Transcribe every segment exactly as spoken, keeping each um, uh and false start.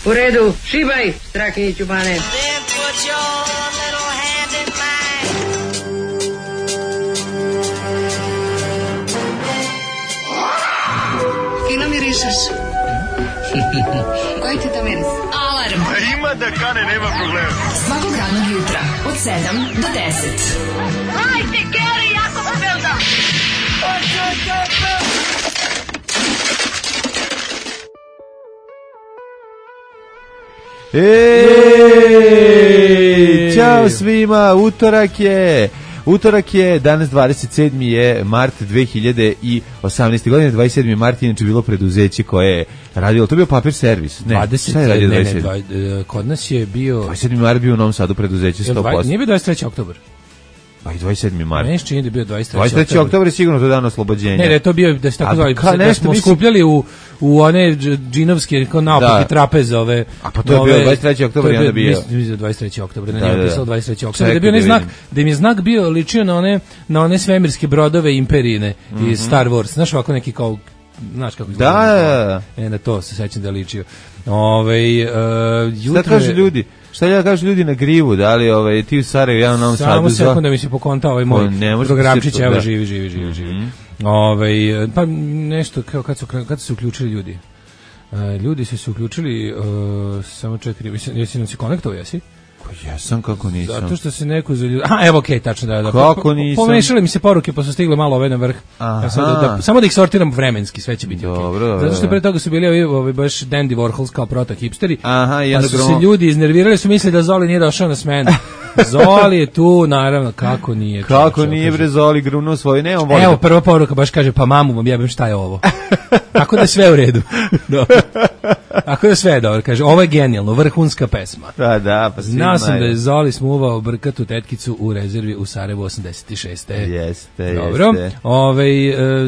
U redu, šibaj, Strahinjiću bane. Kino mirišeš? Koji ti to miris? Alarm. Ima da kane, nema problema. Svakog radnog jutra, od sedam do deset. Hajde, Geri, jako se velda! Ej, ćao svima, utorak je, utorak je, danas dvadeset sedmi je mart dve hiljade osamnaeste. godine, dvadeset sedmi mart inače bilo preduzeće koje je radilo, to je bio papir servis, ne, dvadeset, šta je radio ne, dvadeset sedmi? ne, dva, kod nas je bio... dvadeset sedmi mart bio u Novom Sadu preduzeće sto posto. Nije bio dvadeset treći oktobar. Pa i dvadeset sedmi mart. Nešto čini da je bio dvadeset treći dvadeset treći oktobar je sigurno to dan oslobođenja. Ne, da je to bio, da se tako zvali, ka, da smo mislim... skupljali u, u one džinovske, kao naopake trapeze ove... A pa to je bio dvadeset treći oktobar i onda bio... Mislim da dvadeset treći oktobar, ne, da, nije da, pisalo dvadeset treći oktobar, da je bio ne znak, da im je znak bio ličio na one, na one svemirske brodove imperine mm-hmm. iz Star Wars, znaš ovako neki kao... Znaš kako izgleda? Da, da, da. E, na to se sećam da je ličio. Ove, uh, šta kažu ljudi? Šta ja kažu ljudi na grivu? Da li ovaj, ti u Sarajevu, ja u Novom Sadu? Samo sekund da mi se pokontao ovaj moj programčić, evo, da. živi, živi, živi, živi. Mm-hmm. Ove, pa nešto, kao kad su, kad su se uključili ljudi? Uh, ljudi su se uključili, uh, samo čekaj, jesi nam se konektovao, jesi? Jesam, kako nisam. Zato što se neko za ljudi... A, evo, okej, okay, tačno da. da. Kako nisam? Pomešali mi se poruke, pa su stigle malo ove na vrh. Ja sam da, da, samo da ih sortiram vremenski, sve će biti okej. Okay. Dobro, Zato što pre toga su bili ovi, ovi baš Dandy Warhols kao proto-hipsteri. Aha, pa su se ljudi iznervirali, su mislili da Zoli nije došao na smenu. Zoli je tu, naravno, kako nije. Kako čoče, nije, bre, Zoli grunuo svoj, ne, on voli. Evo, prva poruka baš kaže, pa mamu vam jebem, šta je ovo? Tako da sve u redu. Tako da sve je dobro, kaže, ovo je genijalno, vrhunska pesma. Da, da, pa znao sam da je Zoli smuvao brkatu tetkicu u rezervi u Sarajevu osamdeset šeste. Jeste, dobro. jeste. Ove,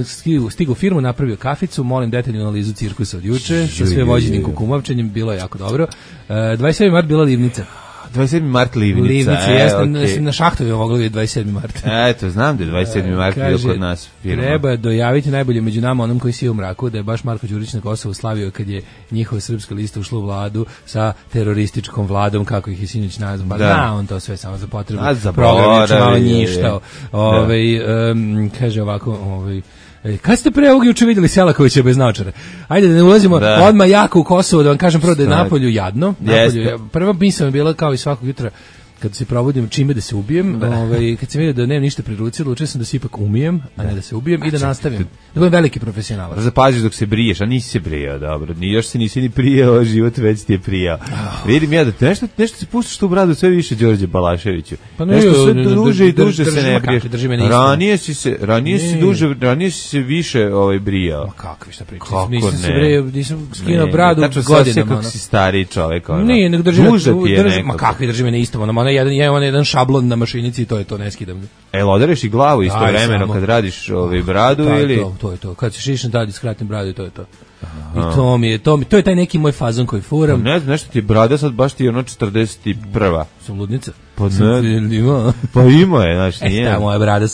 stigu, stigu u firmu, napravio kaficu, molim detaljnu analizu cirkusa od juče, sa sve vođenim kukumovčenjem, bilo je jako dobro. dvadeset sedmi mart bila livnica. dvadeset sedmi mart livnica. Livnica, e, jeste, okay. na Šahtovi moglo je dvadeset sedmi mart. Eto, znam da je dvadeset sedmi mart bio kod nas firma. Treba dojaviti najbolje među nama onom koji si u mraku, da je baš Marko Đurić na Kosovu slavio kad je njihova srpska lista ušla u vladu sa terorističkom vladom, kako ih je sinoć nazvao. Pa da, on to sve samo za potrebu. Program je malo njištao. Ove, um, kaže ovako, ovaj kad ste pre ovog juče vidjeli Selakovića bez naočara? Ajde da ne ulazimo da. odmah jako u Kosovo, da vam kažem prvo da je napolju jadno. Napolju, prva misla je bila kao i svakog jutra kad se probudim čime da se ubijem, da. Ovaj, kad sam vidio da nemam ništa pri ruci, odlučio sam da se ipak umijem, a ne da se ubijem i da nastavim. Da budem veliki profesionalac. Zapaziš dok se briješ, a nisi se brijao, dobro. Ni još se nisi ni prijao, život već ti je prijao. Oh. Vidim ja da te nešto, nešto se puštaš tu bradu sve više Đorđe Balaševiću. Pa nešto sve duže i duže se ne briješ. Ranije si se, ranije si duže, ranije si se više ovaj brijao. Ma kakvi šta pričaš? Nisam se brijao, nisam skinuo bradu godinama. Kako si stariji čovjek. Nije, nego drži me, ma kakvi drži me na istom, ono jedan, jedan, jedan šablon na mašinici i to je to, ne skidam. E, odereš i glavu istovremeno kad radiš ovaj bradu da, ili... To, to je to, kad se šišnem tad skratim bradu i to je to. Aha. I to mi je, to mi, to je taj neki moj fazon koji furam. Pa ne znam, nešto ti je brada sad baš ti je ono četrdeset prva. Sam ludnica. Pa ne, ima. Pa ima je, znači nije. E, ta moja brada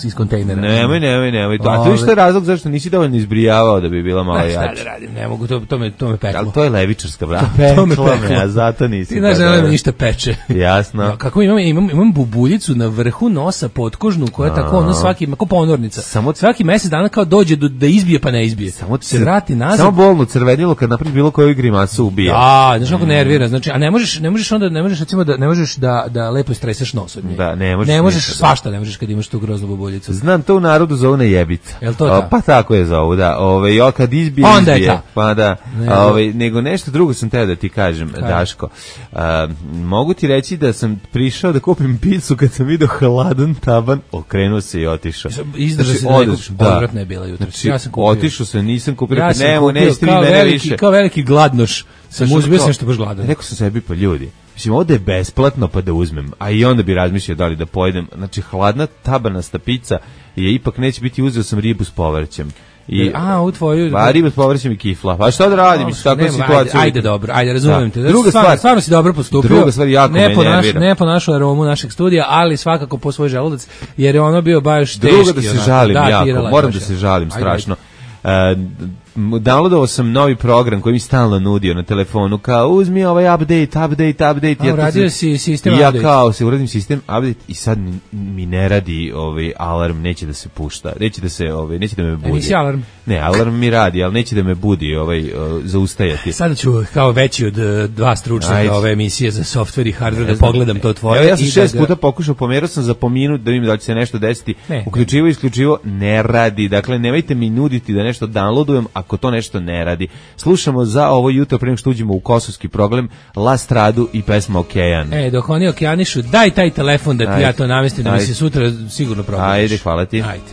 iz kontejnera. Nemoj, nemoj, nemoj. A to je što razlog zašto nisi dovoljno izbrijavao da bi bila malo jača. Šta da radim, ne mogu, to, to, me, to me peklo. Ali to je levičarska brada. To me peklo, a zato nisi. Ti znaš da nema ništa peče. Jasno. Ja, kako imam, imam, imam bubuljicu na vrhu nosa potkožnu koja je tako ono svaki, kao ponornica. Samo svaki mjesec dana kao dođe do, da izbije pa ne izbije. Samo se vrati nazad. Samo bolno crvenilo kad napraviš bilo koju grimasu ubija. Da, znaš kako nervira, znači, a ne možeš, ne možeš onda, ne možeš recimo da ne možeš da da lepo stresaš nos od nje. Da, ne možeš. Ne možeš svašta, ne možeš kad imaš tu groznu bubuljicu. Znam, to u narodu zovu nejebica. Jel to ta? Pa tako je zovu, da. Ove, jo, kad izbije, onda izbije. Je ta. Pa da. Ne, ove, nego nešto drugo sam teo da ti kažem, Kaj? Daško. A, mogu ti reći da sam prišao da kupim picu kad sam vidio hladan taban, okrenuo se i otišao. Izdržao se da nekog odvratna je bila jutro. Znači, ja sam kupio. Otišao sam, nisam kupio. Ja sam Nemo, kupio kao, veliki, kao veliki gladnoš. Sam uzbio sam što baš gladan. Rekao sam sebi, pa ljudi, mislim, ovdje je besplatno pa da uzmem, a i onda bi razmišljao da li da pojedem. Znači, hladna tabanasta pica je ipak neće biti, uzeo sam ribu s povrćem. I, a, u tvoju... Pa ribu s povrćem i kifla. Pa šta da radim, mislim, takva situacija. Ajde, dobro, ajde, razumijem te. Druga stvar, stvarno si dobro postupio. Druga stvar, jako ne me po nervira. Naš, ne po našu aromu našeg studija, ali svakako po svoj želudac, jer je ono bio baš teški. Druga da se žalim da, jako, moram da se žalim ajde, strašno. Ajde. Uh, downloadovao sam novi program koji mi stalno nudio na telefonu, kao uzmi ovaj update, update, update. A, ja uradio si sistem ja update. Ja kao se uradim sistem update i sad mi, mi ne radi ovaj alarm, neće da se pušta, neće da se, ovaj, neće da me budi. Nisi alarm? Ne, alarm mi radi, ali neće da me budi, ovaj, uh, zaustajati. Sada ću kao veći od uh, dva stručnjaka ove emisije za softver i hardver da pogledam to tvoje. Evo, ja sam šest da ga... puta pokušao, pomerao sam za po minut da vidim da će se nešto desiti. Ne, uključivo i isključivo ne radi. Dakle, nemojte mi nuditi da nešto downloadujem ako to nešto ne radi. Slušamo za ovo jutro prema što uđemo u kosovski problem La Stradu i pesma Okean. E, dok oni okejanišu, daj taj telefon da ti ja to namestim, da mi se sutra sigurno probudiš. Ajde, hvala ti. Ajde.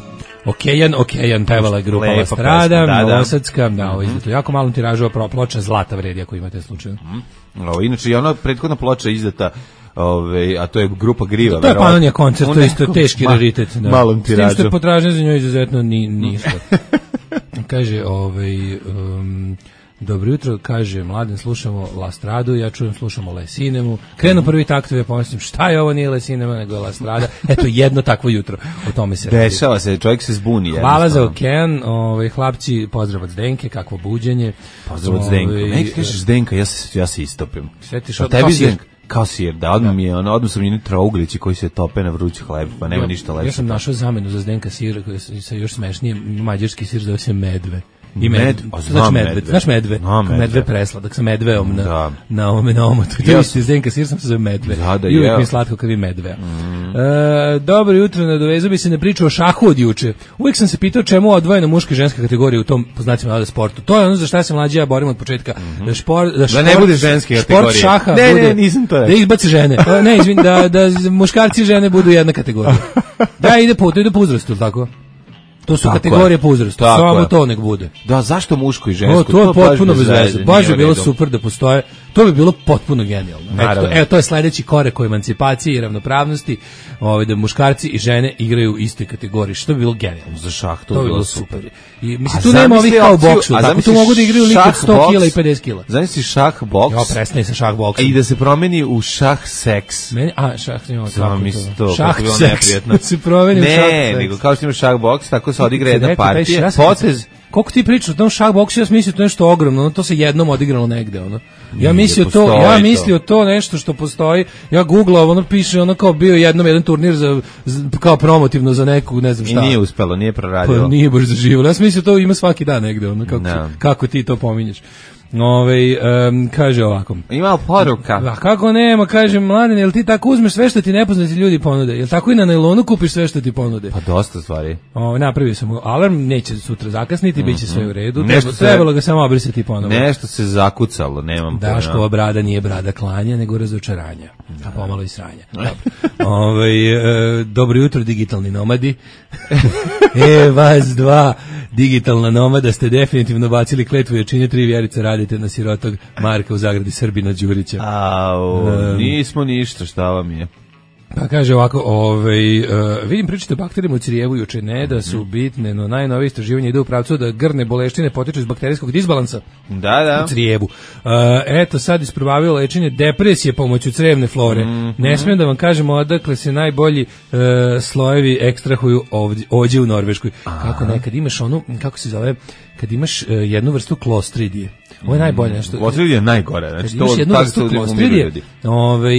Okejan, Okejan, pevala grupa La Strada, Novosadska, da, ovo izdata jako malom tiražu, a ploča zlata vredi ako imate slučaj. Mm. Ovo, inače, je ona prethodna ploča izdata, ove, a to je grupa Griva. To je Panonija koncert, to je isto teški ma, raritet. Da. Malom tiražu. S tim što potražnje za njoj izuzetno ni, ništa. Kaže, ovaj... Um, dobro jutro, kaže Mladen, slušamo La Stradu, ja čujem, slušamo La Sinemu. Krenu prvi taktovi, ja pomislim, šta je ovo, nije La Sinema, nego je La Strada. Eto, jedno takvo jutro, o tome se radi. Dešava se, čovjek se zbuni. Hvala za Okean, ovaj, hlapci, pozdrav od Zdenke, kakvo buđenje. Pozdrav od Zdenka. Ne, kažeš Zdenka, ja se, ja se istopim. Svetiš od tebi Zdenka. Kao sir, da, odmah mi je, ono, odmah sam njeni trouglići koji se tope na vruć hleb, pa nema ja, ništa lepše. Ja sam našao zamenu za Zdenka sir, koji sa još smešnije, mađarski sir zove se medve. I med, med, o, znači medve, medve, znaš medve, no, medve. medve presladak sa medveom na, da. na ovome na omotu. To je isti Zdenka sir, sam se zove medve. Da, da, I uvijek je. mi je slatko kad vi medve. Mm. E, dobro jutro, nadovezao bi se na priču o šahu od juče. Uvijek sam se pitao čemu odvojena muška i ženska kategorija u tom, po znacima navoda, sportu. To je ono za šta se mlađi ja borim od početka. Mm-hmm. Da, šport, da, šport, da ne bude ženske kategorije. Sport šaha ne, bude, ne, nisam to rekao. Da izbaci žene. O, ne, izvin, da, da muškarci i žene budu jedna kategorija. Da, ide po, to ide po uzrastu, tako? To su tako kategorije po uzrastu, samo to nek bude. Da, zašto muško i žensko? O, to, to je potpuno bez veze. Baš bi bilo super da postoje. To bi bilo potpuno genijalno. Eto, evo, to je sledeći korak o emancipaciji i ravnopravnosti, ovaj, da muškarci i žene igraju u istoj kategoriji, što bi bilo genijalno. Za šah to, to bi bilo super. super. I mislim, tu nema ovih kao u boksu, tako tu mogu da igraju lik od sto kila i pedeset kila. Zamisli šah boks. Jo, prestani sa šah boksom. I da se promeni u šah seks. Meni, a, šah nema tako to. Šah seks. Da se promeni u šah seks. Ne, nego kao što ima šah boks, tako se odigra jedna partija. Potez. Koliko ti pričaš o tom šah boksu, ja sam mislio to nešto ogromno, ono to se jednom odigralo negde, ono. Ja mislio to, ja mislio to nešto što postoji. Ja googlao, ono piše, ono kao bio jednom jedan turnir za, za kao promotivno za neku, ne znam šta. I nije uspelo, nije proradilo. Pa nije baš zaživjelo. Ja sam mislio to ima svaki dan negde, ono kako no. kako ti to pominješ. Ove, um, kaže ovako. Ima poruka. A kako nema, kaže Mladen, jel ti tako uzmeš sve što ti nepoznati ljudi ponude? Jel tako i na nailonu kupiš sve što ti ponude? Pa dosta stvari. O, napravio sam alarm, neće sutra zakasniti, mm-hmm. bit će sve u redu. Nešto se, trebalo ga samo obrisati ponovo. Nešto se zakucalo, nemam pojma. Daškova brada nije brada klanja, nego razočaranja. Da. A pomalo i sranja. Ove, e, dobro jutro, digitalni nomadi. e, vas dva digitalna nomada ste definitivno bacili kletvu jačine tri vjerice, radite na sirotog Marka u zagradi Srbina Đurića. Au, um, nismo ništa, šta vam je? Pa kaže ovako, ovaj, uh, vidim pričate o bakterijama u crijevu juče, ne da su bitne, no najnovije istraživanje ide u pravcu da grne boleštine potiču iz bakterijskog disbalansa da, da. u crijevu. Uh, eto, sad isprobavio lečenje depresije pomoću crevne flore. Mm-hmm. Ne smijem da vam kažemo odakle se najbolji uh, slojevi ekstrahuju ovdje, ovdje u Norveškoj. Aha. Kako nekad imaš onu, kako se zove, kad imaš uh, jednu vrstu klostridije. Ovo je najbolje nešto. Klostridija je najgore. Znači, imaš jednu vrstu klostridije, ovaj,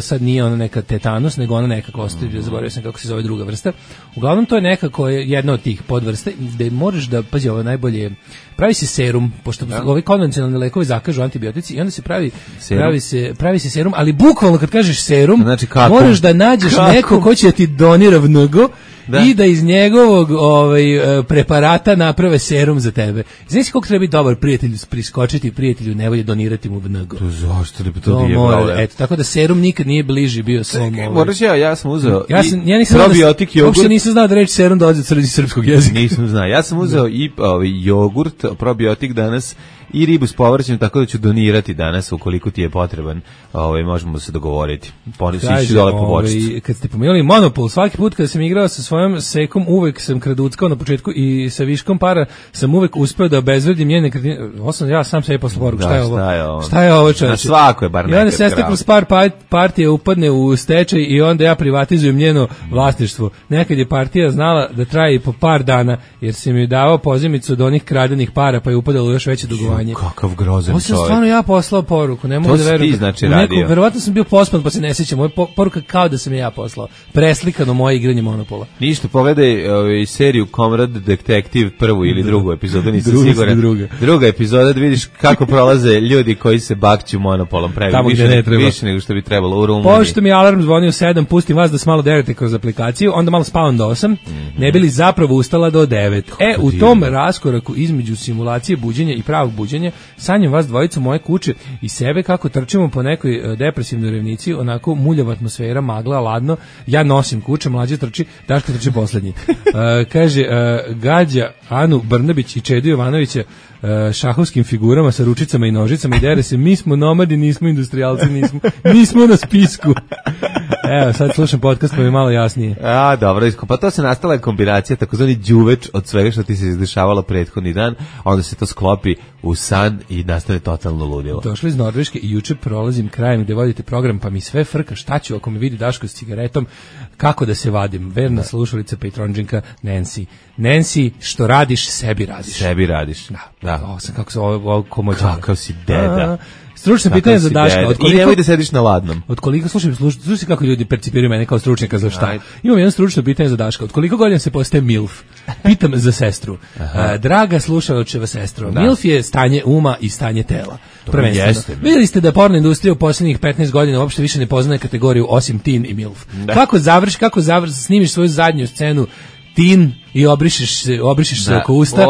sad nije ona neka tetanus, nego ona neka klostridija, mm. zaboravio sam kako se zove druga vrsta. Uglavnom, to je nekako jedna od tih podvrste, gde možeš da, pazi, ovo je najbolje, pravi se serum, pošto ja. ovi konvencionalni lekovi zakažu antibiotici i onda se pravi serum. pravi se pravi se serum, ali bukvalno kad kažeš serum, znači, moraš da nađeš kako? neko ko će ti donira vnogo da. i da iz njegovog ovaj, preparata naprave serum za tebe. Znaš koliko treba biti dobar prijatelj, priskočiti prijatelju nevolje, donirati mu vnogo. To zašto bi to, to nije mora, eto, tako da serum nikad nije bliži bio svom. Ovaj. Moraš ja, ja sam uzeo ja sam, ja nisam probiotik jogurt. Uopšte nisam znao da reći serum dolazi od srpskog jezika. Nisam znao. Ja sam uzeo i ovaj, jogurt, probiotik danas i ribu s povrćem, tako da ću donirati danas ukoliko ti je potreban. Ovaj možemo se dogovoriti. Ponesi dole po bočicu. Kad ste pomenuli Monopol, svaki put kada sam igrao sa svojom sekom, uvek sam kraduckao na početku i sa viškom para sam uvek uspeo da obezvredim njene nekretnine. Osam ja sam sebi posle poruku, šta je ovo? Šta je ovo? Šta je ovo, čoveče? Na svako je bar nekad. I onda sestra kroz par partije upadne u stečaj i onda ja privatizujem njeno vlasništvo. Nekad je partija znala da traje po par dana, jer se mi davao pozemicu od onih kradenih para, pa je upadalo još veće dugovanje. Kakav grozan čovjek. Ovo sam stvarno ja poslao poruku, ne mogu da verujem. To si ti znači radio. Verovatno sam bio pospan, pa se ne sjećam. Moja poruka kao da sam je ja poslao. Preslikano moje igranje Monopola. Ništa, pogledaj ovaj, seriju Comrade Detective, prvu ili drugu epizodu, nisam siguran. Druga. druga epizoda, da vidiš kako prolaze ljudi koji se bakću Monopolom. Pravi Tamo više, ne treba. Više nego što bi trebalo u Rumuniji. Pošto mi alarm zvonio sedam, pustim vas da se malo derete kroz aplikaciju, onda malo spavam do osam, mm-hmm. ne bi li zapravo ustala do devet. Kako e, u divno. Tom raskoraku između simulacije buđenja i pravog buđenja, sanjam vas dvojicu moje kuće i sebe kako trčimo po nekoj depresivnoj revnici, onako muljava atmosfera, magla, ladno, ja nosim kuće, mlađe trči, Daško trči poslednji. uh, kaže, uh, gađa Anu Brnabić i Čedu Jovanovića šahovskim figurama sa ručicama i nožicama i dere se, mi smo nomadi, nismo industrijalci, nismo, nismo na spisku. Evo, sad slušam podcast pa mi je malo jasnije. A, dobro, pa to se nastala kombinacija, takozvani đuveč od svega što ti se izdešavalo prethodni dan, onda se to sklopi u san i nastane totalno ludilo. Došli iz Norveške i juče prolazim krajem gde vodite program, pa mi sve frka, šta ću ako me vidi Daško s cigaretom, kako da se vadim. Verna da. Slušalica Patronđinka Nancy. Nancy, što radiš, sebi radiš. Sebi radiš. Da, da. Ovo sam, kako se ovo, ovo komođava. Kakav si deda. Stručno pitanje za Daška. Od koliko, I nemoj da sediš na ladnom. Od koliko, slušaj, slušaj, slušaj kako ljudi percipiraju mene kao stručnjaka za šta. Ajde. Imam jedno stručno pitanje za Daška. Od koliko godina se postaje milf? Pitam za sestru. Uh, draga slušalačeva sestro, da. Milf je stanje uma i stanje tela. Prvenstveno. Vidjeli ste da porno industrija u posljednjih petnaest godina uopšte više ne poznaje kategoriju osim teen i milf. Da. Kako završi, kako završi, snimiš svoju zadnju scenu teen i obrišeš se, obrišeš se oko usta,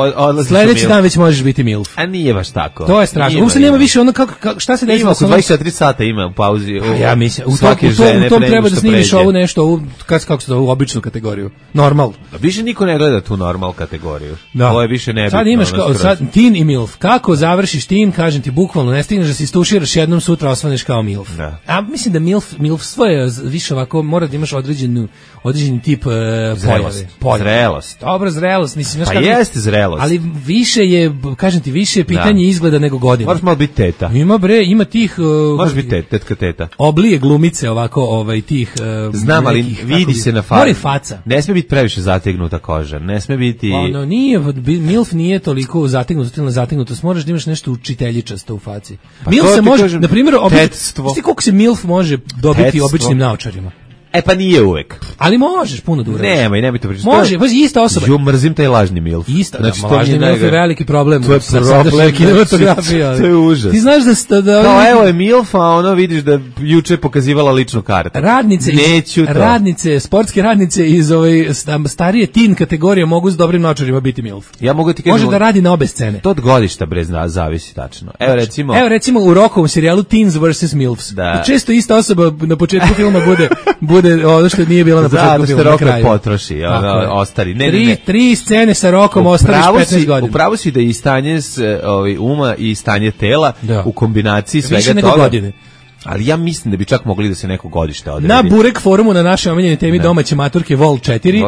sledeći dan već možeš biti milf. A nije baš tako. To je strašno. Uopšte nema više ono kako, kako šta se desilo. Ima oko dvadeset četiri sata ima u pauzi. U, ja mislim, u tom, u tom, u tom treba da snimiš pređe. Ovu nešto, ovu, kako se to, ovu običnu kategoriju. Normal. A više niko ne gleda tu normal kategoriju. Da. Ovo je više nebitno. Sad imaš kao, sad, teen i milf. Kako završiš teen, kažem ti, bukvalno, ne stigneš da se istuširaš jednom, sutra osvaneš kao milf. Da. A mislim da milf, milf svoje više ovako, mora da imaš određenu, određeni tip uh, zrelost. Zrelost. Dobro, zrelost. Mislim, pa jeste zrelost. Ali više je, kažem ti, više je pitanje da. Izgleda nego godina. Moraš malo biti teta. Ima bre, ima tih... Uh, Moraš biti teta, tetka teta. Oblije glumice ovako, ovaj, tih... Uh, Znam, ali nekih, vidi se na faci. Mora faca. Ne sme biti previše zategnuta koža. Ne sme biti... Ono, nije, milf nije toliko zategnuto, ili zategnuto. Moraš da imaš nešto učiteljičasto u faci. Pa milf se može, kažem, na primjer, tetstvo. Znaš ti koliko se milf može dobiti tetstvo. Običnim naočarima? E pa nije uvek. Ali možeš puno da uradiš. Nemoj, nemoj to pričati. Može, baš ista osoba. Jo, mrzim taj lažni milf. Ista, znači, da, lažni milf je veliki problem. To je problem kinematografije. To je užas. Ti znaš da... Sta, da no, evo je milf, a ono vidiš da juče pokazivala ličnu kartu. Radnice, Neću to. Radnice, sportske radnice iz ove starije teen kategorije mogu s dobrim naočarima biti milf. Ja mogu ti kažem... Može da radi na obe scene. To od godišta, bre, zna, zavisi tačno. Evo recimo... Evo recimo u Rockovom serijalu Teens versus milfs. Da. Često ista osoba na početku filma bude, bude ono što nije bila na početku filma, na kraju. Potroši, ono, ostari. Ne, tri, ne, ne. tri scene sa Rokom ostariš petnaest godina. Upravo si da i stanje s, ovaj, uma i stanje tela da. U kombinaciji svega više toga. Više nego godine. Ali ja mislim da bi čak mogli da se neko godište odredi. Na Burek forumu na našoj omiljene temi da. Domaće maturke Vol četiri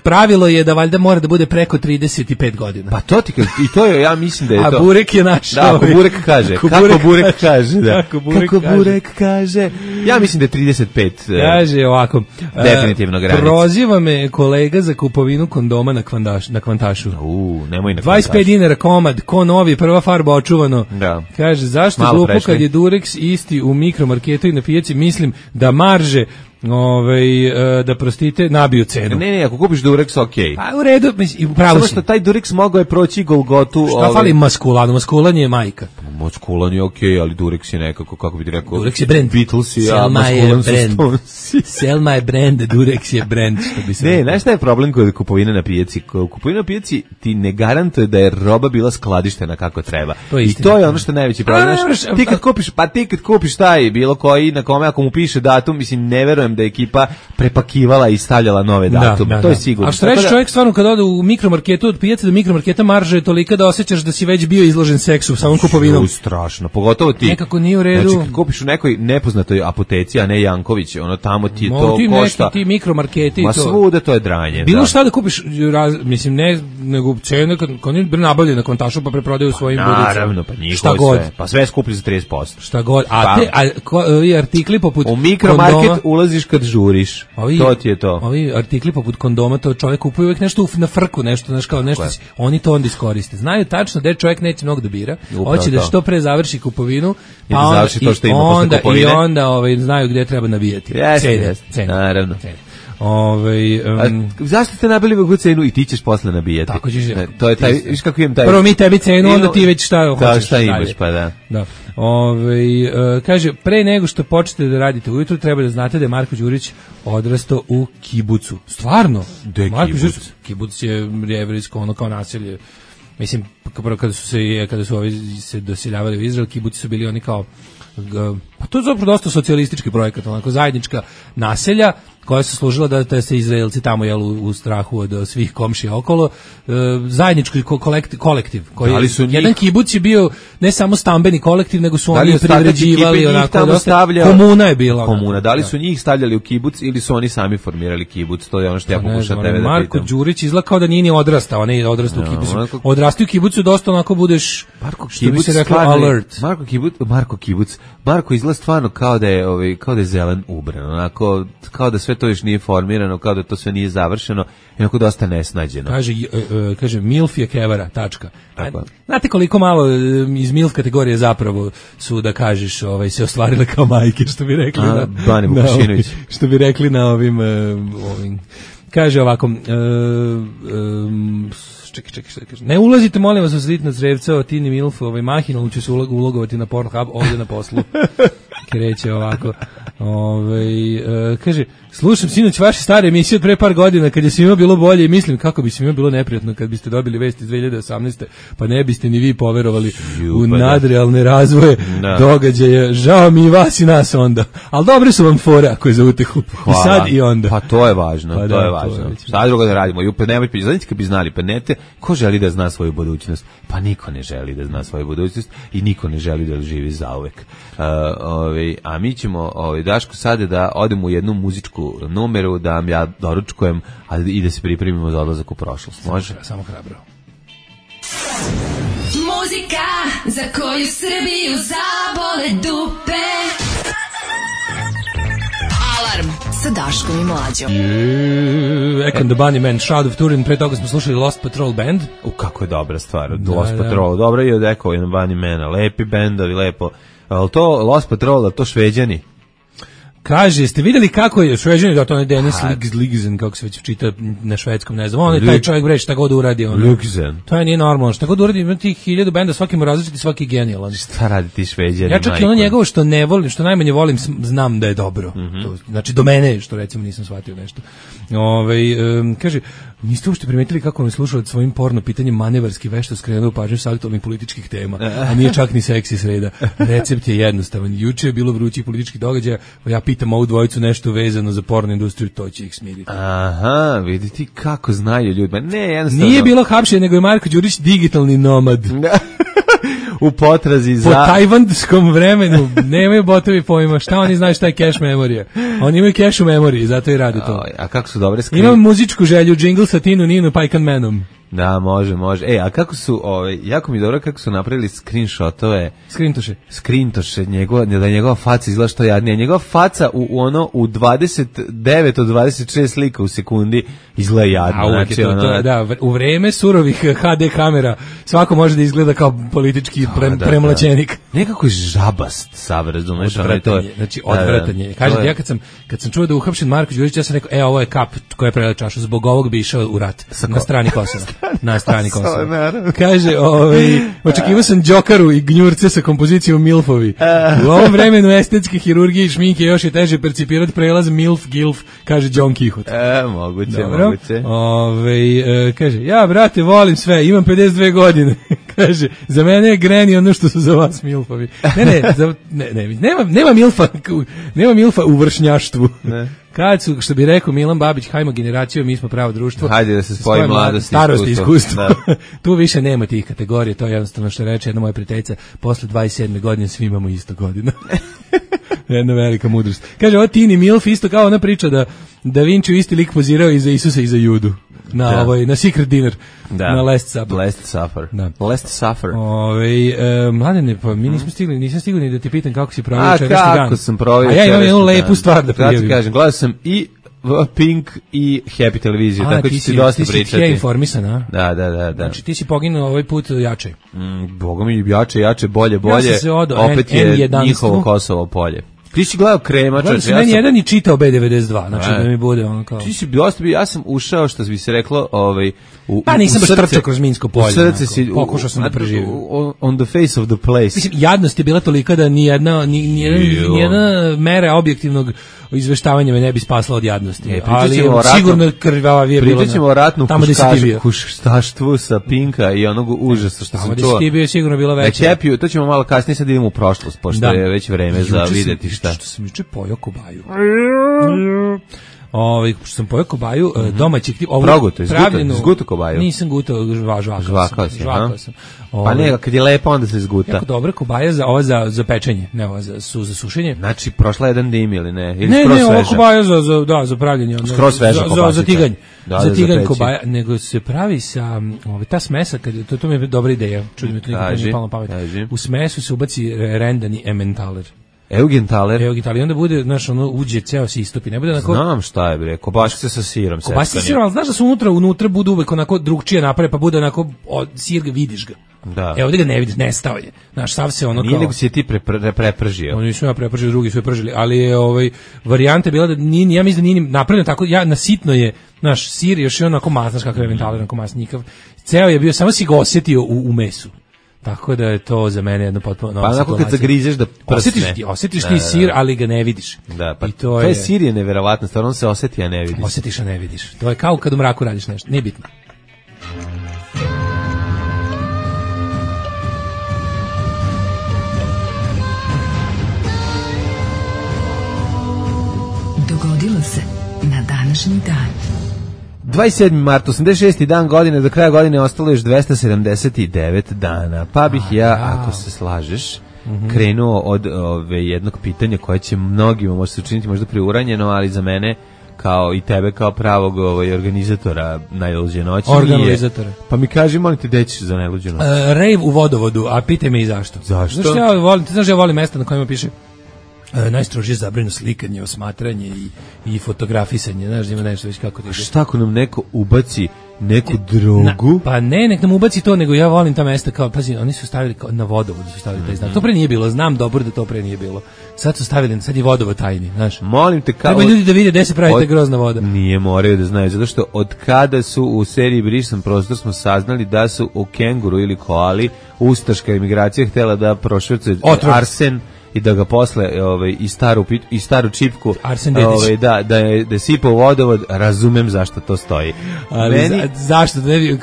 pravilo je da valjda mora da bude preko trideset pet godina. Pa to ti, i to je, ja mislim da je a to. A Burek je naš. Da, ako Burek kaže. Kako Burek, Burek kaže, da. Kako Burek, kako Burek kaže. Ja mislim da je trideset pet. Kaže ovako. Definitivno granica. Proziva me kolega za kupovinu kondoma na, kvandaš, na Kvantašu. U, nemoj na Kvantašu. dvadeset pet dinara komad, ko novi, prva farba očuvano. Da. Kaže, zašto malo glupo kad je Durex isti u mikromarketu i na pijaci, mislim da marže ovaj da prostite nabiju cenu. Ne, ne, ako kupiš Durex, okej. Pa u redu, mislim, pravo si. Samo što taj Durex mogao je proći Golgotu. Šta ovaj... fali maskulanu? Maskulan je majka. Maskulan je okej, ali Durex je nekako, kako bi ti rekao... Durex je brand. Beatles je, a maskulan su Stonesi. Sell my brand, Durex je brand, što bi se... Ne, znaš šta je problem kod kupovine na pijaci? Kupovina na pijaci ti ne garantuje da je roba bila skladištena kako treba. To I to je ono što je najveći problem. Znaš, ti kad kupiš, pa ti kad kupiš taj bilo koji, na kome ako mu piše datum, mislim, ne verujem verujem da je ekipa prepakivala i stavljala nove datume. Da, da, to je sigurno. A što reći, čovjek stvarno kad ode u mikromarketu, od pijace do mikromarketa, marža je tolika da osjećaš da si već bio izložen seksu samom kupovinom. Strašno, pogotovo ti. Nekako nije u redu. Znači, kad kupiš u nekoj nepoznatoj apoteci, a ne Janković, ono tamo ti je Mo, to ti košta. Neki, ti mikromarketi Ma to. svuda to je dranje. Bilo da. šta da kupiš, raz, mislim, ne, nego cene, kad, kad oni nabavljaju na kontašu pa preprodaju svojim pa, budicama. Naravno, pa njihovo šta god. Sve. Pa sve skuplji za trideset posto. Šta god. A pa. te a, ko, i artikli poput u mikromarket kondoma, ulaziš kad žuriš. Ovi, to ti je to. Ovi artikli poput kondoma, to čovjek kupuje uvijek nešto na frku, nešto, znaš kao nešto, oni to onda iskoriste. Znaju tačno da čovjek neće mnogo da bira. Hoće da što pre završi kupovinu, pa da onda, to što ima onda, i onda ovaj, znaju gdje treba nabijati. Yes, yes, yes. Naravno. Cene. Ove, um, A, zašto ste nabili veću cenu i ti ćeš posle nabijati? Tako ćeš. Ne, to je taj, viš kako imam taj. Prvo mi tebi cenu, onda ti već šta hoćeš. Da, šta imaš, pa da. Da. Ove, uh, kaže, pre nego što počnete da radite ujutru, treba da znate da je Marko Đurić odrastao u kibucu. Stvarno? De Marko kibuc? Đurić, kibuc je jevrijsko, ono kao naselje. Mislim, kada su se kada su ovi se doseljavali u Izrael, kibuci su bili oni kao pa to je zapravo dosta socijalistički projekat, onako zajednička naselja koja su služila da, da se Izraelci tamo jel, u, u strahu od svih komšija okolo, e, zajednički kolektiv, kolektiv koji da su njih, jedan kibuc je bio ne samo stambeni kolektiv, nego su da oni privređivali, onako dosta, stavlja, komuna je bila. Komuna, onako, da li da. su njih stavljali u kibuc ili su oni sami formirali kibuc, to je ono što ja pokušam tebe da Marko pitam. Đurić izgleda kao da nije ni odrastao, on je odrastao u kibucu. Marko... Odrastao u kibucu dosta onako budeš, Marko što bi se reklo, stvarno, alert. Marko kibuc, Marko kibuc, Marko izgleda stvarno kao da je, ovaj, kao da je zelen ubran, onako, kao da sve to još nije formirano, kao da to sve nije završeno, onako dosta nesnađeno. Kaže, uh, kaže Milf je kevara, tačka. A, znate koliko malo iz Milf kategorije zapravo su, da kažeš, ovaj, se ostvarile kao majke, što bi rekli. A, na, Bani Vukašinović. Što bi rekli na ovim... Uh, ovim kaže ovako... Uh, um, čekaj, čekaj, šta kaže. Ne ulazite, molim vas, u sreditna crevca o Tini Milf, ovaj mahinalno će se ulogovati na Pornhub ovdje na poslu. Kreće ovako. Ove, uh, kaže, slušam sinoć vaše stare emisije od pre par godina kad je svima bilo bolje i mislim kako bi svima bilo neprijatno kad biste dobili vesti iz dve hiljade osamnaeste pa ne biste ni vi poverovali Ju, u nadrealne razvoje da. događaja. Žao mi i vas i nas onda. Ali dobre su vam fore ako je za utehu. I sad i onda. Pa to je važno, pa to da, je važno. To je sad drugo da radimo. I upet nemojte, znači kad bi znali, pa nete, ko želi da zna svoju budućnost? Pa niko ne želi da zna svoju budućnost i niko ne želi da živi zauvek. Uh, ovaj, a mi ćemo, ovaj, Daško, sada da odemo u jednu muzičku numeru, da vam ja doručkujem, a i da se pripremimo za odlazak u prošlost. Može? Samo, samo hrabro. Muzika za koju Srbiju zabole dupe. Alarm sa Daškom i Mlađom. Yeah, Ekan the Bunnymen, Shroud of Turin, pre toga smo slušali Lost Patrol Band. U, kako je dobra stvar, da, Lost da. Patrol, dobra je od Ekan the Bunnymena, lepi bendovi, lepo. Ali to Lost Patrol, to Šveđani? Kaže, jeste vidjeli kako je Šveđani, da to je Dennis Ligzen, kako se već čita na švedskom, ne znam, on je taj čovjek bre šta god uradi. Ligzen. To je nije normalno, šta god uradi, ima tih hiljadu benda, svaki mu različiti, svaki genijalan. Šta radi ti Šveđani? Ja čak i ono njegovo što ne volim, što najmanje volim, znam da je dobro. Mm -hmm. to, znači, do mene, što recimo nisam shvatio nešto. Ove, um, kaže, niste uopšte primetili kako on je slušao svojim porno pitanjem manevarski vešto skrenuo pažnju sa aktualnih političkih tema, a nije čak ni seksi sreda. Recept je jednostavan. Juče je bilo vrućih političkih događaja, ja pitam ovu dvojicu nešto vezano za porno industriju, to će ih smiriti. Aha, vidite kako znaju ljudi. Ne, jednostavno. Nije bilo hapšenje, nego je Marko Đurić digitalni nomad. U potrazi za... Po tajvanskom vremenu nemaju botovi pojma, šta oni znaju šta je cache memorija. Oni imaju cache u memoriji, zato i rade to. A kako su dobre skrin... Imam muzičku želju, džingl sa Tinu Ninu Pajkan Manom. Da, može, može. E, a kako su, ovaj, jako mi dobro kako su napravili screenshotove. Screentoše. Screentoše, njegova, da je njegova faca izgleda što jadnije. Njegova faca u, u ono, u dvadeset devet od dvadeset šest slika u sekundi izgleda jadno. A, znači, to, ono, to, da, u vreme surovih ha de kamera svako može da izgleda kao politički pre, da, premlaćenik. Da. Nekako je žabast, sav, razumeš? Odvratan je, znači odvratan je. Kažete, ja kad sam, kad sam čuo da je uhapšen Marko Đurić, ja sam rekao, e, ovo je kap koja je prela čašu, zbog ovog bi išao u rat. Na strani Kosova. Na strani Kosova. Kaže, ovaj, očekivao sam Đokaru i gnjurce sa kompozicijom Milfovi. U ovom vremenu estetske hirurgije i šminke još je teže percipirati prelaz Milf, Gilf, kaže John Kihot. E, moguće, Dobro. moguće. Ove, e, kaže, ja, brate, volim sve, imam pedeset dve godine. Kaže, za mene je Granny ono što su za vas milfovi. Ne, ne, za, ne, ne, nema, nema milfa, nema milfa u vršnjaštvu. Ne. Kad su, što bi rekao Milan Babić, hajmo generaciju, mi smo pravo društvo. Hajde da se spoji mladost, starost i iskustvo. Tu više nema tih kategorija, to je jednostavno što reče jedna moja prijateljica, posle dvadeset sedme godine svi imamo isto godina. Jedna velika mudrost. Kaže, ovo Tini Milf isto kao ona priča da Da Vinci isti lik pozirao i za Isusa i za Judu. Na da. Ovoj na Secret Dinner. Da. Na Last Supper. Last Supper. Da. Last Supper. Ovaj e, mladene, pa mi nismo stigli, nisam stigao ni da ti pitam kako si proveo četvrti dan. A kako sam proveo? A ja imam jednu lepu stvar da prijavim. Ja ti kažem, gledao sam i Pink i Happy televiziju, tako ću ti dosta pričati. Ti si informisan, a? Da, da, da, da. Znači ti si poginuo ovaj put jače. Mm, Boga mi jače, jače, bolje, bolje. Ja sam se odo, opet N, je N njihovo Kosovo polje. Ti si gledao Krema, čovječe. Ja sam jedan i čitao B devedeset dva, znači da mi bude ono kao... Ti si dosta bio, ja sam ušao, što bi se reklo, ovaj, u, pa nisam baš trčao kroz Minsko polje. U srce si... Pokušao sam da preživim. On the face of the place. Mislim, jadnost je bila tolika da ni jedna, ni, ni jedna, ni jedna mera objektivnog izveštavanja me ne bi spasla od jadnosti. E, ali sigurno krvava je bilo. Pričat ćemo o ratnu huškaštvu sa Pinka i onog užasa što sam čuo. Ti bio sigurno bilo veće. Happy, to ćemo malo kasnije, sad idemo u prošlost, pošto je već vreme za videti šta. Što sam juče pojao kobaju. Ovaj što sam pojao kobaju, mm-hmm. domaći tip, ovo Proguto, pravljeno. Zguto kobaju. Nisam gutao, žvakao sam. Žvakao si, žvakao sam. Pa ne, kad je lepo onda se zguta. Jako dobra kobaja za ova za za pečenje, ne ova za su za sušenje. Znači prošla jedan dim ili ne? Ili ne, ne, ova kobaja za za da, za pravljenje, onda skroz sveža za, za, za tiganj. Da, za tiganj kobaja, nego se pravi sa ovaj ta smesa, kad to to mi je dobra ideja. Čudi me to nikad nije palo na pamet. U smesu se ubaci rendani Emmentaler. Eugentaler. Eugentaler, onda bude, znaš, ono, uđe, ceo se istopi, ne bude onako... Znam šta je, bre, kobašice sa sirom. Kobašice sa sirom, ali znaš da su unutra, unutra bude uvek onako drugčije naprave, pa bude onako, o, sir ga vidiš ga. Da. Evo, ovdje ga ne vidiš, nestao je. Znaš, sav se ono kao... Nije nego si je ti pre, pre, prepržio. Oni nisu ja prepržio, drugi su je pržili, ali je, ovaj, varijanta bila da nije, ja mislim da nije napravljeno tako, ja, nasitno je, znaš, sir još je onako masnaš kakav je Eugentaler, onako masnikav. Ceo je bio, samo si ga osjetio u, u mesu. Tako da je to za mene jedno potpuno nova situacija. Pa onako kad zagrizeš da prsne. Osjetiš, ti, osjetiš ti sir, ali ga ne vidiš. Da, pa I to, to je... sir je neverovatno, stvarno on se osjeti, a ne vidiš. Osjetiš, a ne vidiš. To je kao kad u mraku radiš nešto, nije bitno. Dogodilo se na današnji dan. dvadeset sedmi mart, osamdeset šesti dan godine, do kraja godine ostalo još dvesta sedamdeset devet dana. Pa bih ja, ako se slažeš, mm-hmm. krenuo od ove, jednog pitanja koje će mnogima može se učiniti možda preuranjeno, ali za mene, kao i tebe kao pravog ovaj, organizatora najluđe noći. Organizatora. Pa mi kaži, molim te, gde ćeš za najluđu noć? Uh, rave u Vodovodu, a pitaj me i zašto. Zašto? Znaš, ja volim, ti znaš, ja volim mesta na kojima piše E, najstrožije zabranjeno slikanje, osmatranje i, i fotografisanje, znaš, ima nešto već kako ti ide. Šta ako nam neko ubaci neku drogu? Na, pa ne, nek nam ubaci to, nego ja volim ta mesta kao, pazi, oni su stavili kao, na Vodovodu su stavili taj znak. To pre nije bilo, znam dobro da to pre nije bilo. Sad su stavili, sad je Vodovod tajni, znaš. Molim te kao... Treba ljudi da vide gde se pravi ta grozna voda. Nije, moraju da znaju, zato što od kada su u seriji Brisan prostor smo saznali da su u kenguru ili koali ustaška imigracija htjela da prošvercuje arsen i da ga posle ovaj i staru i staru čipku ovaj da da je da sipa u vodovod, razumem zašto to stoji. Ali meni za, zašto da ne bi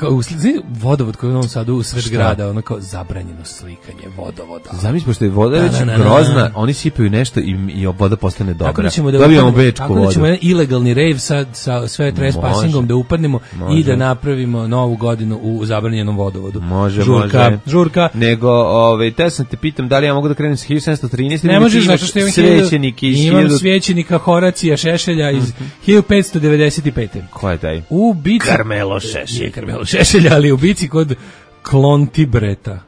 vodovod koji u Novom Sadu u sred grada, ono kao zabranjeno slikanje vodovoda. Zamisli pošto je voda već grozna, oni sipaju nešto i i voda postane dobra. Tako da ćemo da dobijemo bečku vodu. Tako da ćemo jedan ilegalni rave sad sa sve trespassingom da upadnemo i da napravimo novu godinu u zabranjenom vodovodu. Može, žurka, može. Žurka. Nego, ovaj, te sam te pitam da li ja mogu da krenem sa hiljadu sedamsto trinaeste. Ne možeš, zato što imam svećenik iz imam hiljadu... svećenika Horacija Šešelja iz mm-hmm. hiljadu petsto devedeset pete. Ko je taj? U bici... Karmelo Šešelj. Je Karmelo Šešelj, ali u bici kod Klontibreta.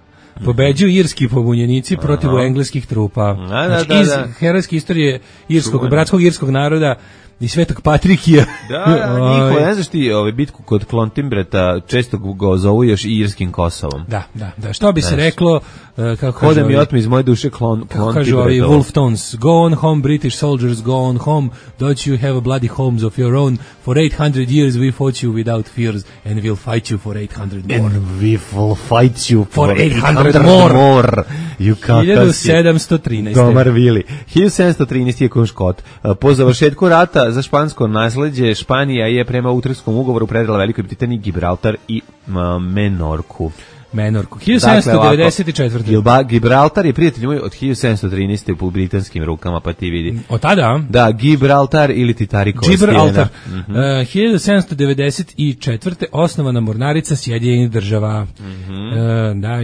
Pobeđuju irski pobunjenici protiv engleskih trupa. Da, da, znači, da, iz da. herojske istorije irskog, bratskog irskog naroda i Svetog Patrikija. Da, da, njihovo, ne znaš ti ovaj bitku kod Klontimbreta, često go zovu još i irskim Kosovom. Da, da, da. Što bi znaš, se reklo, uh, kako kaže... Hode mi otme iz moje duše klon, Klontibreta. Kažu ovi Wolf Tones, go on home, British soldiers, go on home, don't you have a bloody homes of your own, for eight hundred years we fought you without fears, and we'll fight you for eight hundred more. And we will fight you for, for eight hundred more. more. hiljadu sedamsto trinaeste. Domar Vili. hiljadu sedamsto trinaeste je Konškot. Po završetku rata za špansko nasleđe, Španija je prema Utrehtskom ugovoru predala Velikoj Britaniji Gibraltar i uh, Menorku. Menorku. hiljadu sedamsto devedeset četvrte. Dakle, Gibraltar je, prijatelj moj, od hiljadu sedamsto trinaeste u britanskim rukama, pa ti vidi. Od tada? Da, Gibraltar ili Titarikova Gibraltar. Mm-hmm. Uh, hiljadu sedamsto devedeset četvrte osnovana mornarica Sjedinjenih država. Mm-hmm. uh, da,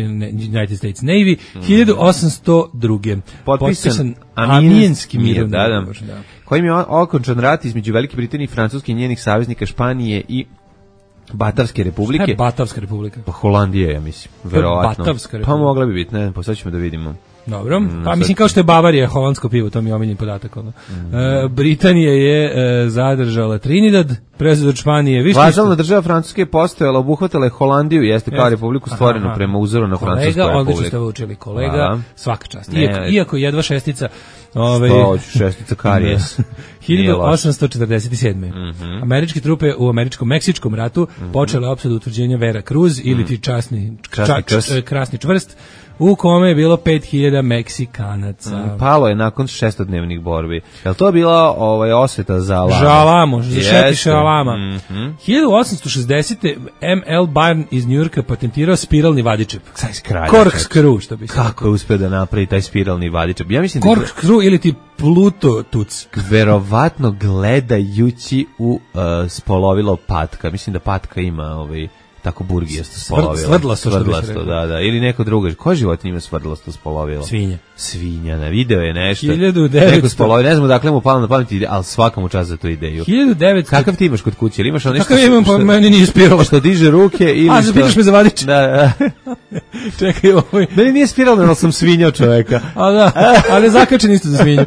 United States Navy. Mm-hmm. hiljadu osamsto druge. Potpisan, Potpisan Amijenski mirovni da, da. ugovor. Da. Kojim je okončan rat između Velike Britanije i Francuske i njenih saveznika Španije i Batarske republike. Šta je Batarska republika? Pa Holandija, ja mislim, verovatno. Batarska republika. Pa mogla bi biti, ne, pa sad ćemo da vidimo. Dobro, mm, pa mislim kao što je Bavarija holandsko pivo, to mi je omiljen podatak. Ono. Mm. E, Britanija je e, zadržala Trinidad, preuzeo od Španije. Više Vazalna država Francuske je postojala, obuhvatala je Holandiju, jeste kao republiku stvorenu aha, prema uzoru na Francusku republiku. Kolega, odlično ste učili, kolega, aha, svaka čast. Iako, iako jedva šestica... Ove, sto, šestica karijes. hiljadu osamsto četrdeset sedme. Mm-hmm. Američke trupe u američko-meksičkom ratu mm-hmm. počele opsadu utvrđenja Vera Cruz ili ti časni, ča, ča, krasni čvrst, u kome je bilo pet hiljada Meksikanaca. Mm, palo je nakon šestodnevnih borbi. Je li to bila ovaj, osveta za Alamo? Žalamo, za šetiše Alama. Mm-hmm. hiljadu osamsto šezdesete. M L Barn iz Njujorka patentirao spiralni vadičep. Corkscrew, što bi se kako je uspio da napravi taj spiralni vadičep? Ja mislim Corkscrew da... ili ti Pluto tuc. Verovatno gledajući u uh, spolovilo patka. Mislim da patka ima ovaj... tako burgijasto spolovilo. Svrdlasto, svrdlasto, da, da. Ili neko drugo. Koja životinja ima svrdlasto spolovilo? Svinja. Svinja, na video je nešto. hiljadu devetsto Neko spolovilo, ne znam dakle mu palo na pamet, ali svaka mu čast za tu ideju. hiljadu devetsto Kakav ti imaš kod kuće? Ili imaš ono nešto? Kakav imam, pa meni nije spiralo. Što diže ruke ili a, što... A, zapitaš me za vadič. Da, da. Čekaj, ovaj. Meni nije spiralo, ali sam svinjao čoveka. A da, ali zakačen isto za svinju.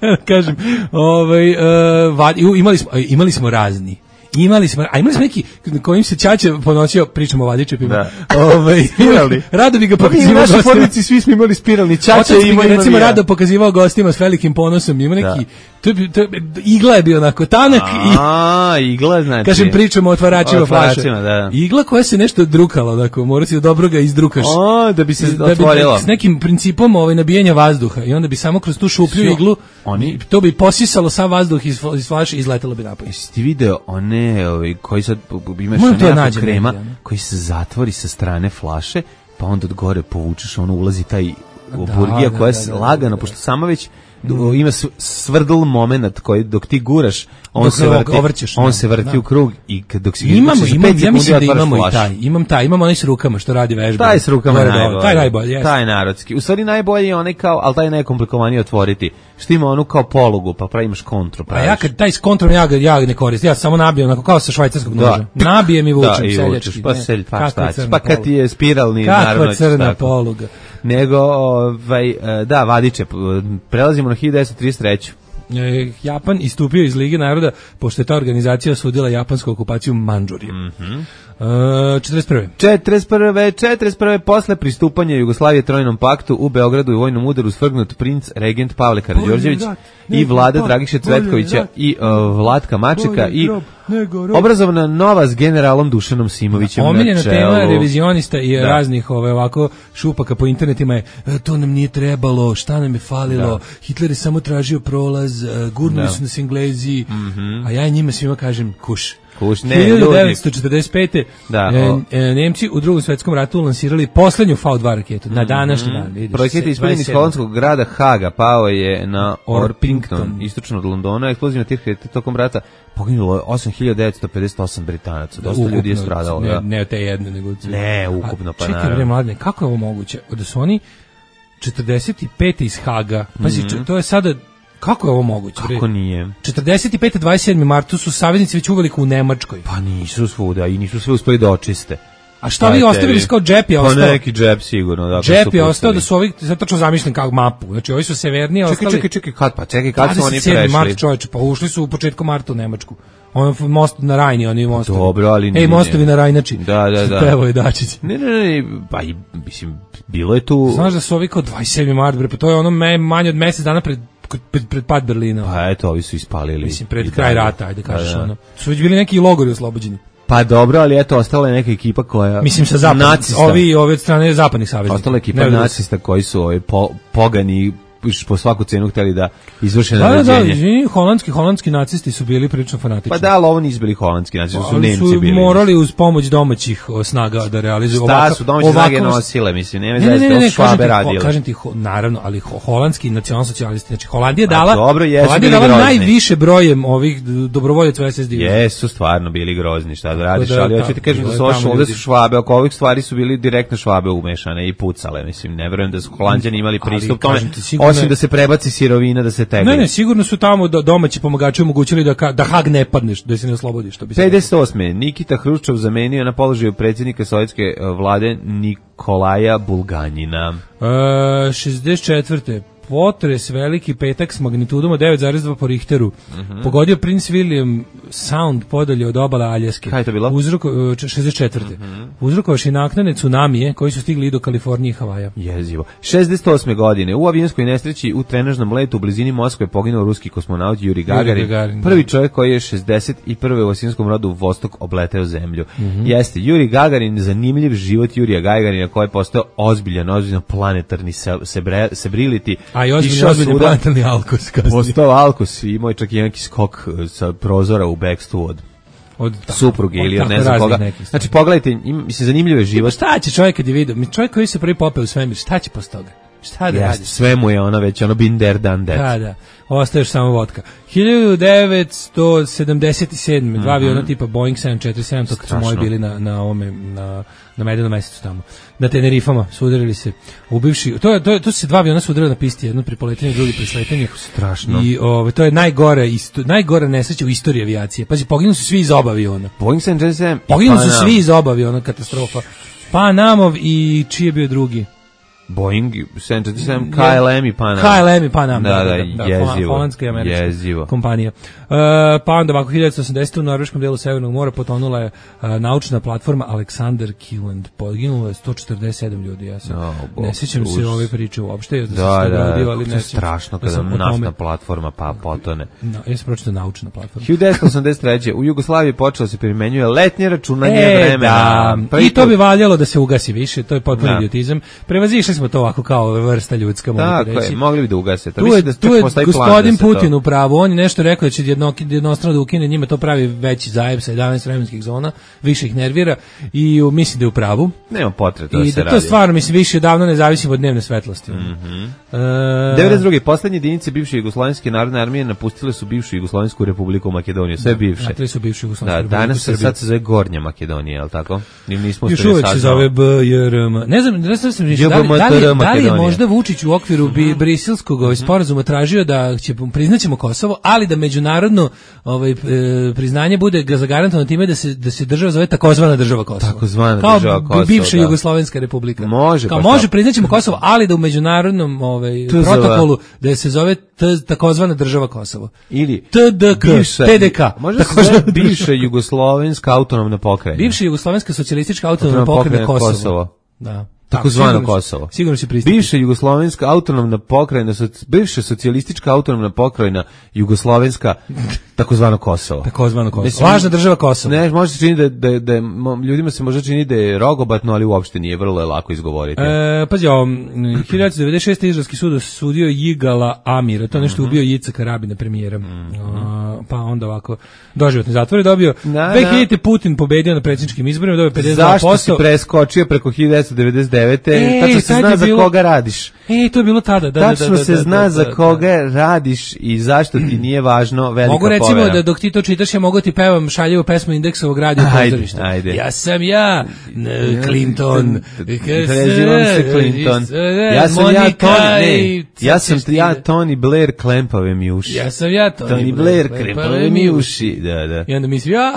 Da kažem, ovaj, uh, vad, imali, smo, imali smo razni. Imali smo, a imali smo neki kojim se ćaća ponosio, pričamo o vadičepima. Ovaj, rado bi ga pokazivao. U našoj porodici svi smo imali spiralni ćaća i imali recimo ja. Rado pokazivao gostima s velikim ponosom. Ima neki to, to, igla je bio onako tanak i a igla znači. Kažem pričamo o otvaračima flaše. Da, da. Igla koja se nešto drukala, onako, mora si da dobro ga izdrukaš. A, da bi se da otvorila. Bi, s nekim principom ovaj nabijanja vazduha i onda bi samo kroz tu šuplju Sjo, iglu oni to bi posisalo sav vazduh iz, iz flaše i izletelo bi napolje. Jesi ti video one ovaj koji sad imaš ona krema nađe, koji se zatvori sa strane flaše, pa onda od gore povučeš, ono ulazi taj burgija koja je lagano, pošto sama već mm. ima svrdl moment koji dok ti guraš, on dok se vrti, ovrćeš, on da, se vrti da. U krug i kad dok se imamo, imam, ja mislim da imamo i taj, imam taj, imamo onaj s rukama što radi vežba. Taj s rukama najbolji. Taj najbolji, yes. Taj narodski. U stvari najbolji je onaj kao, al taj je najkomplikovaniji otvoriti. Što ima onu kao polugu, pa praviš kontru, praviš. A ja kad taj s kontrom ja ga ja ne koristim. Ja samo nabijem onako kao sa švajcarskog noža. Nabijem i vučem da, seljački. Pa selj, pa šta ćeš? Pa kad ti je spiralni naravno. Kakva crna poluga. Nego ovaj da, vadiče. Prelazimo na hiljadu devetsto trideset treće. Japan istupio iz Lige naroda pošto je ta organizacija osudila japansku okupaciju Mandžurije. Mhm. Uh, četrdeset prve. četrdeset prve. četrdeset prve. Posle pristupanja Jugoslavije Trojnom paktu u Beogradu i vojnom udaru svrgnut princ regent Pavle Karađorđević i vlada Dragiše Cvetkovića i uh, Vlatka Mačeka i obrazovana nova s generalom Dušanom Simovićem. Omiljena tema revizionista i da. Raznih ove ovako šupaka po internetima je to nam nije trebalo, šta nam je falilo, da. Hitler je samo tražio prolaz, gurnuli su nas Englezi, mm-hmm. a ja njima svima kažem kuš. Kuš, ne, hiljadu devetsto četrdeset pete. Da, e, e, Nemci u Drugom svetskom ratu lansirali poslednju V dva raketu mm-hmm. na današnji dan. Vidiš, projekat je ispaljen iz holandskog grada Haga, pao je na Orpington, istočno od Londona. Eksplozivna tih raketa tokom rata poginulo je osam hiljada devetsto pedeset osam Britanaca. Dosta ukupno, ljudi je stradalo. Ne, da. ne te jedne, nego... Ne, ukupno, pa naravno. Čekaj, bre, mladine, kako je ovo moguće? Da su oni četrdeset pete iz Haga, pazi, mm-hmm. to je sada... Kako je ovo moguće? Kako nije? četrdeset pete. dvadeset sedmog marta su saveznici već uveliko u Nemačkoj. Pa nisu svuda i nisu sve uspeli da očiste. A šta vi ostavili kao džep je ostao? Pa neki džep sigurno. Da, džep je ostao da su ovi, sad tačno zamišljam kako mapu. Znači ovi su severnije čekaj, ostali... Čekaj, čekaj, kad pa, čekaj, kad su oni prešli? dvadeset sedmog marta čoveče, pa ušli su u početku marta u Nemačku. On most na Rajni, oni mostovi. Dobro, ali ne. Ej, mostovi na Rajnači. Da, da, da. Pevo je Dačić. Ne, ne, ne, pa i, mislim, bilo je tu... Znaš da su ovi kao dvadeset sedmog marta, bre, pa to je ono me, manje od mesec dana pred Pred, pred pad Berlina. Pa eto, ovi su ispalili. Mislim, pred kraj rata, ajde kažeš ono. Su već bili neki logori oslobođeni. Pa dobro, ali eto, ostala je neka ekipa koja... Mislim, sa zapadnih, ovi, ovi od strane zapadnih saveznika. Ostala je ekipa nacista koji su ovi po, pogani po svaku cenu hteli da izvrše naređenje. Da, da, holandski, holandski nacisti su bili prilično fanatični. Pa da, ali ovo nisu bili holandski nacisti, su Nemci su bili. morali uz pomoć domaćih snaga da realizuju ovako. Šta su domaće snage nosile, mislim, nema zaista, ne, ne, ne, Švabe radili. Kažem ti, ho, naravno, ali ho, holandski nacionalsocijalisti, znači Holandija dala, dobro, jesu Holandija dala najviše brojem ovih dobrovoljaca u es es de. Jesu stvarno bili grozni, šta da radiš, da, ali hoću ti kažem da su ovo ovde su Švabe, oko ovih stvari su bili direktno Švabe umešane i pucale, mislim, ne verujem da su Holanđani imali pristup tome, osim da se prebaci sirovina, da se tegli. Ne, ne, sigurno su tamo domaći pomagači omogućili da da Hag ne padneš, da se ne oslobodiš, što bi se pedeset osme Nikita Hruščov zamenio na položaju predsjednika sovjetske vlade Nikolaja Bulganjina. E, šezdeset četvrte potres veliki petak s magnitudom od devet zarez dva po Richteru. Uh-huh. Pogodio Prince William Sound podalje od obala Aljaske. Kaj je to bilo? Uzroko, šezdeset četvrte Uh-huh. Uzrokovaši naknadne tsunamije koji su stigli i do Kalifornije i Havaja. Jezivo. šezdeset osme godine u avionskoj nesreći u trenažnom letu u blizini Moskve poginuo ruski kosmonaut Yuri Gagarin. Gagarin prvi čovjek koji je šezdeset prve u osovjetskom rodu Vostok obleteo zemlju. Uh-huh. Jeste, Yuri Gagarin, zanimljiv život Jurija Gagarina koji je postao ozbiljan, ozbiljan planetarni celebrity. A i ozbiljno, ozbiljno planetarni alkos. Postao alkos i imao čak i neki skok sa prozora u bekstvu od, od supruge ili od ne znam koga. Znači, pogledajte, im, mislim, zanimljiv je život. Šta će čovjek kad je vidio? Čovjek koji se prvi popeo u svemir, šta će posle toga? Šta da yes, radi? Sve mu je ona već, ono, been there, done that. Da, da. Ostaješ samo vodka. hiljadu devetsto sedamdeset sedme Dva mm-hmm. aviona tipa Boeing sedam četiri sedam, to kad su moji bili na, na ovome, na, na Medenom mesecu tamo. Na Tenerifama sudarili se ubivši. To, to, to su se dva aviona sudarili na pisti, jedno pri poletanju, drugi pri sletanju. Strašno. I ove, to je najgore, isto, najgore nesreća u istoriji avijacije. Pazi, poginuli su svi iz oba aviona. Boeing sedam četiri sedam Poginuli su svi iz oba aviona, katastrofa. Panamov i čiji je bio drugi? Boeing sedam četiri sedam K L M i Panam. K L M i Panam. Da, da, da, jezivo. Holandska i američka jezivo. kompanija. Uh, pa onda ovako hiljadu devetsto osamdesete u norveškom delu Severnog mora potonula je uh, naučna platforma Alexander Kielland. Poginulo je sto četrdeset sedam ljudi. Ja sam oh, ne sjećam se ove priče uopšte. Da, da, da, radio, ali to je strašno kada da naftna platforma pa potone. No, ja sam pročitao naučna platforma. hiljadu devetsto osamdeset treće u Jugoslaviji počelo se primenjuje letnje računanje e, vremena. Da. I to bi valjalo da se ugasi više, to je potpuno idiotizam. Prevazišli smo to ovako kao vrsta ljudska, mogu reći. Tako je, mogli bi da ugase. To tu je, da tu je gospodin da Putin u pravu, on je nešto rekao da će jedno, jednostrano da ukine, njima to pravi veći zajeb sa jedanaest vremenskih zona, više ih nervira i u, mislim da je u pravu. Nema potrebe da I se da radi. to stvarno, mislim, više davno ne zavisi od dnevne svetlosti. Mm-hmm. E... devedeset druge Poslednje jedinice bivše Jugoslovenske narodne armije napustile su bivšu Jugoslovensku republiku Makedoniju, sve bivše. Da, su bivšu Jugoslovensku da, danas se sad se zove Gornja Makedonija, je li tako? Nismo još uvijek se zove B J R M. Ne znam, ne znam, ne znam da, li, da, li, da li je možda Vučić u okviru bi, briselskog ovaj, sporazuma tražio da će, priznaćemo Kosovo, ali da međunarodno ovaj, e, priznanje bude zagarantovano time da se, da se država zove takozvana država Kosovo. Takozvana kao država Kosovo, bivša da. Jugoslovenska republika. Može, kao pa može priznaćemo Kosovo, ali da u međunarodnom ovaj, protokolu da se zove t, takozvana država Kosovo. Ili T D K, bivša, T D K. Može se zove bivša Jugoslovenska autonomna pokrajina. Bivša Jugoslovenska socijalistička autonomna pokrajina Kosovo. Kosovo. Da. Takozvano Kosovo. Sigurno se pristupi. Bivša Jugoslovenska autonomna pokrajina, bivša socijalistička autonomna pokrajina Jugoslovenska, takozvano Kosovo. Takozvano Kosovo. Mislim, važna država Kosovo. Ne, može se čini da, da, da, ljudima se može čini da je rogobatno, ali uopšte nije, vrlo je lako izgovoriti. E, pazi, o, hiljadu devetsto devedeset šeste izraelski sud osudio Jigala Amira, to nešto mm-hmm. ubio Jicaka Rabina, premijera. Mm-hmm. A, pa onda ovako, doživotni zatvor je dobio. Na, dve hiljadite Putin pobedio na predsjedničkim izborima, dobio pedeset dva posto. Zašto si preskočio preko hiljadu devetsto devedeset devete E, tačno se zna za bilo... koga radiš. E, to je bilo tada. Da, tačno da, da, da, se da, zna da, da, za da, koga radiš i zašto ti nije važno velika mogu recimo povera. Da dok ti to čitaš, ja mogu ti pevam šaljivu pesmu Indeksovog radija pozorišta. Ajde. Ja sam ja, Clinton. Prezivam se Clinton. Ja sam ja Tony, ne. Ja sam ja Tony Blair klempave mi uši. Ja sam ja Tony, Tony Blair klempave mi uši. Da, da. I onda misli, ja,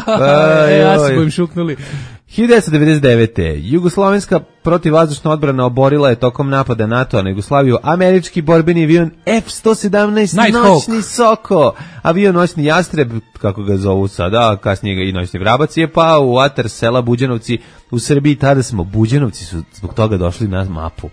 ja se bojim šuknuli. hiljadu devetsto devedeset devete Jugoslovenska protivvazdušna odbrana oborila je tokom napada NATO-a na Jugoslaviju američki borbeni avion F sto sedamnaest noćni Soko. Avion noćni Jastreb, kako ga zovu sada, kasnije ga i noćni Vrabac, je pao u atar sela Buđanovci u Srbiji. Tada smo, Buđanovci su zbog toga došli na mapu.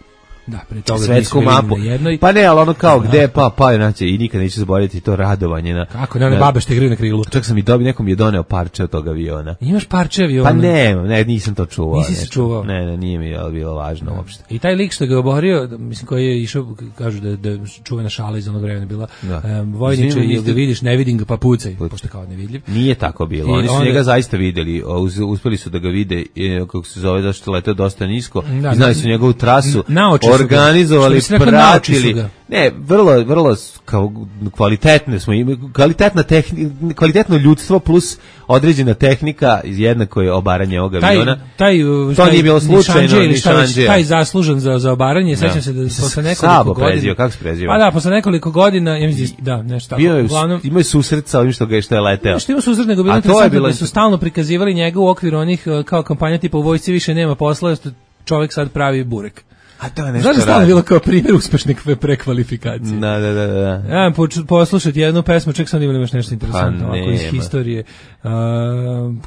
Da, pre toga svetsku mapu. Pa ne, ali ono kao gde pa pa znači i nikad neće zaboraviti to radovanje na. Kako ne, one babe što igraju na krilu. Čak sam i dobio, nekom je doneo parče od tog aviona. Imaš parče aviona? Pa ne, ne, nisam to čuvao. Nisi se čuvao? Ne, ne, nije mi bilo važno uopšte. I taj lik što ga oborio, mislim koji je išao, kažu da da čuvena šala iz onog vremena bila. Um, Vojniče, jel ga vidiš, ne vidim ga pa pucaj, pošto kao nevidljiv. Nije tako bilo. Oni su onda njega zaista videli, uspeli su da ga vide, kako se zove, zašto leteo dosta nisko. Da, znali su njegovu trasu, organizovali, pratili. Ne, vrlo, vrlo kao kvalitetne smo imali, kvalitetna tehnika, kvalitetno ljudstvo plus određena tehnika, jednako je obaranje ovog aviona. Taj, to taj, nije bilo slučajno, ni šanđe. Taj zaslužan za, za obaranje, sećam se da posle nekoliko Sabo godina... prezio, kako se prezio? Pa da, posle nekoliko godina, ja mislim, da, nešto tako. Bio je, uglavnom, imao je susret sa ovim što ga je što je leteo. Što ima susret, nego bilo interesantno da su stalno prikazivali njega u okviru onih kao kampanja tipa u vojsci više nema posla, čovjek sad pravi burek. A to je nešto Znaš da stvarno bilo kao primjer uspešne prekvalifikacije. Da, da, da, da. Ja, poslušati jednu pesmu, ček sam da imaš nešto interesantno, pa ovako iz historije. Uh,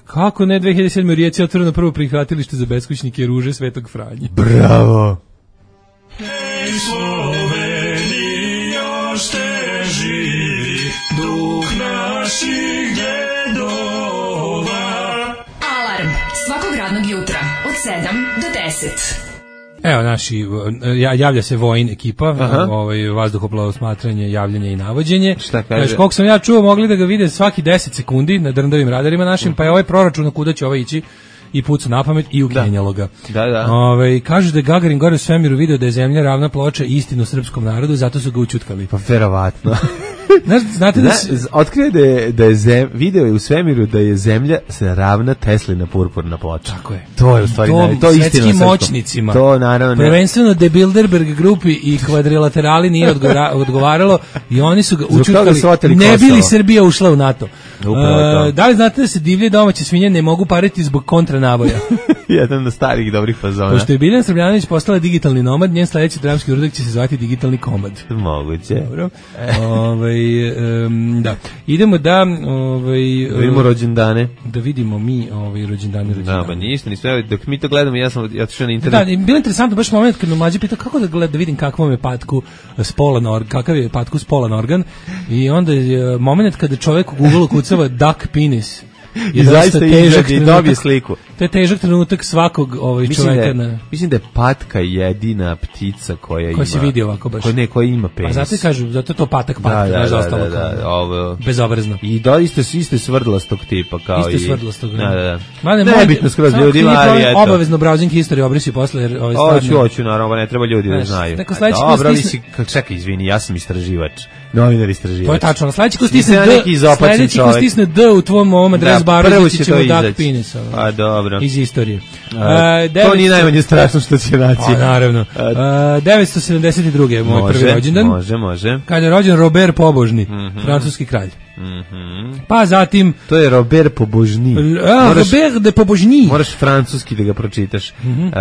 kako ne, dve hiljade sedme u Rijeci otvoreno prvo prihvatilište za beskućnike Ruže Svetog Franje. Bravo! Hej, Sloveniji, još te živi, duh naših djedova. Alarm svakog radnog jutra od sedam do deset. Evo naši, javlja se Vojin ekipa, ovaj, vazduhoplovo smatranje, javljanje i navođenje. Šta kaže? Znači, koliko sam ja čuo, mogli da ga vide svaki deset sekundi na drndavim radarima našim, uh-huh. pa je ovaj proračun kuda će ovaj ići i pucu na pamet i ukenjalo ga. Da, da. Ove, kažu da je Gagarin gore u svemiru video da je zemlja ravna ploča istinu srpskom narodu, zato su ga učutkali. Pa verovatno. Znaš, znate da si... Otkrije da je, da je zem, video je u svemiru da je zemlja se ravna Teslina purpurna ploča. Tako je. To je u stvari, to, to je istina svetskim moćnicima. To naravno ne. Prvenstveno de Bilderberg grupi i kvadrilaterali nije odgovara, odgovaralo i oni su ga učutkali. Ne bi li Srbija ušla u NATO? Uh, da li znate da se divlje domaće svinje ne mogu pariti zbog kontranaboja? Jedan od starih dobrih fazona. Pošto je Biljana Srbljanović postala digitalni nomad, njen sledeći dramski uradak će se zvati digitalni komad. Moguće. Dobro. Ovaj um, da. Idemo da ovaj da vidimo rođendane. Da vidimo mi ovaj rođendane rođendane. Da, pa ništa, nismo ja dok mi to gledamo, ja sam otišao na internet. Da, bilo je interesantno baš moment kad me mlađi pitao kako da gledam da vidim kakvom je patku spolan organ, kakav je patku spolan organ i onda je moment kada čovjek u Google kucava duck penis. I zaista težak i dobije sliku. To je težak trenutak svakog ovaj čovjeka. Da, mislim da je patka jedina ptica koja ima. Koja se vidi ovako baš. Koja ne, koja ima penis. A zato kažu, zato je to patak patak, da, da, da, da, da, da, ovo bezobrazno. I doista su iste svrdlastog tipa kao iste i svrdlastog. Da, da, da. Mane, nebitno skroz ljudi, ali eto. Obavezno browsing history obrisi posle jer ovaj stvarno. Hoću, hoću, naravno, ne treba ljudi da znaju. Dobro, vi si, čekaj, izvini, ja sam istraživač. Novinar istraživač. To je tačno. Sledeći ko stisne D, sledeći ko stisne D u tvom ovom adres baru, će ćemo duck penis. A dobro. Iz istorije. A, uh, to nije najmanje strašno što će naći. A, naravno. Uh, devetsto sedamdeset druge je moj može, prvi rođendan. Može, može. Kada je rođen Robert Pobožni, mm-hmm. francuski kralj. Mm-hmm. Pa zatim... To je Robert Pobožni. A, moraš, Robert de Pobožni. Moraš francuski da ga pročitaš. Mm-hmm. Uh,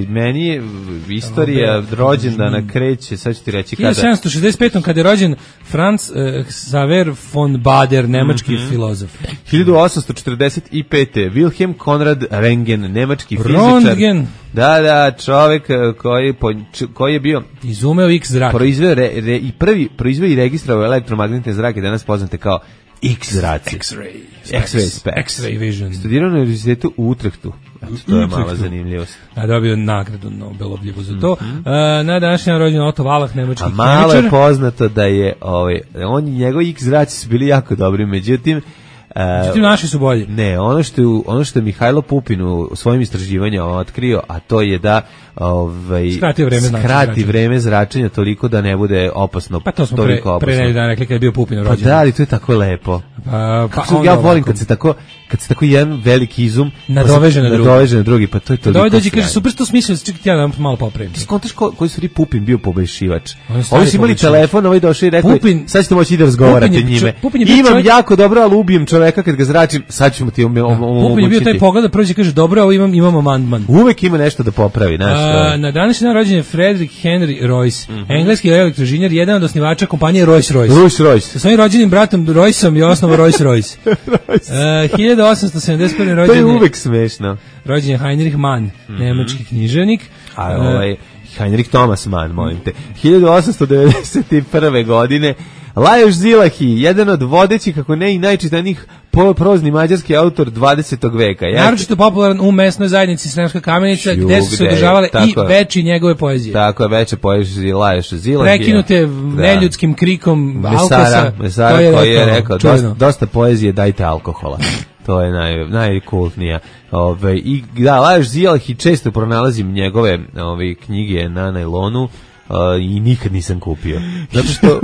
meni je istorija rođendana kreće, sad ću ti reći kada... hiljadu sedamsto šezdeset pete. kada je rođen Franz uh, Xaver von Bader, nemački mm-hmm. filozof. hiljadu osamsto četrdeset pete. Wilhelm Konrad Röntgen, nemački fizičar. Röntgen. Da, da, čovjek koji, koji je bio... Izumeo X zrak. Proizveo re, re, i prvi proizveo i registrovao elektromagnetne zrake, danas poznate kao X zraci. X-ray. X-ray specs. X-ray vision. Studirao na univerzitetu u Utrehtu. Eto, to je mala zanimljivost. A dobio nagradu Nobelovu za to. Mm-hmm. Uh, na današnji dan rođen Otto Wallach, nemački kemičar. A malo je poznato da je ovaj, on i njegovi X zraci su bili jako dobri, međutim Međutim, naši su bolji. Ne, ono što je, ono što je Mihajlo Pupin u svojim istraživanjima otkrio, a to je da ovaj, skrati vreme, skrati vreme zračenja toliko da ne bude opasno. Pa to smo pre, pre neki dan rekli kad je bio Pupin rođen. Pa da, ali to je tako lepo. Pa, pa ja volim kad se tako kad se tako jedan veliki izum nadoveže na drugi. Nadoveže na drugi, pa to je toliko. Dovede dođe kaže super što smislio, čekaj ja da malo popravim. Ti skontaš ko, koji su ri Pupin bio pobeššivač. Oni su imali telefon, ovaj došao i rekao sad ćete moći da razgovarate njime. Imam jako dobro, al ubijem čoveka kad ga zračim, sad ćemo ti omogućiti. Pupin je bio taj pogled da prođe kaže dobro, ovo imam imam amandman. Uvek ima nešto da popravi, znaš. Na današnji dan rođen je Frederick Henry Royce, mm-hmm. engleski elektroinženjer, jedan od osnivača kompanije Rolls-Royce. Rolls-Royce. Sa svojim rođenim bratom Royceom je osnovao Rolls-Royce. uh, hiljadu osamsto sedamdeset prve. rođen je... To je uvek smešno. Rođen je Heinrich Mann, mm-hmm. nemački književnik. A ovaj, Heinrich Thomas Mann, molim te. hiljadu osamsto devedeset prve. godine Lajos Zilahi, jedan od vodećih, kako ne i najčitanijih prozni mađarski autor dvadesetog veka. Ja naročito popularan u mesnoj zajednici Sremska Kamenica, Ču, gde su se održavale i veći njegove poezije. Tako je, veće poezije Lajos Zilahi. Prekinute da. neljudskim krikom Mesara, Alkosa, Mesara koji je, koji je rekao, dosta, dosta poezije, dajte alkohola. To je naj, najkultnija. Ove, I da, Lajos Zilahi, često pronalazim njegove ove, knjige na najlonu, Uh, i nikad nisam kupio. Zato što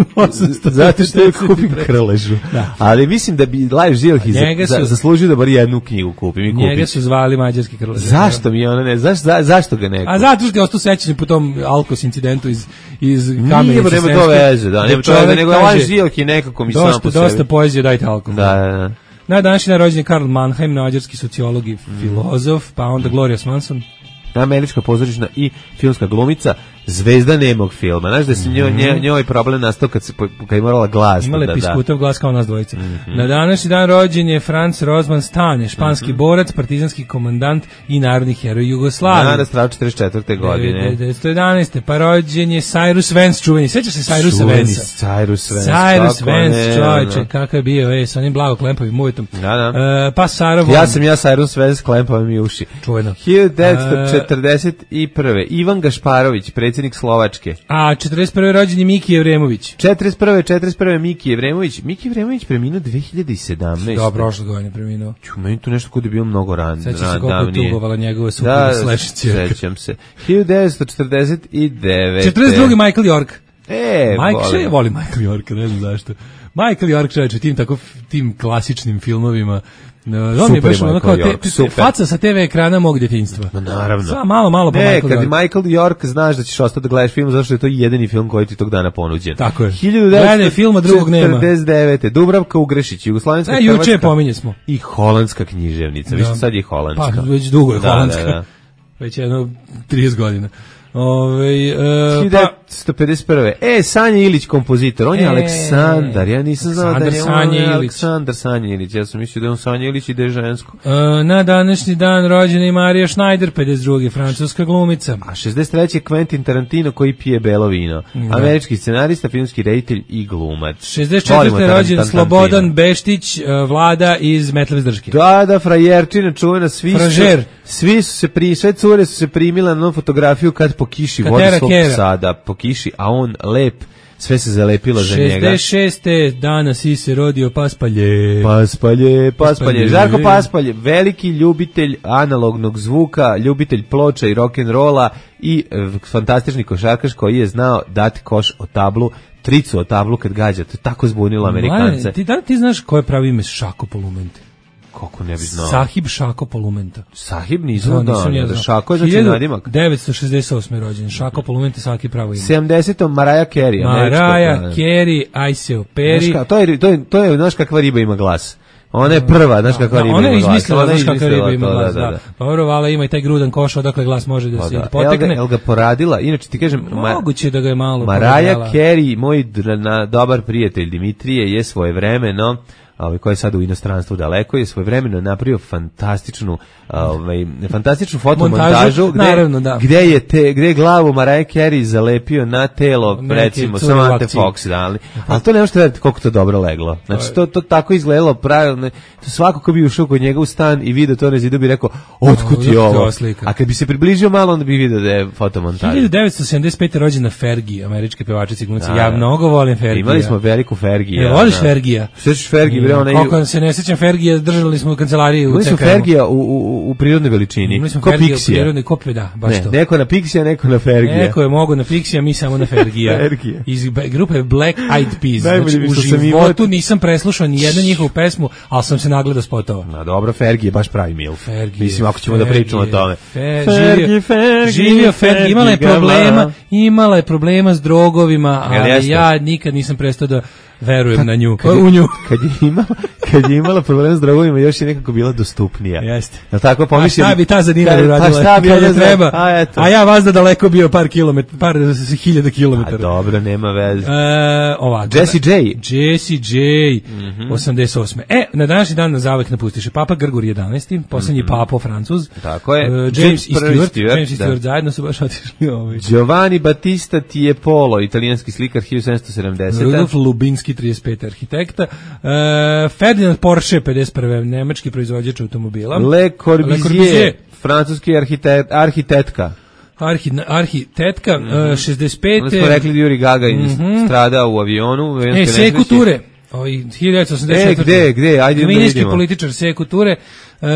zato što je kupim krležu. Da. Ali mislim da bi Lajos Zilahi za, za, zaslužio da bar jednu knjigu kupim i kupim. Njega su zvali mađarski krlež. Zašto mi ona ne? Zašto za, zašto ga neko? A zato što je ostao sećanje po tom Alkos incidentu iz iz Kamenice. Nema to veze, da, nema to veze, nego Lajos Zilahi nekako mi sam po sebi. Dosta poezije, dajte alkohol. Da, da, da. Na današnji dan rođen je Karl Mannheim, mađarski sociolog i filozof, pa onda Gloria Swanson, američka pozorišna i filmska glumica, zvezda nemog filma. Znaš da se njoj, njoj problem nastao kad, se, kad je morala glas. Imala da, piskutav glas kao nas dvojica. Mm-hmm. Na današnji dan rođen je Franz Rozman Stane, španski mm-hmm. borac, partizanski komandant i narodni heroj Jugoslavije. Danas strao četrdeset četvrte godine. devetsto jedanaeste. Pa rođen je Cyrus Vance, čuveni. Sjećaš se Cyrusa Vanca? Cyrus Vance. Cyrus Vance, čovječe, kakav je bio, ej, sa onim blago klempavim uvetom. Da, da. Uh, pa Sarah Vaughan. Ja sam ja Cyrus Vance, klempavim i uši. Čuveno. hiljadu devetsto četrdeset prve. Ivan Gašparović, predsjednik Slovačke. A četrdeset prve. rođen je Miki Evremović. četrdeset prve. četrdeset prve. Miki Evremović. Miki Evremović preminuo dve hiljade sedamnaeste. Da, prošle godine preminuo. Ču, meni tu nešto kod je bilo mnogo ran. Sećam se koliko je tugovala njegove supruge da, slash ćerka. Sećam se. hiljadu devetsto četrdeset devete. četrdeset druge. Michael York. E, Michael voli Michael York, ne znam zašto. Michael York, čovječe, tim tako tim klasičnim filmovima. No, on je baš ono kao te, te, faca sa te ve ekrana mog djetinjstva. No, naravno. Sa, malo, malo po ne, Michael kad York. Michael York znaš da ćeš ostati da gledaš film, zato što je to jedini film koji ti tog dana ponuđen. Tako je. hiljadu devetsto filma drugog nema. četrdeset devete. Dubravka Ugrešić, Jugoslovenska, e, Hrvatska. Juče pominje smo. I holandska književnica. Više sad je holandska. Pa, već dugo je da, holandska. Da, da. Već jedno trideset godina. Ove, uh, hiljadu devetsto pedeset prve. E, Sanja Ilić, kompozitor. On je e, Aleksandar. Ja nisam znao da je on je Aleksandar Sanja Ilić. Ja sam mislio da je on Sanja Ilić i da je žensko. Uh, na današnji dan rođena je Marija Schneider, pedeset druge. francuska glumica. A šezdeset treće. Quentin Tarantino koji pije belo vino. Da. Američki scenarista, filmski reditelj i glumac. šezdeset četvrte. rođen Slobodan Beštić, uh, vlada iz Metleve Zdrške. Da, da, frajerčina čuvena. Svi su, svi su se pri, sve cure su se primile na fotografiju kad po kiši vodi svog sada, po kiši, a on lep, sve se zalepilo za njega. šezdeset šeste. dana si se rodio Paspalje. Paspalje, Paspalje. Žarko Paspalje, veliki ljubitelj analognog zvuka, ljubitelj ploča i rock'n'rolla i e, fantastični košarkaš koji je znao dati koš o tablu, tricu o tablu kad gađa. To je tako zbunilo Amerikance. Mane, ti, da ti znaš koje pravi ime Šako Polumenta? Kako ne bi znao? Sahib Šako Polumenta. Sahib nisam da, da, da Šako je znači nadimak. devetsto šezdeset osme. rođen. Šako Polumenta, svaki pravo ime. sedamdesetom. Mariah Carey. Mariah Carey, Aiseo Perry. To je, to je, to je, znaš kakva riba ima glas. Ona je prva, znaš kakva da, riba ima glas. Ona je izmislila, znaš kakva riba ima glas, da. da. da. Pa dobro, vala ima i taj grudan koš, odakle glas može da se da. potekne. El ga poradila, inače ti kažem... Moguće da ga je malo Mariah Carey, moj na, dobar prijatelj Dimitrije, je svojevremeno, ovaj koji je sad u inostranstvu daleko, je svojevremeno napravio fantastičnu ovaj fantastičnu fotomontažu gde naravno, da. gde je te gde je glavu Mariah Carey zalepio na telo neki, recimo Samantha Fox, da, ali al to ne možete veriti koliko to dobro leglo. Znači to to tako izgledalo pravilno. To svako ko bi ušao kod njega u stan i video to na zidu bi rekao otkud je ovo. A kad bi se približio malo onda bi video da je fotomontaža. hiljadu devetsto sedamdeset pete. rođena Fergie, američka pevačica i glumica. Ja mnogo volim Fergie. Imali smo veliku Fergie. Ja, voliš Fergie? Svećeš Fergie, bre, ona kako se ne sećam Fergie, držali smo u kancelariji u C K M. Mi smo Fergie u, u, u prirodnoj veličini. Ko Pixija. U prirodnoj kopije, da, baš ne, to. Neko na Pixija, neko na Fergie. Neko je mogo na Pixija, mi samo na Fergie. Fergie. Iz grupe Black Eyed Peas. Znači, u životu nisam preslušao ni jednu njihovu pesmu, ali sam se nagledao spotova. Na dobro, Fergie je baš pravi mil. Fergie. Mislim, ako ćemo Fergie, da pričamo o tome. Fer, Fergie, Fergie. Živio Fergie. Imala je problema, imala je problema s drogovima, ali ja nikad nisam prestao da verujem kad, na nju, kad je, u nju. Kad je imala imala, kad je imala problem s drogovima, još je nekako bila dostupnija. Jeste. Jel tako pomišljali? A šta bi ta za dinar uradila? Pa šta bi kad ona je treba? A, eto. A ja vas da daleko bio par kilometara, par hiljada kilometara. A dobro, nema veze. E, ovako. Jesse J. Jesse J. Mm-hmm. osamdeset osme. E, na današnji dan na zavek napustiše Papa Grgur jedanaesti, posljednji mm-hmm. papo Francuz. Tako je. Uh, James i Stewart. Stewart, James i Stewart zajedno su baš otišli ovaj. Giovanni Battista Tiepolo, italijanski slikar hiljadu sedamsto sedamdesete. Rudolf Lubinski, trideset peti arhitekta. Uh, Ferdinand Porsche, pedeset prve nemački proizvođač automobila. Le Corbusier, Le Corbusier. francuski arhitet, arhitektka. Arhi, arhitetka, mm-hmm. uh, šezdeset pete. Onda smo rekli da Yuri Gagarin mm-hmm. strada u avionu. E, Sekou Toure. Ovaj hiljadu devetsto osamdeset četvrte. E, gde, gde, ajde da vidimo. Ministri političar Sekou Toure. Uh,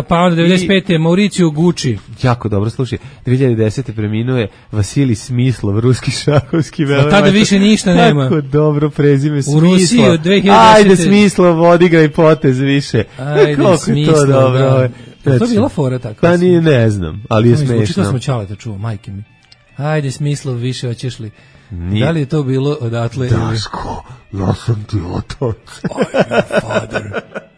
pa onda devedeset pete. I Mauricio Gucci. Jako dobro, slušaj, dve hiljade desete preminuo je Vasilij Smislov, ruski šahovski velemoćnik. Tada više ništa nema. Tako dobro prezime Smislov. U Rusiji od dve hiljade desete. Ajde Smislov, odigraj potez više. Ajde Smislov, to dobro. Da. Znači, to je bila fora tako? Pa nije, ne znam, ali je smešno. Učito smo Čaleta čuo, majke mi. Ajde Smislov, više hoćeš li? Nije. Da li je to bilo odatle? Daško, ja sam ti otac. I'm father,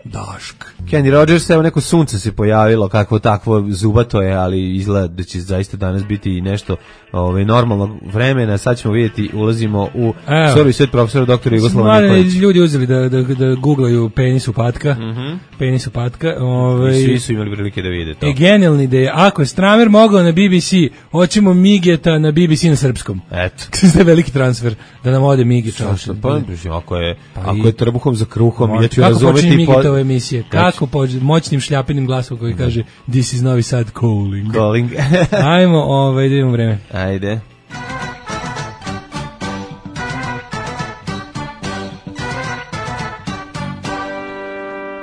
Dašk. Kenny Rogers, evo neko sunce se pojavilo, kakvo takvo zubato je, ali izgleda da će zaista danas biti i nešto ovaj, normalnog vremena. Sad ćemo vidjeti, ulazimo u Soru i svet profesora doktora Jugoslava Nikolić. Ljudi uzeli da, da, da googlaju penisu patka. Mm-hmm. Penisu patka. Ovaj, svi su imali prilike da vide to. E, genijalna ideja. Ako je Stramer mogao na B B C, hoćemo Migeta na B B C na srpskom. Eto. To je veliki transfer, da nam ode Mige čaša. Pa, ako je, pa ako je trbuhom za kruhom, ja ću kako razumeti... Kako počne Migetove emisije? Kako pođe moćnim šljapinim glasom koji kaže This is Novi Sad calling. Calling. Ajmo, ovaj, da imamo vreme. Ajde.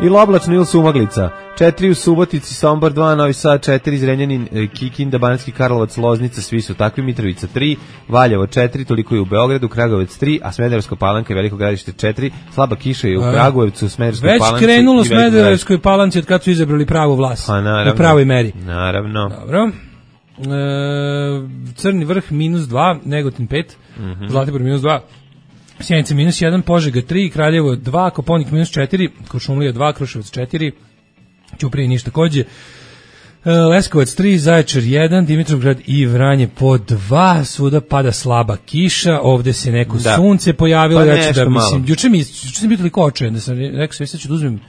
Ili oblačno ili sumaglica. Četiri u Subotici, Sombor dva, Novi Sad četiri, Zrenjanin, Kikinda, Banatski Karlovac, Loznica, svi su takvi, Mitrovica tri, Valjevo četiri, toliko je u Beogradu, Kragovec tri, a Smederevsko Palanka i Veliko Gradište četiri, slaba kiša je u Kragujevcu, Smederevskoj Palanci. Već krenulo Smederevskoj Palanci od kad su izabrali pravu vlast. Pa naravno. U pravoj meri. Naravno. Dobro. E, Crni vrh minus dva, Negotin pet, mm-hmm. Zlatibor minus dva, Sjenica minus jedan, Požega tri, Kraljevo dva, Koponik minus četiri, Košumlija dva, Kruševac četiri, Ćuprije ništa takođe, Leskovac tri, Zaječar jedan, Dimitrovgrad i Vranje po dva, svuda pada slaba kiša, ovde se neko da. sunce pojavilo, pa ja ću da mislim, juče mi, juče sam bio toliko očajan da sam rekao sve sad ću da uzmem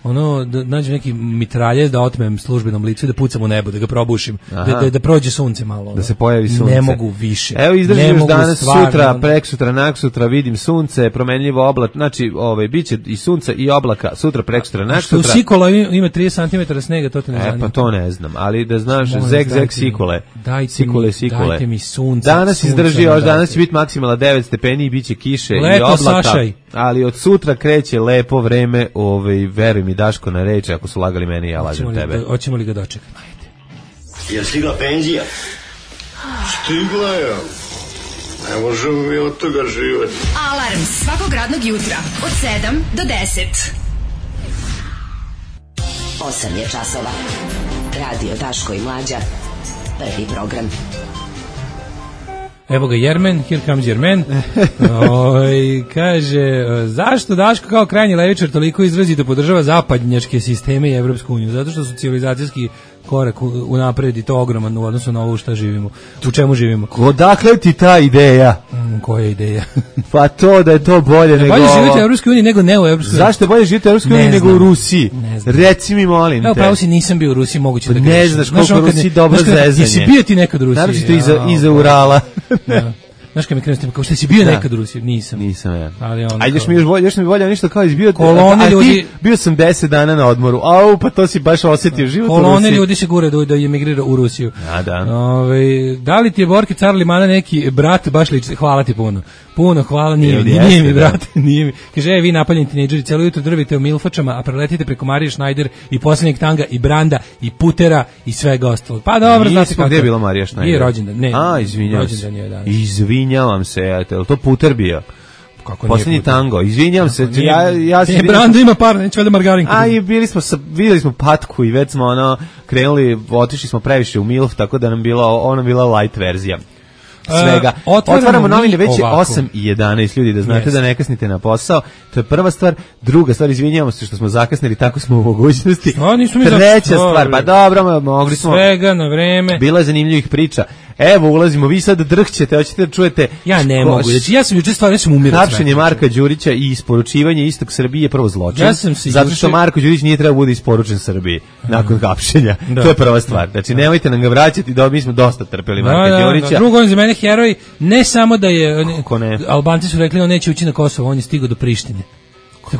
ono, da nađem neki mitraljez da otmem službenom licu i da pucam u nebo, da ga probušim, da, da, da prođe sunce malo. Ono. Da se pojavi sunce. Ne mogu više. Evo izdržim još danas, stvarno, sutra, preksutra, naksutra, vidim sunce, promenljivo oblak, znači ovaj, bit će i sunca i oblaka, sutra, preksutra, naksutra. Što u Sikola ima trideset centimetara snega, to te ne zanima. E, pa to ne znam, ali da znaš, zeg, zeg, Sikole. Dajte Sikole, mi, Sikole. Dajte mi sunce. Danas sunce, izdrži još, danas će biti maksimala devet stepeni i bit će kiše leto, i oblaka. Sašaj. Ali od sutra kreće lepo vreme, ovaj, veruj mi Daško na reč, ako su lagali meni, ja lažem tebe. Da, hoćemo li ga dočekati? Ajde. Je stigla penzija? Stigla je. Ne možemo mi od toga živeti. Alarm svakog radnog jutra od sedam do deset. osam je časova. Radio Daško i Mlađa. Prvi program. Evo ga Jermen, here comes Jermen. Oj, kaže, zašto Daško kao krajnji levičar toliko izrazi da podržava zapadnjačke sisteme i Evropsku uniju? Zato što su civilizacijski korak unapred i to ogroman u odnosu na ovo što živimo. U čemu živimo? Odakle ti ta ideja? Mm, koja ideja? Pa to da je to bolje nego ovo. Bolje živjeti u Evropskoj uniji nego ne u Evropskoj uniji. Zašto je bolje živjeti u Evropskoj uniji nego u Rusiji? Reci mi, molim te. Evo, pravo si, nisam bio u Rusiji, moguće da grešim. Ne znaš koliko Rusiji dobro zezanje. Jesi bio ti nekad u Rusiji? Naravno to iza, iza Urala. Da. Znaš kad mi krenuo s tim, kao što si bio da. nekad u Rusiji? Nisam. Nisam, ja. Ali on ajde, još mi još bolje, još mi bolje, ništa kao izbio. Kolone ljudi... Bio sam deset dana na odmoru, au, pa to si baš osjetio život u Rusiji. Kolone ljudi se gure da, da emigrira u Rusiju. A, da. Ove, da li ti je Borki car Limana neki brat baš liči? Hvala ti puno. Puno hvala, nije, nije, nije, nije mi, brate, nije mi. Kaže, e, vi napaljeni tinejdžeri, celo jutro drvite u milfačama, a preletite preko Marije Schneider i posljednjeg tanga i Branda i Putera i svega ostalo. Pa dobro, znate kako. Gde je bila Marija Schneider? Nije rođendan, ne. A, izvinjavam se. Je, da. Izvinjavam se, eto, je to Puter bio? Kako posljednji tango, izvinjavam se. Ja, ja se Brando ima par, neće valjda margarinku. A i bili smo, sa, vidjeli smo patku i već smo ono, krenuli, otišli smo previše u milf, tako da nam bila, ona bila light verzija. svega. Uh, otvaramo, otvaramo novine već je ovako. osam i jedanaest ljudi, da znate yes. da ne kasnite na posao. To je prva stvar. Druga stvar, izvinjavamo se što smo zakasnili, tako smo u mogućnosti. A, nismo mi Treća stvar, pa dobro, mogli smo. Svega na vreme. Bilo je zanimljivih priča. Evo, ulazimo, vi sad drhćete, hoćete da čujete... Ja ne mogu, znači, ja sam juče stvarno, ja sam umirao. Hapšenje Marka Đurića i isporučivanje Istok Srbije je prvo zločin, ja sam zato što juče... Marko Đurić nije trebao bude isporučen Srbiji nakon hapšenja. Da. To je prva stvar. Znači, nemojte nam ga vraćati, da mi smo dosta trpeli Marka da, da, Đurića. Da. Drugo, on za mene heroj, ne samo da je... Ne? Albanci su rekli, on neće ući na Kosovo, on je stigao do Prištine.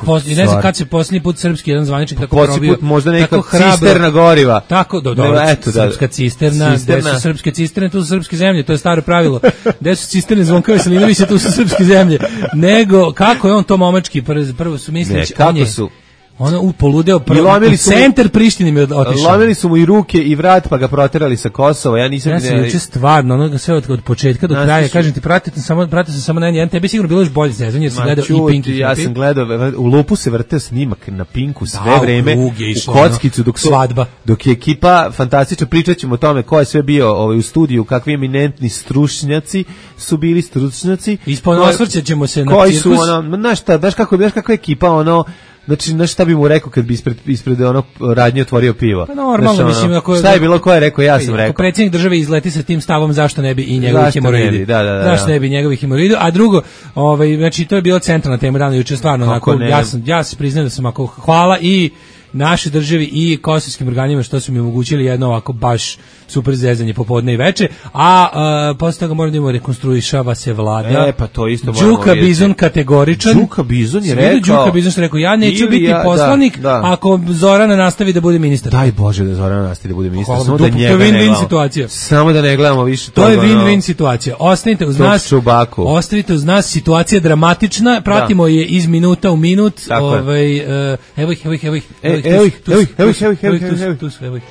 Posle, ne znam kad se posljednji put srpski jedan zvaničnik tako probio, put možda neka cisterna goriva. Tako, do, do, ne, eto, srpska cisterna, cisterna. Gde su srpske cisterne, tu su srpske zemlje, to je staro pravilo. Gde su cisterne Zvonka Veselinovića, tu su srpske zemlje. Nego, kako je on to momački, prvo, prvo su misleći, kako on je... su... Ono u poludeo prvo u centar Prištine mi otišao. Lomili su mu i ruke i vrat pa ga proterali sa Kosova. Ja nisam ja sam juče stvarno onoga sve od, od početka do kraja. Kažem ti, pratite samo pratite sam samo na jedan. Tebi sigurno bilo još bolje sezon jer si gledao i Pink. Ja sam gledao u lupu se vrteo snimak na Pinku sve da, vreme u kockicu dok svadba. Dok je ekipa fantastično, pričaćemo o tome ko je sve bio ovaj u studiju, kakvi eminentni stručnjaci su bili stručnjaci. Isponosvrćemo se na koji cirkus. Su ono, znaš šta, znaš kako, znaš kakva ekipa ono. Znači, znaš šta bi mu rekao kad bi ispred, ispred ono radnje otvorio pivo? Pa normalno, znači, mislim, ako... Šta je bilo, ko je rekao, ja sam rekao. Ako predsjednik države izleti sa tim stavom, zašto ne bi i njegovi hemoroidi? Da, da, da. Zašto ne bi njegovi hemoroidi? A drugo, ovaj, znači, to je bila centralna tema dana juče, stvarno, onako, ja sam, ja se priznajem da sam ako hvala i naše državi i kosovskim organima što su mi omogućili jedno ovako baš super zezanje popodne i veče, a, a posle toga moramo da imamo rekonstruišava se vlada. E, pa to isto moramo Đuka vidjeti. Bizon kategoričan. Đuka Bizon je rekao. Đuka Bizon što rekao, ja neću biti ja, poslanik da, da. ako Zorana nastavi da bude ministar. Daj Bože da Zorana nastavi da bude ministar. Hvala, samo dup, da njega to je win-win ne situacija. Samo da ne gledamo više to toga. To je win-win situacija. Ostanite uz nas. Čubaku. Ostavite uz nas, situacija dramatična. Pratimo da. je iz minuta u minut. Ovaj uh, evo ih, evo ih, evo ih. Evo ih, evo ih, evo ih, evo ih, evo ih, evo ih, evo ih, tu su, evo ih.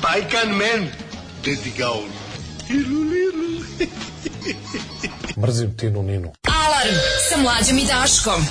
Pajkan men, dedi gaun. Ilu, lilu. Mrzim Tinu Ninu. Alarm sa Mlađom i Daškom.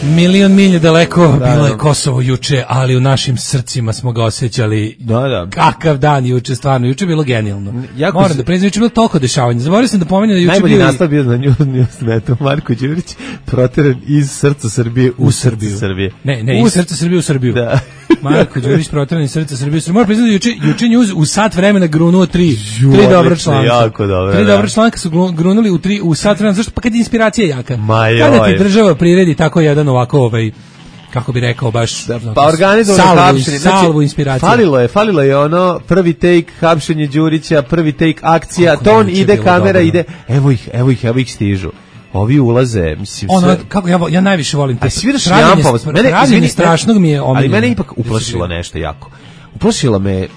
Milion milje daleko da, bilo je Kosovo juče, ali u našim srcima smo ga osjećali. Da, da. Kakav dan juče, stvarno, juče je bilo genijalno. Jako Moram se... da priznam, juče je bilo toliko dešavanja. Zaboravio sam da pomenem da juče najbolji bio... nastav bio na Newsnetu, Marko Đurić proteren iz srca Srbije u, u Srbiju. Srbije. Ne, ne, u... iz srca Srbije u Srbiju. Da. Marko Đurić proteren iz srca Srbije u Srbiju. Moram priznati da juče, juče News u sat vremena grunuo tri, Ju, tri dobra članka. Jako dobro. Tri da. dobra članka su grunuli u, tri, u sat vremena. Zašto? Pa kad je inspiracija jaka. Ma kada ti država priredi tako jedan ovako ovaj... kako bi rekao baš da, pa organizovano hapšenje, znači salvu inspiracije. Falilo je, falilo je ono prvi take hapšenje Đurića, prvi take akcija, kako ton ide, kamera dobro. ide, evo ih, evo ih, evo ih stižu. Ovi ulaze, mislim ono, sve. Kako ja ja najviše volim te. A sviraš jampavo. Mene izvini, strašnog mi je omiljeno. Ali mene ipak uplašilo nešto jako. Uplašilo me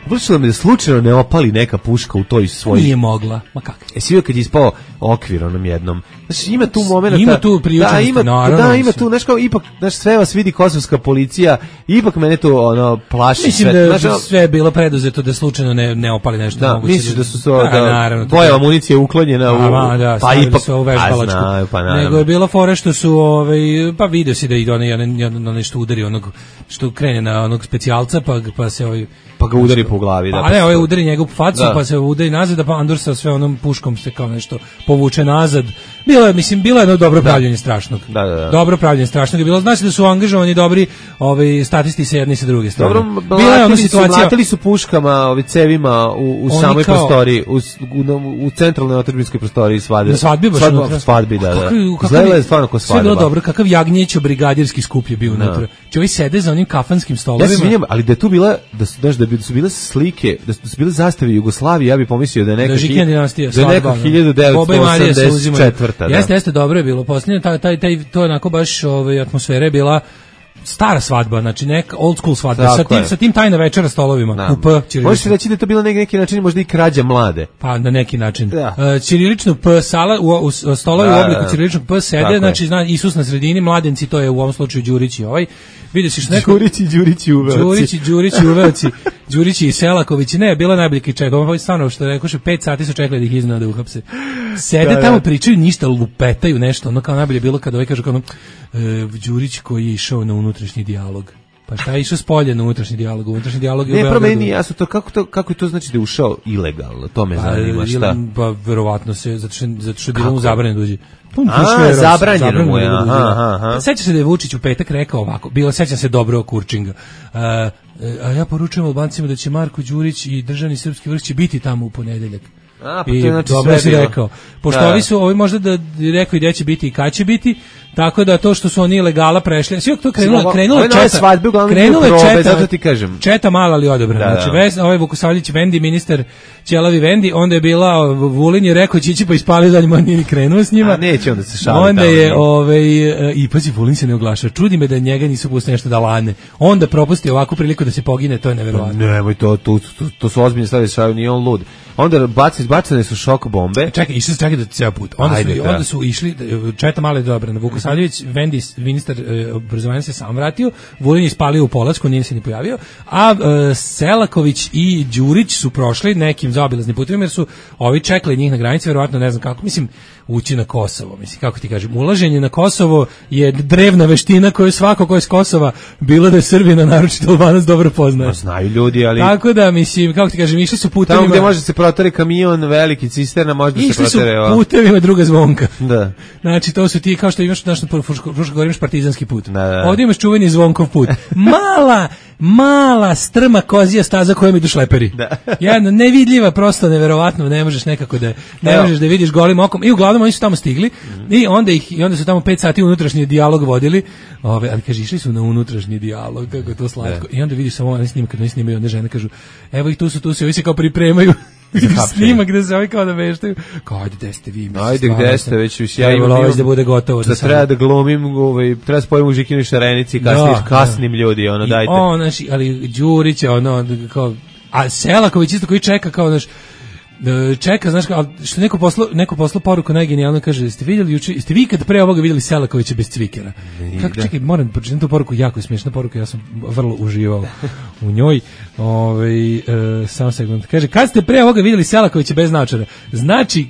Uplašilo me da slučajno ne opali neka puška u toj svoj. Nije mogla. Ma kako? E svi kad je ispao okvir onom jednom. Znači ima tu momenata. Ima tu priučenost. Da, ima, naravno, da, ima tu, znaš kao ipak, znaš, sve vas vidi kosovska policija, ipak mene to ono plaši. Mislim sve, da znaš, sve je bilo preduzeto da slučajno ne ne opali nešto. Da, misliš da su to da, da, naravno, bojeva municija uklonjena u, a, da, pa ipak sve u vežbalačku. Znaju, pa naravno. Nego je bilo fore što su ovaj pa video se da ide onaj na nešto udari onog što krene na onog specijalca pa pa se ovaj pa ga udari po glavi, da. Pa ne, ovaj udari njegov facu, da. Pa se udari nazad, pa Andor sa sve onom puškom se kao nešto povuče nazad. Bilo je, mislim, bilo je jedno dobro pravljenje strašnog. Da, da, da. Dobro pravljenje strašnog je bilo. Znači da su angažovani dobri ovaj statisti sa jedne i sa druge strane. Dobro, bila je ona situacija. Mlatili su puškama, ovi cevima u, u samoj kao, prostoriji, u, u, u centralnoj otadžbinskoj prostoriji svadbe. Na svadbi baš unutra. Svadbi, da, da. Izgledalo je stvarno kao svadba. Sve bilo dobro, kakav jagnjećo brigadirski skup je bio unutra. Čovjek sede za onim kafanskim stolovima. Ja se izvinjam, ali da je tu bila, da su, da, da su bile slike, da su bile zastave Jugoslavije, ja bih pomislio da je neka, da dinastija, da je neka hiljadu devetsto osamdeset četvrta. Da. Jeste, jeste, dobro je bilo. Posljednje, taj, taj, taj, to je onako baš ovaj, atmosfera je bila stara svadba, znači neka old school svadba, tako sa tim, sa tim tajna večera stolovima. Da. U P, ćirilično. Možete reći da je to bilo na neki način možda i krađa mlade. Pa na neki način. Da. Uh, ćirilično P sala, u, u stolovi da, u obliku ćiriličnog P sede, znači zna, Isus na sredini, mladenci, to je u ovom slučaju Đurić i ovaj. Vidiš što neko Đurić i Đurić i Uveoci. Đurić i Đurić i Uveoci. Đurić i Selaković. Ne, bila najbolji kričaj. Ovo je stvarno što rekoše, pet sati su čekali da ih iznenade uhapse. Sede da, tamo da. Pričaju ništa, lupetaju nešto. Ono kao najbolje bilo kada ovaj kaže kao ono, e, Đurić koji je išao na unutrašnji dijalog. Pa šta je išao s polja na unutrašnji dijalog? Unutrašnji dijalog je ne, u Beogradu. Ne, promeni jasno to kako to kako je to znači da je ušao ilegalno. To me pa, zanima šta. Pa verovatno se zato što zato što je bilo mu zabranjeno dođe. A, zabranjeno mu je. Aha, aha. Seća se da je Vučić u petak rekao ovako. Bilo seća se dobro Kurčinga. Uh, a ja poručujem Albancima da će Marko Đurić i državni srpski vrh će biti tamo u ponedeljak. A, pa to je znači dobro sve si rekao. Pošto da. ovi su, ovi možda da rekao i gde će biti i kad će biti, tako da to što su oni ilegala prešli, sve to krenulo, krenulo četa, svadbe, krenulo je četa, zato ti kažem. Četa mala ali odobrana. Da, znači, da. Ves, ovaj Vukosavljević Vendi, ministar Ćelavi Vendi, onda je bila Vulin je rekao će ići pa ispali zadnjim, on nije krenuo s njima. A neće onda se šali. Onda je, ovaj, i pazi, Vulin se ne oglaša. Čudi me da njega nisu pustili nešto da lane. Onda propusti ovakvu priliku da se pogine, to je neverovatno. Nemoj to, to, to, to su ozbiljne stvari, šaju, nije on lud. Onda baci, izbacane su šok bombe. Čekaj, išli su čekaj da ceo put. Onda Ajde, su, da. onda su išli, četa male dobrana. Vukosavljević, Vendi, ministar e, obrazovanja se sam vratio, Vulin je spalio u Polacku, nije se ni pojavio, a e, Selaković i Đurić su prošli nekim zaobilaznim putovima jer su ovi čekali njih na granici, verovatno ne znam kako, mislim, ući na Kosovo, mislim, kako ti kažem, ulaženje na Kosovo je drevna veština koju svako ko je s Kosova, bilo da je Srbina, naročito Albanac, dobro poznaje. No, znaju ljudi, ali... Tako da, mislim, kako ti kažem, išli su putevima... Tamo gde može se protari kamion, veliki cisterna, može da se protare... Išli su putevima druga zvonka. Da. Znači, to su ti, kao što imaš, znaš, na Fruškoj Gori imaš partizanski put. Da, da. Ovdje imaš čuveni Zvonkov put. Mala, mala, strma kozija staza kojom idu šleperi. Da. Jedna nevidljiva, prosto neverovatno, ne možeš nekako da, ne Evo. možeš da vidiš golim okom. I uglavnom oni su tamo stigli mm. i onda ih i onda su tamo pet sati unutrašnji dijalog vodili. Ove, ali kaže išli su na unutrašnji dijalog, kako je to slatko. Da. I onda vidiš samo oni snima kad oni snimaju, onda žene kažu: "Evo ih tu su, tu su, ovi se kao pripremaju." Snima gde se ovi kao da veštaju. Kao, ajde, gde ste vi? Mislim, ajde, gde ste već? Već ja imam imam da bude gotovo. Da, da treba da glumim, ovaj, treba spojim u Žikinu Šarenici, kasnim, da, kasnim da. ljudi, ono, I dajte. On, znači, ali Đurić je, ono, kao, a Selaković isto koji čeka, kao, znaš, čeka, znaš, ali što neko poslao, neko poslao poruku najgenijalno, kaže, jeste vidjeli juče, jeste vi kad pre ovoga vidjeli Selakovića bez cvikera? Kako, da. Čekaj, moram pročitati tu poruku, jako je smiješna poruka, ja sam vrlo uživao u njoj. Ovaj e, samo sekund. Kaže, kad ste pre ovoga vidjeli Selakovića bez naočara? Znači,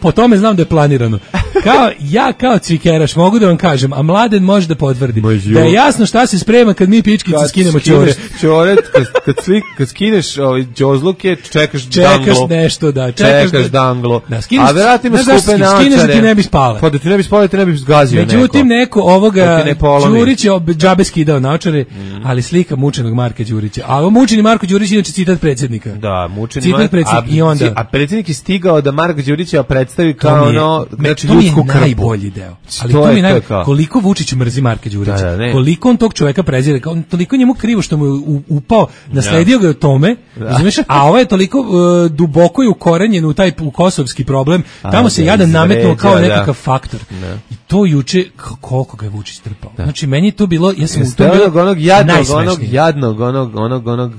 po tome znam da je planirano. Kao, ja kao cvikeraš mogu da vam kažem, a Mladen može da potvrdi. Da je jasno šta se sprema kad mi pičkice skinemo čore. Čore, kad, kad, slik, kad skineš ovaj, džozluke, čekaš, čekaš danglo. Čekaš nešto, da. Čekaš, čekaš da, danglo. Da, skineš, a vjerojatno ima skupe naočare. Skineš da ti ne bi spale. Pa da ti ne bi spale, ti ne bi zgazio neko. Međutim, neko ovoga ne Đurić je džabe skidao naočare, mm. ali slika mučenog Marka Đurića. A ovo mučeni Marko Đurić inače citat predsjednika. Da, mučeni citat predsjednika. I onda... A predsjednik je stigao da Marka Đurića predstavi kao ono, znači to mi je ljudsku krpu. Najbolji deo. Ali to, to mi je, naj... to koliko Vučić mrzi Marka Đurića. Da, da, koliko on tog čoveka prezire, on toliko njemu krivo što mu je upao, nasledio ga je tome, razumeš? A ovo je toliko uh, duboko i ukorenjen u taj u kosovski problem. Tamo a, se jadan nametnuo kao da. nekakav faktor. Da. I to juče koliko ga je Vučić trpao. Da. Znači meni je to bilo, ja sam u tom bilo onog jadnog, onog jadnog, onog onog onog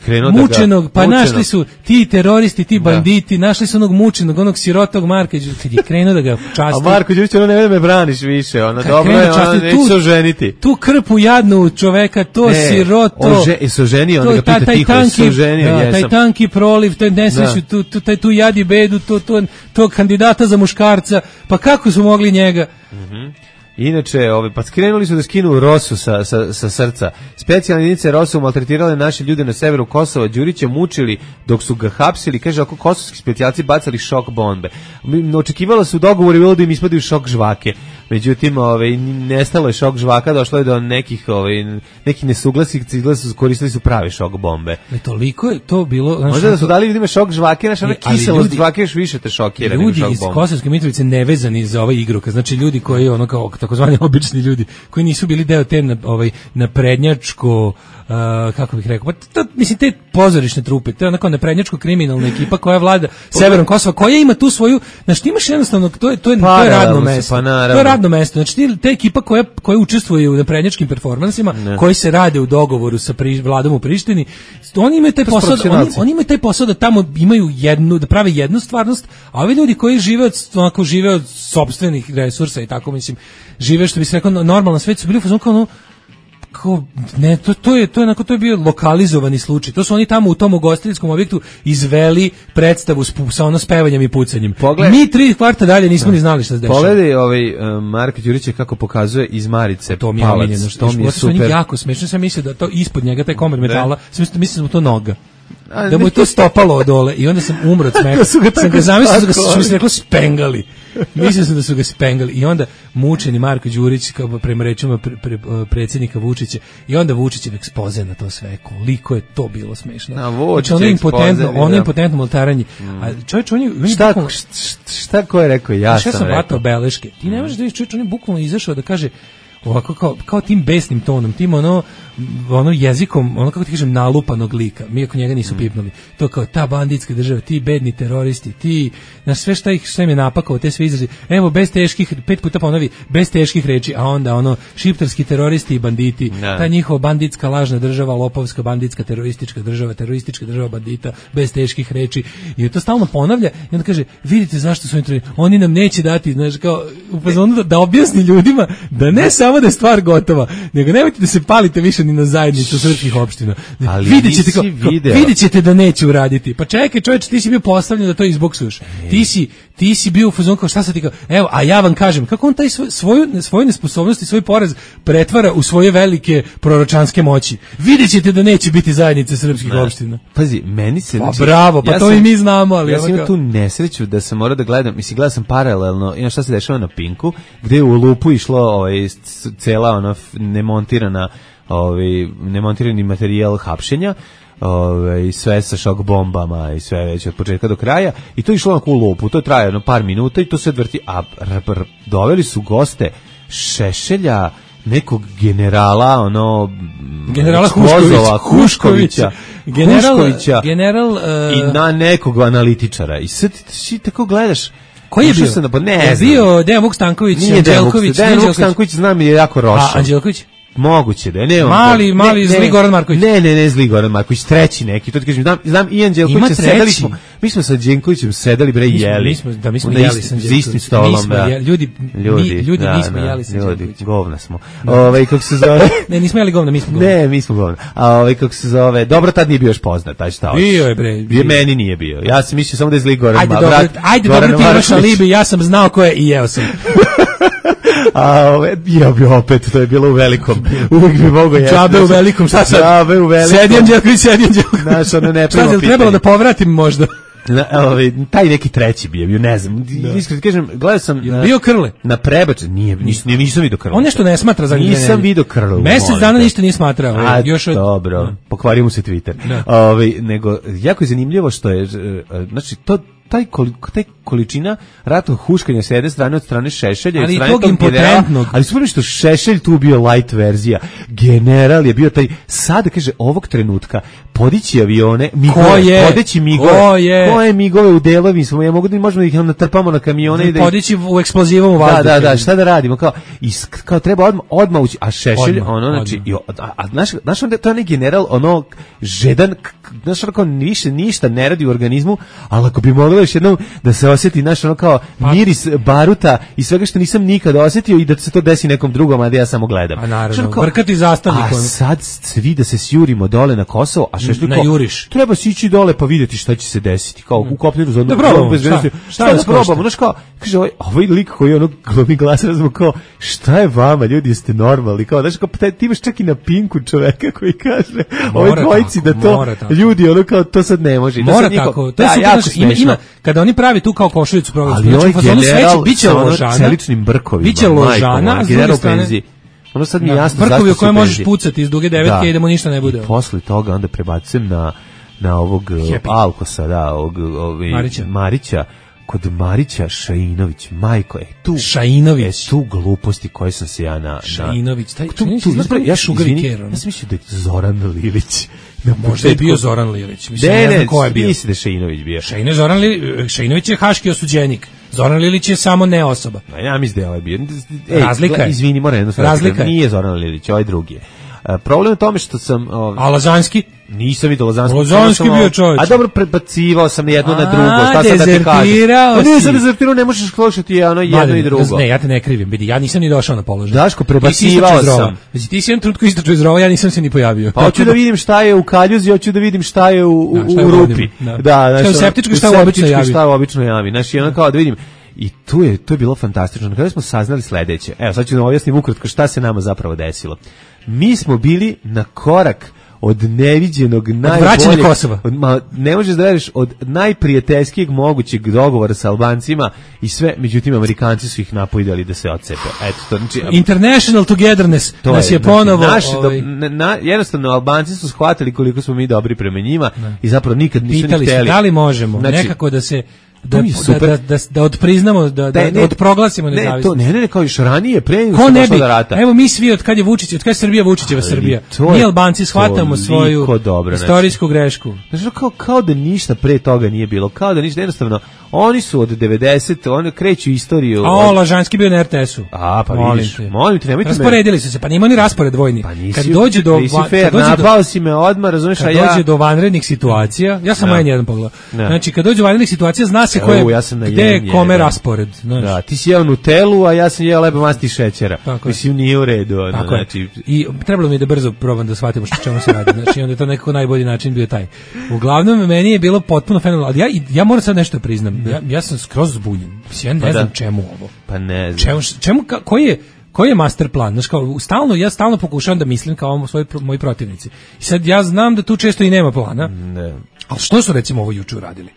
krenuo da mučenog, pa mučenog. Našli su ti teroristi, ti banditi, da. Našli su onog mučenog, onog sirotog Marka Đurića, kad je krenuo da ga časti. A Marko Đurić, ono ne da me braniš više, ono dobro je, ono neće se oženiti. Tu krpu jadnu čoveka, to ne, siroto. Ože, i se oženio, onda ga pita ta, tiho, tanki, se oženio, da, jesam. Taj tanki proliv, taj nesreću, tu, tu, taj, tu jadi bedu, to, to, to kandidata za muškarca, pa kako su mogli njega? Mhm. Inače, ovaj, pa skrenuli su da skinu Rosu sa, sa, sa srca. Specijalne jedinice Rosu maltretirale naše ljude na severu Kosova, Đurića mučili dok su ga hapsili, kaže, ako kosovski specijalci bacali šok bombe. Očekivalo su dogovor i bilo da im ispadaju šok žvake. Međutim, ovaj, nestalo je šok žvaka, došlo je do nekih, ovaj, nekih nesuglasica, su koristili su prave šok bombe. Ne, toliko je to bilo... Znaš, možda da su dali ljudima šok žvake, znaš, ona kiselost žvake još više te šokira. Ljudi iz Kosovske Mitrovice nevezani za ovaj igrokaz, znači ljudi koji ono kao takozvani obični ljudi koji nisu bili deo te na, ovaj naprednjačko uh, kako bih rekao, pa to, mislim te pozorišne trupe, to je onako naprednjačko kriminalna ekipa koja vlada severom Kosova, koja ima tu svoju, znači ti imaš jednostavno to je to je, pa, to je radno mesto. Pa, to je radno mesto. Znači ti, te ekipa koja koja učestvuje u naprednjačkim performansima, ne. koji se rade u dogovoru sa pri, vladom u Prištini, oni imaju taj posao, oni, oni imaju taj posao da tamo imaju jednu, da prave jednu stvarnost, a ovi ljudi koji žive od, onako žive od sopstvenih resursa i tako, mislim, žive što bi se rekao normalno svet, su bili u fazonu kao ono, Kao, ne, to, to je to je onako, to je bio lokalizovani slučaj. To su oni tamo u tom ugostiteljskom objektu izveli predstavu s, sa ono spevanjem i pucanjem. Pogled, mi tri kvarta dalje nismo no. ni znali šta se dešava. Pogledaj ovaj uh, Marko Đurić kako pokazuje iz Marice. To mi je omiljeno, što mi je super. Jako smešno, sam mislio da to ispod njega taj komad metala, sam mislio, mislio da to noga. Da mu je to stopalo od dole i onda sam umro od smeha. Sam ga zamislio da su mi se reklo spengali. Mislio sam da su ga spengali i onda mučeni Marko Đurić kao prema rečima pre, pre, predsjednika Vučića i onda Vučićev ekspoze na to sve, koliko je to bilo smešno. Na Vučić ono impotentno, ono impotentno moltaranje. Mm. A čovjek on je šta, bukvalno, šta, šta ko je rekao, ja sam, sam rekao. Vatao beleške. Ti ne možeš da vidiš, čovjek on je bukvalno izašao da kaže ovako kao, kao tim besnim tonom, tim ono, ono jezikom, ono kako ti kažem, nalupanog lika, mi ako njega nisu pipnuli, to kao ta banditska država, ti bedni teroristi, ti, na sve šta ih, šta im je napakao, te sve izrazi, evo, bez teških, pet puta ponovi, bez teških reči, a onda ono, šiptarski teroristi i banditi, ne. Ta njihova banditska lažna država, lopovska banditska teroristička država, teroristička država bandita, bez teških reči, i to stalno ponavlja, i onda kaže, vidite zašto su oni, oni nam neće dati, znaš, kao, u fazonu da, da objasni ljudima, da ne samo da je stvar gotova, nego nemojte da se palite više ni na zajednicu srpskih opština. Vidjet ćete, kao, kao, vidjet ćete da neće uraditi. Pa čekaj, čovječe, ti si bio postavljen da to izboksuješ. Ti si, ti si bio u fazonu kao šta sad ti kao, evo, a ja vam kažem, kako on taj svoj, svoju, svoju nesposobnost i svoj poraz pretvara u svoje velike proročanske moći. Vidjet ćete da neće biti zajednice srpskih ne. opština. Pazi, meni se... Pa bravo, pa ja to sam, i mi znamo, ali... Ja sam imao tu nesreću da sam morao da gledam, mislim, gledao sam paralelno, ima šta se dešava na Pinku, gde je u lupu išlo ovaj, cela ona nemontirana ovaj nemontirani materijal hapšenja, ovaj sve sa šok bombama i sve već od početka do kraja i to je išlo onako u lupu, to je trajalo no par minuta i to se odvrti, a r, r, doveli su goste Šešelja, nekog generala, ono generala Huškovića, Huškovića, general, Huškovića general uh, i na nekog analitičara i sad ti tako gledaš. Koji je bio? Da, pa ne je bio Dejan Vuk Stanković, Anđelković, Dejan Vuk Stanković znam je jako rošao. A Anđelković? Moguće da je, ne on. Mali, mali ne, zli ne, Goran Marković. Ne, ne, ne, zli Goran Marković, treći neki. To ti kažem, znam, znam i Anđelkovića, sedeli smo. Mi smo sa Anđelkovićem sedeli bre i jeli. Mi smo, da mi smo jeli sa Anđelkovićem. Za istim stolom, da. Jeli, ljudi, ljudi, mi, ljudi da, nismo da, jeli sa Anđelkovićem. Ljudi, govna smo. Ovaj kako se zove? Ne, nismo jeli govna, mi smo govna. Ne, mi smo govna. A ovaj kako se zove? Dobro, tad nije bio još poznat, taj šta hoće. Bio je bre. Bio meni nije bio. Ja sam mislio samo da je zli Goran Marković. Ajde, dobro, ajde, dobro ti imaš alibi, ja sam znao ko je i jeo sam. A ove, ja bi opet, to je bilo u velikom. Uvijek bi mogo jesti. Džabe u velikom, šta sad? Džabe u velikom. Sedi Anđelković, sedi Anđelković. Znaš, ono ne prvo pitanje. Trebalo da povratim možda. Na, ovaj, taj neki treći bio, bio ne znam. Da. Iskreno kažem, gledao sam na, bio Krle. Na prebač, nije, nisam, nisam vidio Krle. On nešto ne smatra za njega. Nisam vidio Krle. Mesec dana ništa nije smatrao. A, još od... dobro, da. Pokvario mu se Twitter. Ovaj, nego, jako je zanimljivo što je, znači, to taj, koliko, taj količina ratnog huškanja s jedne strane od strane Šešelja, ali od strane tog tog generala, ali super što Šešelj tu bio light verzija, general je bio taj, sad kaže ovog trenutka podići avione, migove, podići migove, ko je, ko je migove u delovi, smo, ja mogu da možemo da ih natrpamo na kamione i da podići u eksplozivom u vazduhu. Da, da, da, šta da radimo, kao, is, kao treba odmah, odmah ući, a Šešelj, odmah, ono, znači, i, a, a znaš, znaš onda, to je onaj general, ono, žedan, znaš, ono, kao, više, ništa ne radi u organizmu, ali ako bi moglo još jednom da se osjeti, znaš, ono, kao, miris baruta i svega što nisam nikada osjetio i da se to desi nekom drugom, a da ja samo gledam. A naravno, vrkati zastavnikom. A sad svi da se sjurimo dole na Kosovo, a Šešelj kao, treba se ići dole pa vidjeti šta će se desiti, kao u kopneru za odmah, šta, šta da probamo, znaš kao, kaže ovaj, ovaj lik koji je ono glavni glas razmo kao, šta je vama, ljudi, jeste normalni, kao, znaš, kao, ti imaš čak i na Pinku čoveka koji kaže, ovoj dvojici da to, ljudi, ono kao, to sad ne može. Mora tako, to je super, ima, ima, kada oni pravi tu kao košuljicu program, ali ovaj general biće ložana, celičnim brkovima, biće ložana, s druge strane, ono sad mi jasno zašto brkovi u koje možeš pucati iz duge devetke i idemo ništa ne bude. I posle toga onda prebacujem na na ovog Happy. Alkosa, da, ovog, ovog Marića. Marića, kod Marića Šainović, majko, je tu Šainović, je tu gluposti koje sam se ja na Šainović, taj tu, tu, tu, ja izvini, ja sam mislio da je Zoran Lilić. Da, možda je bio Zoran Lilić. Mislim, ne, ne, ne ko je bio. Misli da je Šainović bio. Šaino, Zoran Li, Šainović je haški osuđenik. Zoran Lilić je samo ne osoba. Ja mislim da je ovaj bio. Ej, razlika je. Izvini, moram jedno stvar. Razlika nije Zoran Lilić, ovaj drugi je. Problem je tome što sam... O, a Lazanski? Nisam vidio Lazanski. Lazanski bio čovječ. A dobro, prebacivao sam jedno na drugo. Šta sad da ti kažem? Pa ne, sad dezertirao, ne možeš slušati ono jedno i drugo. Ne, ja te ne krivim, vidi, ja nisam ni došao na položaj. Daško, prebacivao sam. Znači, ti si jedan trutko istračao iz rova, ja nisam se ni pojavio. Pa hoću da vidim šta je u kaljuzi, hoću da vidim šta je u, u, da, u rupi. Da, da, šta je u septičku, šta je u običnoj javi. Šta je u običnoj javi. Znači, ono kao da vidim. I tu je, to je bilo fantastično. Kada smo saznali sledeće, evo sad ću da objasnim ukratko šta se nama zapravo desilo. Mi smo bili na korak od neviđenog najboljeg Kosova. Od, ma, ne možeš da veriš, od najprijateljskijeg mogućeg dogovora sa Albancima i sve, međutim Amerikanci su ih napojdali da se odcepe. Eto to, znači International Togetherness to nas je, je ponovo znači, naši, ovaj... do, na, jednostavno Albanci su shvatili koliko smo mi dobri prema njima ne. I zapravo nikad nisu pitali ni hteli. Da li možemo znači, nekako da se Da, da, da, da, da odpriznamo, da, da, da odproglasimo nezavisnost. Ne, to, ne, ne, ne, kao još ranije, pre nego što došlo do rata. Evo mi svi, od kad je Vučić, od kad je Srbija Vučićeva Srbija, mi Albanci shvatamo svoju dobro, istorijsku znači, grešku. Znači, kao, kao da ništa pre toga nije bilo, kao da ništa, jednostavno, oni su od devedeset, oni kreću istoriju. A o, Lažanski bio na er te esu. A, pa molim vidiš, te. molim te, nemojte me. Rasporedili su se, pa nima ni raspored vojni. Pa nisi, kad dođe do, fair, kad napao do, si me odmah, razumiješ, a ja... Kad dođe do vanrednih situacija, ja sam no. jedan pogled. No. Znači, kad dođe do vanrednih situacija, zna se ko je, gde je kome raspored. Znači. Da, ti si jeo Nutellu, a ja sam jeo leba masti i šećera. Mislim, nije u redu. Ono, znači... I trebalo mi je da brzo probam da shvatimo što čemu se radi. Znači, onda je to nekako najbolji način bio taj. Uglavnom, meni je bilo potpuno fenomenalno, ali ja, ja moram sad nešto priznam. Ja, ja sam skroz zbunjen. Ja ne pa znam da. čemu ovo. Pa ne znam. Čemu, čemu ka, koji je koji je master plan? Znači, kao, stalno, ja stalno pokušavam da mislim kao svoji, moji protivnici. I sad ja znam da tu često i nema plana. Ne. Ali što su recimo ovo juče uradili?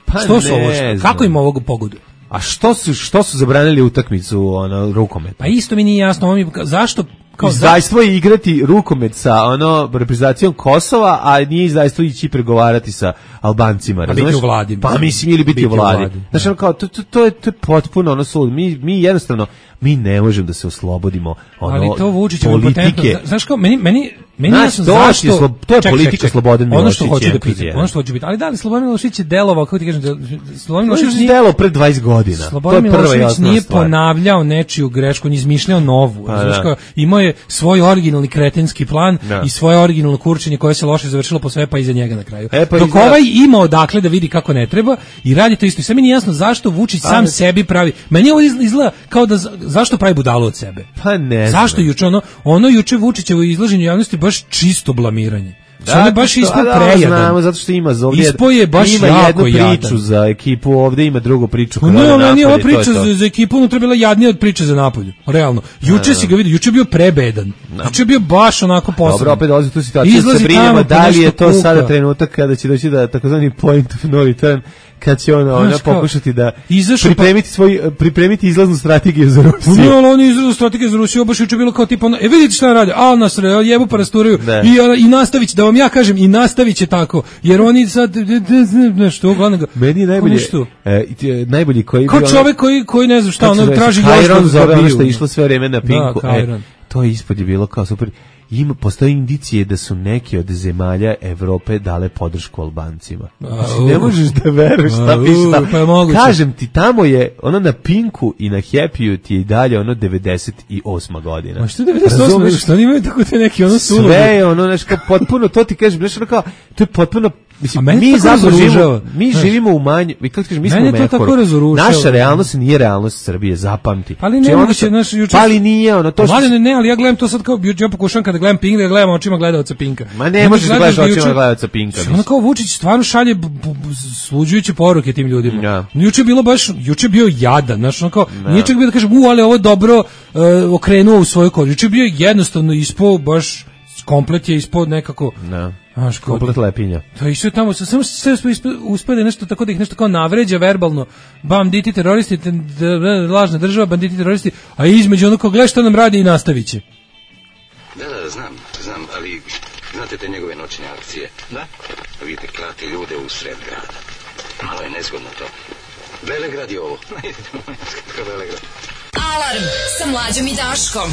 Pa što su ovo? Što? Kako im ovog pogoduje? A što su što su zabranili utakmicu ono rukomet? Pa isto mi nije jasno, mi zašto kao izdajstvo je igrati rukomet sa ono reprezentacijom Kosova, a nije izdajstvo ići pregovarati sa Albancima, razumeš? Biti u vladi. Pa mislim ili biti, biti u vladi. vladi. Znači ono kao to, to, to je to je potpuno ono sud. Mi mi jednostavno mi ne možemo da se oslobodimo ono ali to Vučićevo politike. Znaš kao meni meni meni je jasno zašto je slo, to je ček, politika Slobodan Milošević. Ono što hoće da pitam, ono što hoće biti. Ali da li Slobodan Milošević je delovao, kako ti kažem, Slobodan Milošević nije delovao pre dvadeset godina. Slobodan Milošević nije ponavljao nečiju grešku, ni izmišljao novu. Znači kao imao je svoj originalni kretenski plan da. I svoje originalno kurčenje koje se loše završilo po sve pa iza njega na kraju. E, pa dok izgleda... ovaj ima odakle da vidi kako ne treba i radi to isto. I sve mi nije jasno zašto Vučić sam pa, sebi pravi. Meni ovo izgleda kao da zašto pravi budalu od sebe. Pa ne. Zašto juče ono ono juče Vučićevo izlaženje javnosti baš čisto blamiranje. Da, je baš ispod prejadan. Znamo, zato što ima ovdje, ispo je baš ima jako jednu priču jadan. Za ekipu, ovdje ima drugu priču. No, no, no, nije ova priča to to. Za, za ekipu unutra bila jadnija od priče za napolju. Realno. Juče si ga vidio, juče je bio prebedan. No. Juče je bio baš onako posebno. Dobro, opet dolazi tu situaciju. Se brinemo da li je to kuka. Sada trenutak kada će doći da takozvani point of no return, kad će ona, ona pokušati da pripremiti pa... svoj pripremiti izlaznu strategiju za Rusiju. No, ali oni izlaznu strategiju za Rusiju baš juče bilo kao tipa, ono, e vidite šta rade, a nas jebu pa rasturaju i i nastaviće da vam ja kažem i nastaviće tako, jer oni sad nešto uglavnom. Meni je najbolje e, najbolji koji kao čovjek koji koji ne znam šta, ono traži još zove ono što je išlo sve vreme na Pinku. E, to je ispod je bilo kao super. Ima, postoje indicije da su neke od zemalja Evrope dale podršku Albancima. Znači, ne možeš da veruješ šta piše tamo. Pa kažem ti, tamo je, ono na Pinku i na Happy-u ti je i dalje ono devedeset osma godina. Ma što devedeset osma? Što oni imaju tako te neki ono sulu? Sve je ono, nešto potpuno, to ti kažem, nešto kao, to je potpuno, mislim, mi zapravo živimo, mi živimo u manju, vi kako kažeš, mi smo u Mehoru. Naša realnost nije realnost Srbije, zapamti. Ali ne moguće, naš juče. Pa ali nije ono, to što... Ne, ne, ali ja gledam to sad kao, ja pokušam kada gledam Pink, da gledam očima gledaoca Pinka. Ma ne možeš da gledaš očima gledaoca Pinka. Ono kao Vučić stvarno šalje sluđujuće poruke tim ljudima. Ja. Juče bilo baš, juče bio jadan, znači ono kao, ja. Nije čak bio da kažem, u, ali ovo dobro uh, okrenuo u svoju kožu. Juče bio jednostavno ispod, baš komplet je ispod nekako... Ja. Znaš, komplet lepinja. To je išao tamo, samo sve uspede nešto tako da ih nešto kao navređa verbalno, banditi, teroristi, lažna država, banditi, teroristi, a između ono kao, gledaj što nam radi i nastavit će. Da, da, znam, znam, ali znate te njegove noćne akcije? Da. Vidite, klati ljude u sred grada. Malo je nezgodno to. Velegrad je ovo. Velegrad. Alarm sa Mlađom i Daškom.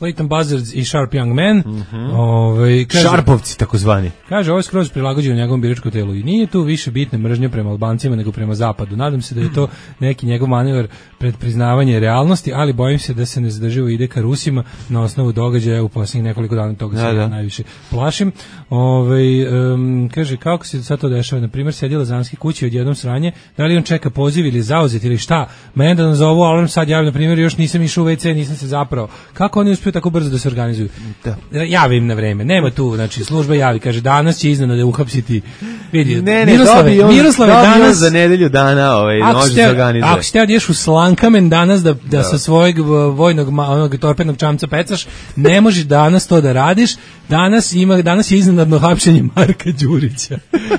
Leighton Buzzards i Sharp Young Man. Mm-hmm. Ove, kaže, Šarpovci takozvani. Kaže, ovo je skroz prilagođeno njegovom biračkom telu i nije tu više bitne mržnje prema Albancima nego prema zapadu. Nadam se da je to neki njegov manevar pred priznavanje realnosti, ali bojim se da se ne zadrživo ide ka Rusima na osnovu događaja u posljednjih nekoliko dana, toga se ja najviše plašim. Ove, um, kaže, kako se sad to dešava? Na primjer, sedjela Zanski kući od jednom sranje, da li on čeka poziv ili zauzet ili šta? Mene da nazovu alarm sad javim, na primjer, još nisam išao u ve ce, nisam se zapravo. Kako oni uspiju tako brzo da se organizuju? Da. Javim na vreme, nema tu, znači služba javi, kaže danas će iznenada uhapsiti. Vidi, ne, ne, Miroslave, on, Miroslave danas za nedelju dana, ovaj, može se organizuje. Ako ste odješ u Slankamen danas da, da, da. sa svojeg vojnog onog torpednog čamca pecaš, ne možeš danas to da radiš. Danas ima danas je iznenadno hapšenje Marka Đurića.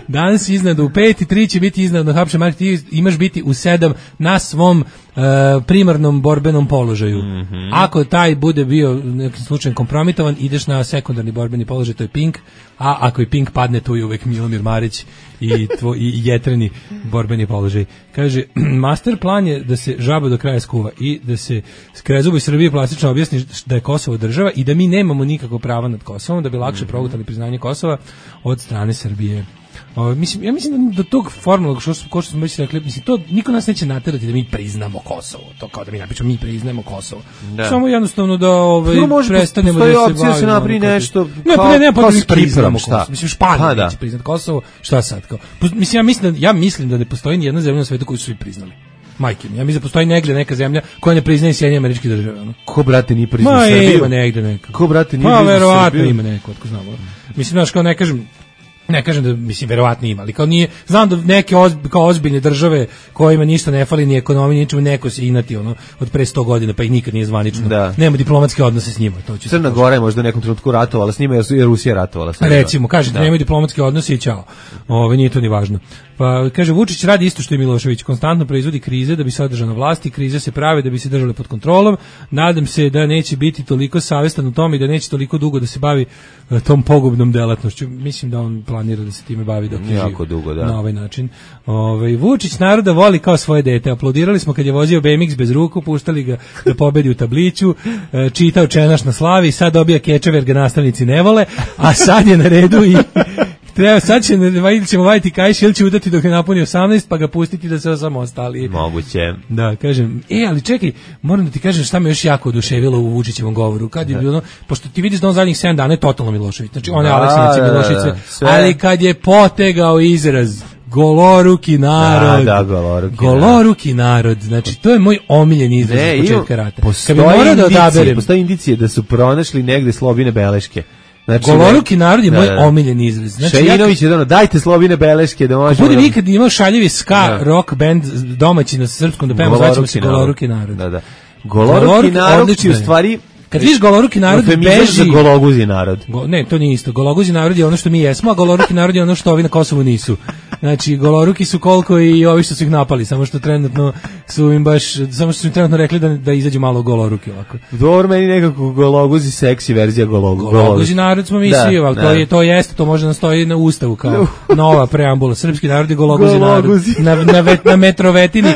Danas je iznenadno u pet i tri će biti iznenadno hapšenje Marka, ti imaš biti u sedam na svom Uh, primarnom borbenom položaju. Mm-hmm. Ako taj bude bio nekim slučajem kompromitovan, ideš na sekundarni borbeni položaj, to je Pink, a ako i Pink padne, tu je uvek Milomir Marić i, tvoj, i jetreni borbeni položaj. Kaže, master plan je da se žaba do kraja skuva i da se Krezubu i Srbije plastično objasni da je Kosovo država i da mi nemamo nikakvo prava nad Kosovom, da bi lakše mm-hmm. progutali priznanje Kosova od strane Srbije. O, mislim, ja mislim da do tog formalnog, što, što smo već rekli, mislim, to niko nas neće naterati da mi priznamo Kosovo, to kao da mi napišemo, mi priznamo Kosovo. Da. Samo jednostavno da ovaj, no, prestanemo da se bavimo. Opcija se napravi nešto ne, kao, ne, ne, kao, kao priznamo Kosovo. Mislim, Španija neće priznati Kosovo, šta sad? Kao? Mislim, ja mislim, da, ja mislim da ne postoji ni jedna zemlja na svetu koju su svi priznali. Majke mi, ja mislim da postoji negdje neka zemlja koja ne priznaje Sjedinjene Američke Države. Ono. Ko, brate, nije priznao Ma, Srbiju? Ima negdje neka. Ko, brate, nije pa, priznao Srbiju? Pa, verovatno ima neko, otko znamo. Mislim, znaš, kao ne kažem, ne kažem da, mislim, verovatno ima, ali kao nije, znam da neke ozb, kao ozbiljne države kojima ništa ne fali, ni ekonomiji, ničemu, neko se inati, ono, od pre sto godina, pa ih nikad nije zvanično, da. Nema diplomatske odnose s njima. To će Crna Gora je možda u nekom trenutku ratovala s njima, jer Rusija ratovala s njima. Recimo, kažete, da. Nema diplomatske odnose i čao. Ove, nije to ni važno. Pa kaže, Vučić radi isto što je Milošević, konstantno proizvodi krize da bi se održao na vlasti, krize se prave da bi se držale pod kontrolom. Nadam se da neće biti toliko savestan u tom i da neće toliko dugo da se bavi uh, tom pogubnom delatnošću. Mislim da on planira da se time bavi dok je živ dugo, da. Na ovaj način. Ovaj Vučić naroda voli kao svoje dete. Aplaudirali smo kad je vozio be em iks bez ruku, puštali ga da pobedi u tabliću, uh, čitao Čenaš na slavi, sad dobija kečeve jer ga nastavnici ne vole, a sad je na redu i treba, sad će, ili ćemo vaditi kajš ili će udati dok ne napuni osamnaest pa ga pustiti da se osamostali. Moguće. Da, kažem, e, ali čekaj, moram da ti kažem šta me još jako oduševilo u Vučićevom govoru. Kad je bilo, pošto ti vidiš da on zadnjih sedam dana je totalno Milošević. Znači, on je Aleksinac i Milošević, ali kad je potegao izraz goloruki narod. Da, da, goloruki, goloruki narod. Znači, to je moj omiljeni izraz od početka rata. Kad bi morao da odaberem. Postoje indicije da su pronašli negde Slobine beleške. Znači, goloruki narod je moj da, da. omiljeni izraz. Znači, Šajinović je ono, dajte Slobine beleške da možemo... Bude nikad imao šaljivi ska da. rock band domaći na srpskom da pevamo, zvaćemo se Goloruki narod. Da, da. Goloruki, Goloruki narod je u stvari... Kad viš goloruki narod beži za gologuzi narod. Go, ne, to nije isto. Gologuzi narod je ono što mi jesmo, a goloruki narod je ono što ovi na Kosovu nisu. Znači, goloruki su koliko i ovi što su ih napali, samo što trenutno su im baš, samo što su im trenutno rekli da, da izađu malo goloruki ovako. Dobro, meni nekako gologuzi seksi verzija gologu. Gologuzi narod smo mi da, svi, ali to, je, to jeste, to može da stoji na ustavu kao nova preambula. Srpski narod je gologuzi, gologuzi. narod. Na, na, vet, na metrovetini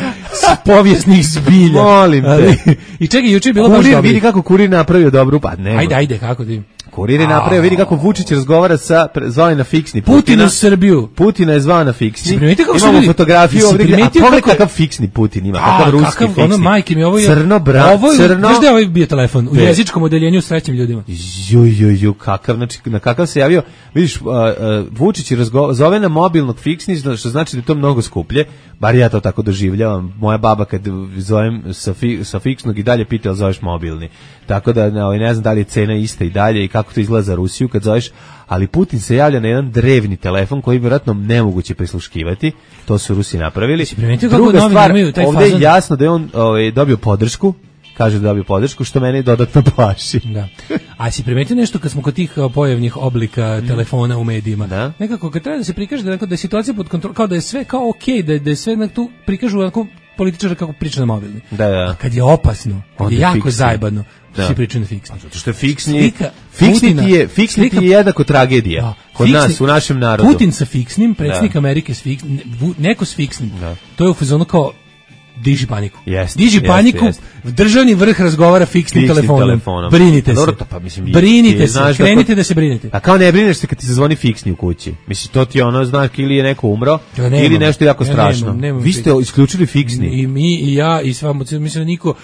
povijesnih zbilja. Molim te. Ali, i čekaj, juče je bilo kurir, baš dobro. Vidi kako Kurir napravio dobru, pa ne. Ajde, ajde, kako ti? Kurir je napravio, vidi kako Vučić razgovara sa, zvao je na fiksni Putina. Putin u Srbiju. Putina je zvao na fiksni. Imamo ljudi, fotografiju ovdje, a pogledaj kakav fiksni Putin ima, kakav ruski kakav, fiksni. Ono, majke mi, ovo je... Crno, bra, ovo je, crno. Znaš da je ovaj bio telefon? U Be. jezičkom odeljenju s trećim ljudima. Ju, ju, ju, kakav, znači, na kakav se javio. Vidiš, uh, uh, Vučić razgo, zove na mobilnog fiksni, što znači da je to mnogo skuplje. Bar ja to tako doživljavam. Moja baba kad zovem sa, fi, sa fiksnog i dalje pita, ali zoveš mobilni. Tako da ne, ne znam da li je cena ista i dalje i kako to izgleda za Rusiju kad zoveš, ali Putin se javlja na jedan drevni telefon koji je vjerojatno nemoguće prisluškivati. To su Rusi napravili. Druga stvar, ovdje je jasno da je on ovaj, dobio podršku, kaže da dobio podršku, što mene dodatno plaši. Da. A si primetio nešto kad smo kod tih pojavnih oblika telefona u medijima? Da. Nekako kad treba da se prikaže da, da je situacija pod kontrolom, kao da je sve kao okej, okay, da, da je sve na tu prikažu onako političara kako priča na mobilni. Da, da. A kad je opasno, kad je jako fiksni. Zajebano, da. Svi pričaju na fiksni. Zato što je fiksni, slika, fiksni ti je, fiksni slika, ti je jednako tragedija. Da. Kod fiksni, nas, u našem narodu. Putin sa fiksnim, predsjednik da. Amerike s fiksnim, neko s fiksnim. Da. To je u fazonu kao, diži paniku. Yes, diži yes, paniku, yes. državni vrh razgovara fiksnim, fiksnim telefonom. telefonom. Brinite Dobro, se. to, pa, mislim, brinite ti, se, krenite da, da se brinete. A kao ne brineš se kad ti zazvoni fiksni u kući. Mislim, to ti je ono znak ili je neko umro, ja, nemam, ili nešto jako ja, strašno. Nemam, nemam Vi ste fiksni. Isključili fiksni. I mi, i ja, i sva, mislim da niko...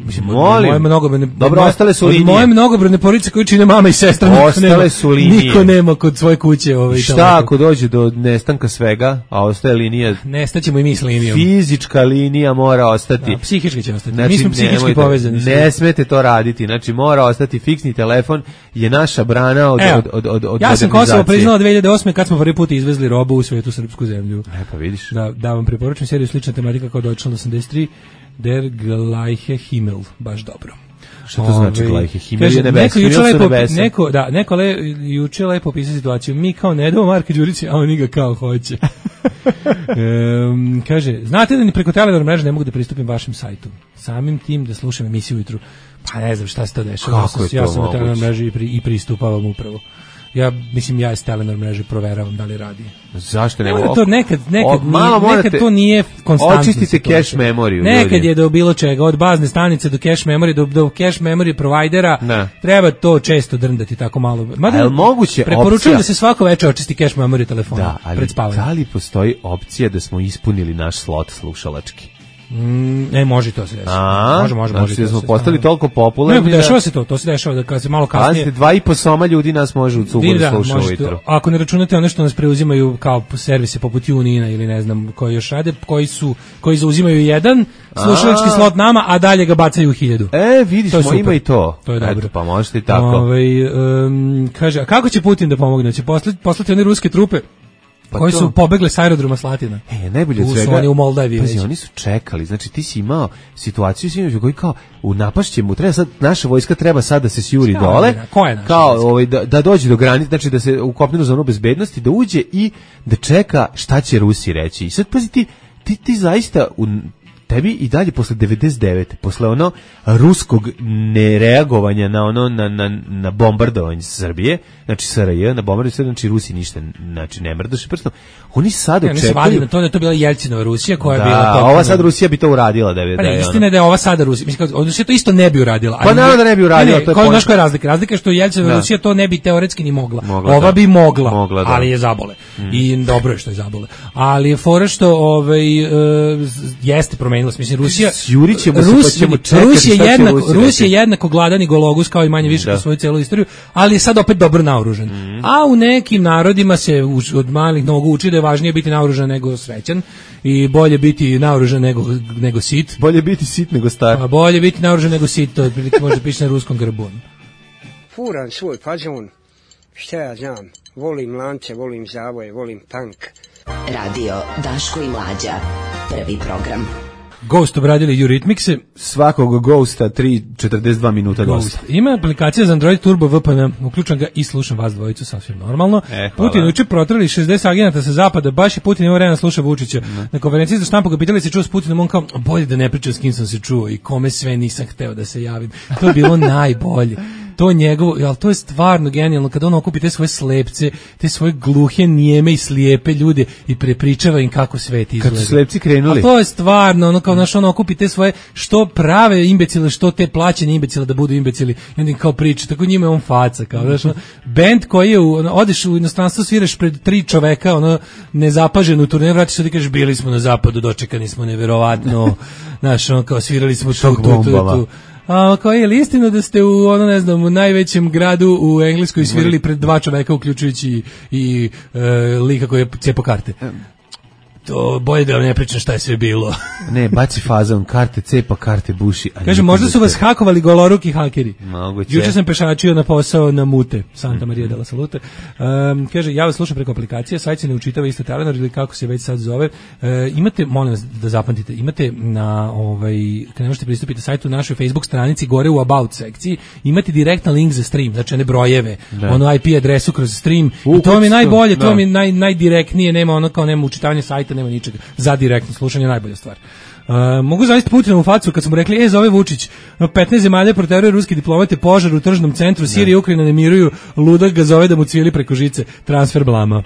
Mislim, molim. Moje mnogobrojne, dobro, moje, ostale su linije. Moje mnogobrojne porodice koje čine mama i sestra, niko ostale nema, su linije. Niko nema kod svoje kuće. Ovaj, šta ako dođe do nestanka svega, a ostaje linija? Nestaćemo i mi s linijom. Fizička linija mora ostati. Da, psihički će ostati. Znači, mi smo psihički povezani. Ne smete to raditi. Znači, mora ostati fiksni telefon, je naša brana od, Evo, od, od, od, od ja sam Kosovo priznala dve hiljade osme kad smo prvi put izvezli robu u svetu srpsku zemlju. E, pa vidiš. Da, da vam preporučujem seriju slična tematika kao Deutschland osamdeset tri, Der gleiche Himmel, baš dobro. Šta to znači gleiche Himmel? Je nebeski, neko, lepo, neko, da, neko le, juče lepo opisao situaciju, mi kao ne damo Marka Đurića, a oni ga kao hoće. um, kaže, znate da ni preko Telenor mreže ne mogu da pristupim vašem sajtu, samim tim da slušam emisiju ujutru, pa ne znam šta se to dešava, kako je to ja sam moguće? na Telenor mreži i, pri, i pristupavam upravo. Ja mislim ja iz Telenor mreže proveravam da li radi. Zašto ne mogu? To nekad nekad o, malo nije, nekad to nije konstantno. Očistite cache memoriju. Nekad ljudi. je do bilo čega, od bazne stanice do cache memorije do, do cache memorije provajdera. Ne. Treba to često drndati tako malo. Mada je moguće preporučujem opcija... da se svako veče očisti cache memorije telefona da, ali pred spavanjem. Da li postoji opcija da smo ispunili naš slot slušalački? Mm, ne, može to se desiti. Može, može, znači može. Da smo postali toliko popularni. Ne, dešava se to, to se dešava da kad se malo kasnije. Pazite, dva i po soma ljudi nas može u cugu da sluša ujutro. Ako ne računate one što nas preuzimaju kao servise poput Unina ili ne znam koji još rade, koji su koji zauzimaju jedan slušalački slot nama, a dalje ga bacaju u hiljadu. E, vidiš, ima i to. To je dobro. Eto, pa možete i tako. Ovaj um, kaže, a kako će Putin da pomogne? Će poslati, poslati one ruske trupe? Pa koji to... su pobegle s aerodroma Slatina. E, najbolje od svega. Oni u Moldavi. Pazi, oni su čekali. Znači ti si imao situaciju s koji kao u napašćemu treba sad naša vojska treba sad da se sjuri Šta, dole. Ko je naša kao ovaj da, da dođe do granice, znači da se u kopnenu zonu bezbednosti da uđe i da čeka šta će Rusi reći. I sad pazi ti ti, ti zaista u tebi i dalje posle devedeset devete posle ono ruskog nereagovanja na ono na na na bombardovanje Srbije, znači S R J na bombardovanje, znači Rusi ništa, znači ne mrdaše prstom. Oni sad očekuju na to da je to bila Jelcinova Rusija koja da, je bila da, ova sad Rusija bi to uradila da je. Pa ne, istina je da je ova sada Rusija, mislim kao Rusija to isto ne bi uradila. Pa naravno da ne bi uradila, ne, to je koja je razlika. Razlika je što Jelcinova Rusija to ne bi teoretski ni mogla. mogla ova da. bi mogla, mogla da. ali je zabole. Mm. I dobro je što je zabole. Ali je fora što ovaj uh, jeste promenilo se, mislim Rusija Jurićemo se Rus, pa ćemo čekati. Rus je jednako Rus je jednako gladan i gologus kao i manje više kroz svoju celu istoriju, ali je sad opet dobro naoružan. Mm. A u nekim narodima se od malih nogu uči da je važnije biti naoružan nego srećan i bolje biti naoružan nego nego sit. Bolje biti sit nego star. A bolje biti naoružan nego sit, to otprilike može piše na ruskom grbu. Furan svoj fazon. Šta ja znam? Volim lance, volim zavoje, volim tank. Radio Daško i Mlađa. Prvi program. Ghost obradili Eurythmicse. Svakog Ghosta tri četrdeset dva minuta dosta. Ima aplikacija za Android Turbo V P N, uključam ga i slušam vas dvojicu sasvim normalno. E, Putin uče protrali šezdeset agenata sa zapada, baš je Putin imao vremena sluša Vučića. Ne. Na konferenciji za štampu ga pitali se čuo s Putinom, on kao, bolje da ne pričam s kim sam se čuo i kome sve nisam hteo da se javim. To je bilo najbolje. To njegovo, ali to je stvarno genijalno kada on okupi te svoje slepce, te svoje gluhe, nijeme i slijepe ljude i prepričava im kako svet izgleda. Kad su slepci krenuli. A to je stvarno, ono kao naš on okupi te svoje što prave imbecile, što te plaćene imbecile da budu imbecili. I onda im kao priča, tako njima je on faca, kao znaš, ono, bend koji je, u, ono, odeš u inostranstvo, sviraš pred tri čoveka, ono, nezapaženu turneju, vratiš se i kažeš, bili smo na zapadu, dočekani smo neverovatno, znaš, ono, kao svirali smo tu, tu, tu, tu. A kao je li istina da ste u ono ne znam u najvećem gradu u Engleskoj svirali pred dva čoveka uključujući i, i e, lika koji je cepo karte? To bolje da vam ne pričam šta je sve bilo. Ne, baci fazon, karte cepa, karte buši. Kaže, možda su vas hakovali goloruki hakeri. Moguće. Juče sam pešačio na posao na Mute, Santa Maria della Salute. Um, kaže, ja vas slušam preko aplikacije, sajt se ne učitava isto Telenor ili kako se već sad zove. Uh, imate, molim vas da zapamtite, imate na, ovaj, kad ne možete pristupiti sajtu na našoj Facebook stranici, gore u About sekciji, imate direktan link za stream, znači one brojeve, da. Ono I P adresu kroz stream, u, i to mi je najbolje, da. To mi je naj, najdirektnije, nema ono kao nema učitavanje sajta, nema ničega, za direktno slušanje najbolja stvar. Uh, mogu zavisiti Putinovu facu kad smo rekli, e, zove Vučić, petnaest zemalja proteruje ruski diplomate, požar u tržnom centru, Sirija i Ukrajina ne miruju, ludak ga zove da mu cvili preko žice, transfer blama.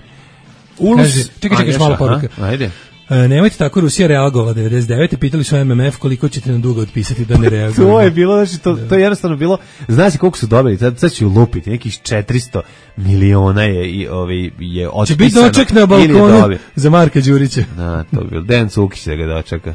Ulus, kaže, čekaj, čekaj, malo poruka. Ajde. E, nemojte tako, Rusija reagovala devedeset devete pitali su M M F koliko ćete nam dugo otpisati da ne reaguju. To je bilo, znači, to, to je jednostavno bilo, znaš si koliko su dobili, sad, sad ću lupiti, nekih četiristo miliona je, i, ovi, je otpisano. Će biti doček na balkonu za Marka Đurića. Na, to bi bilo, Dejan Cukić da ga dočeka.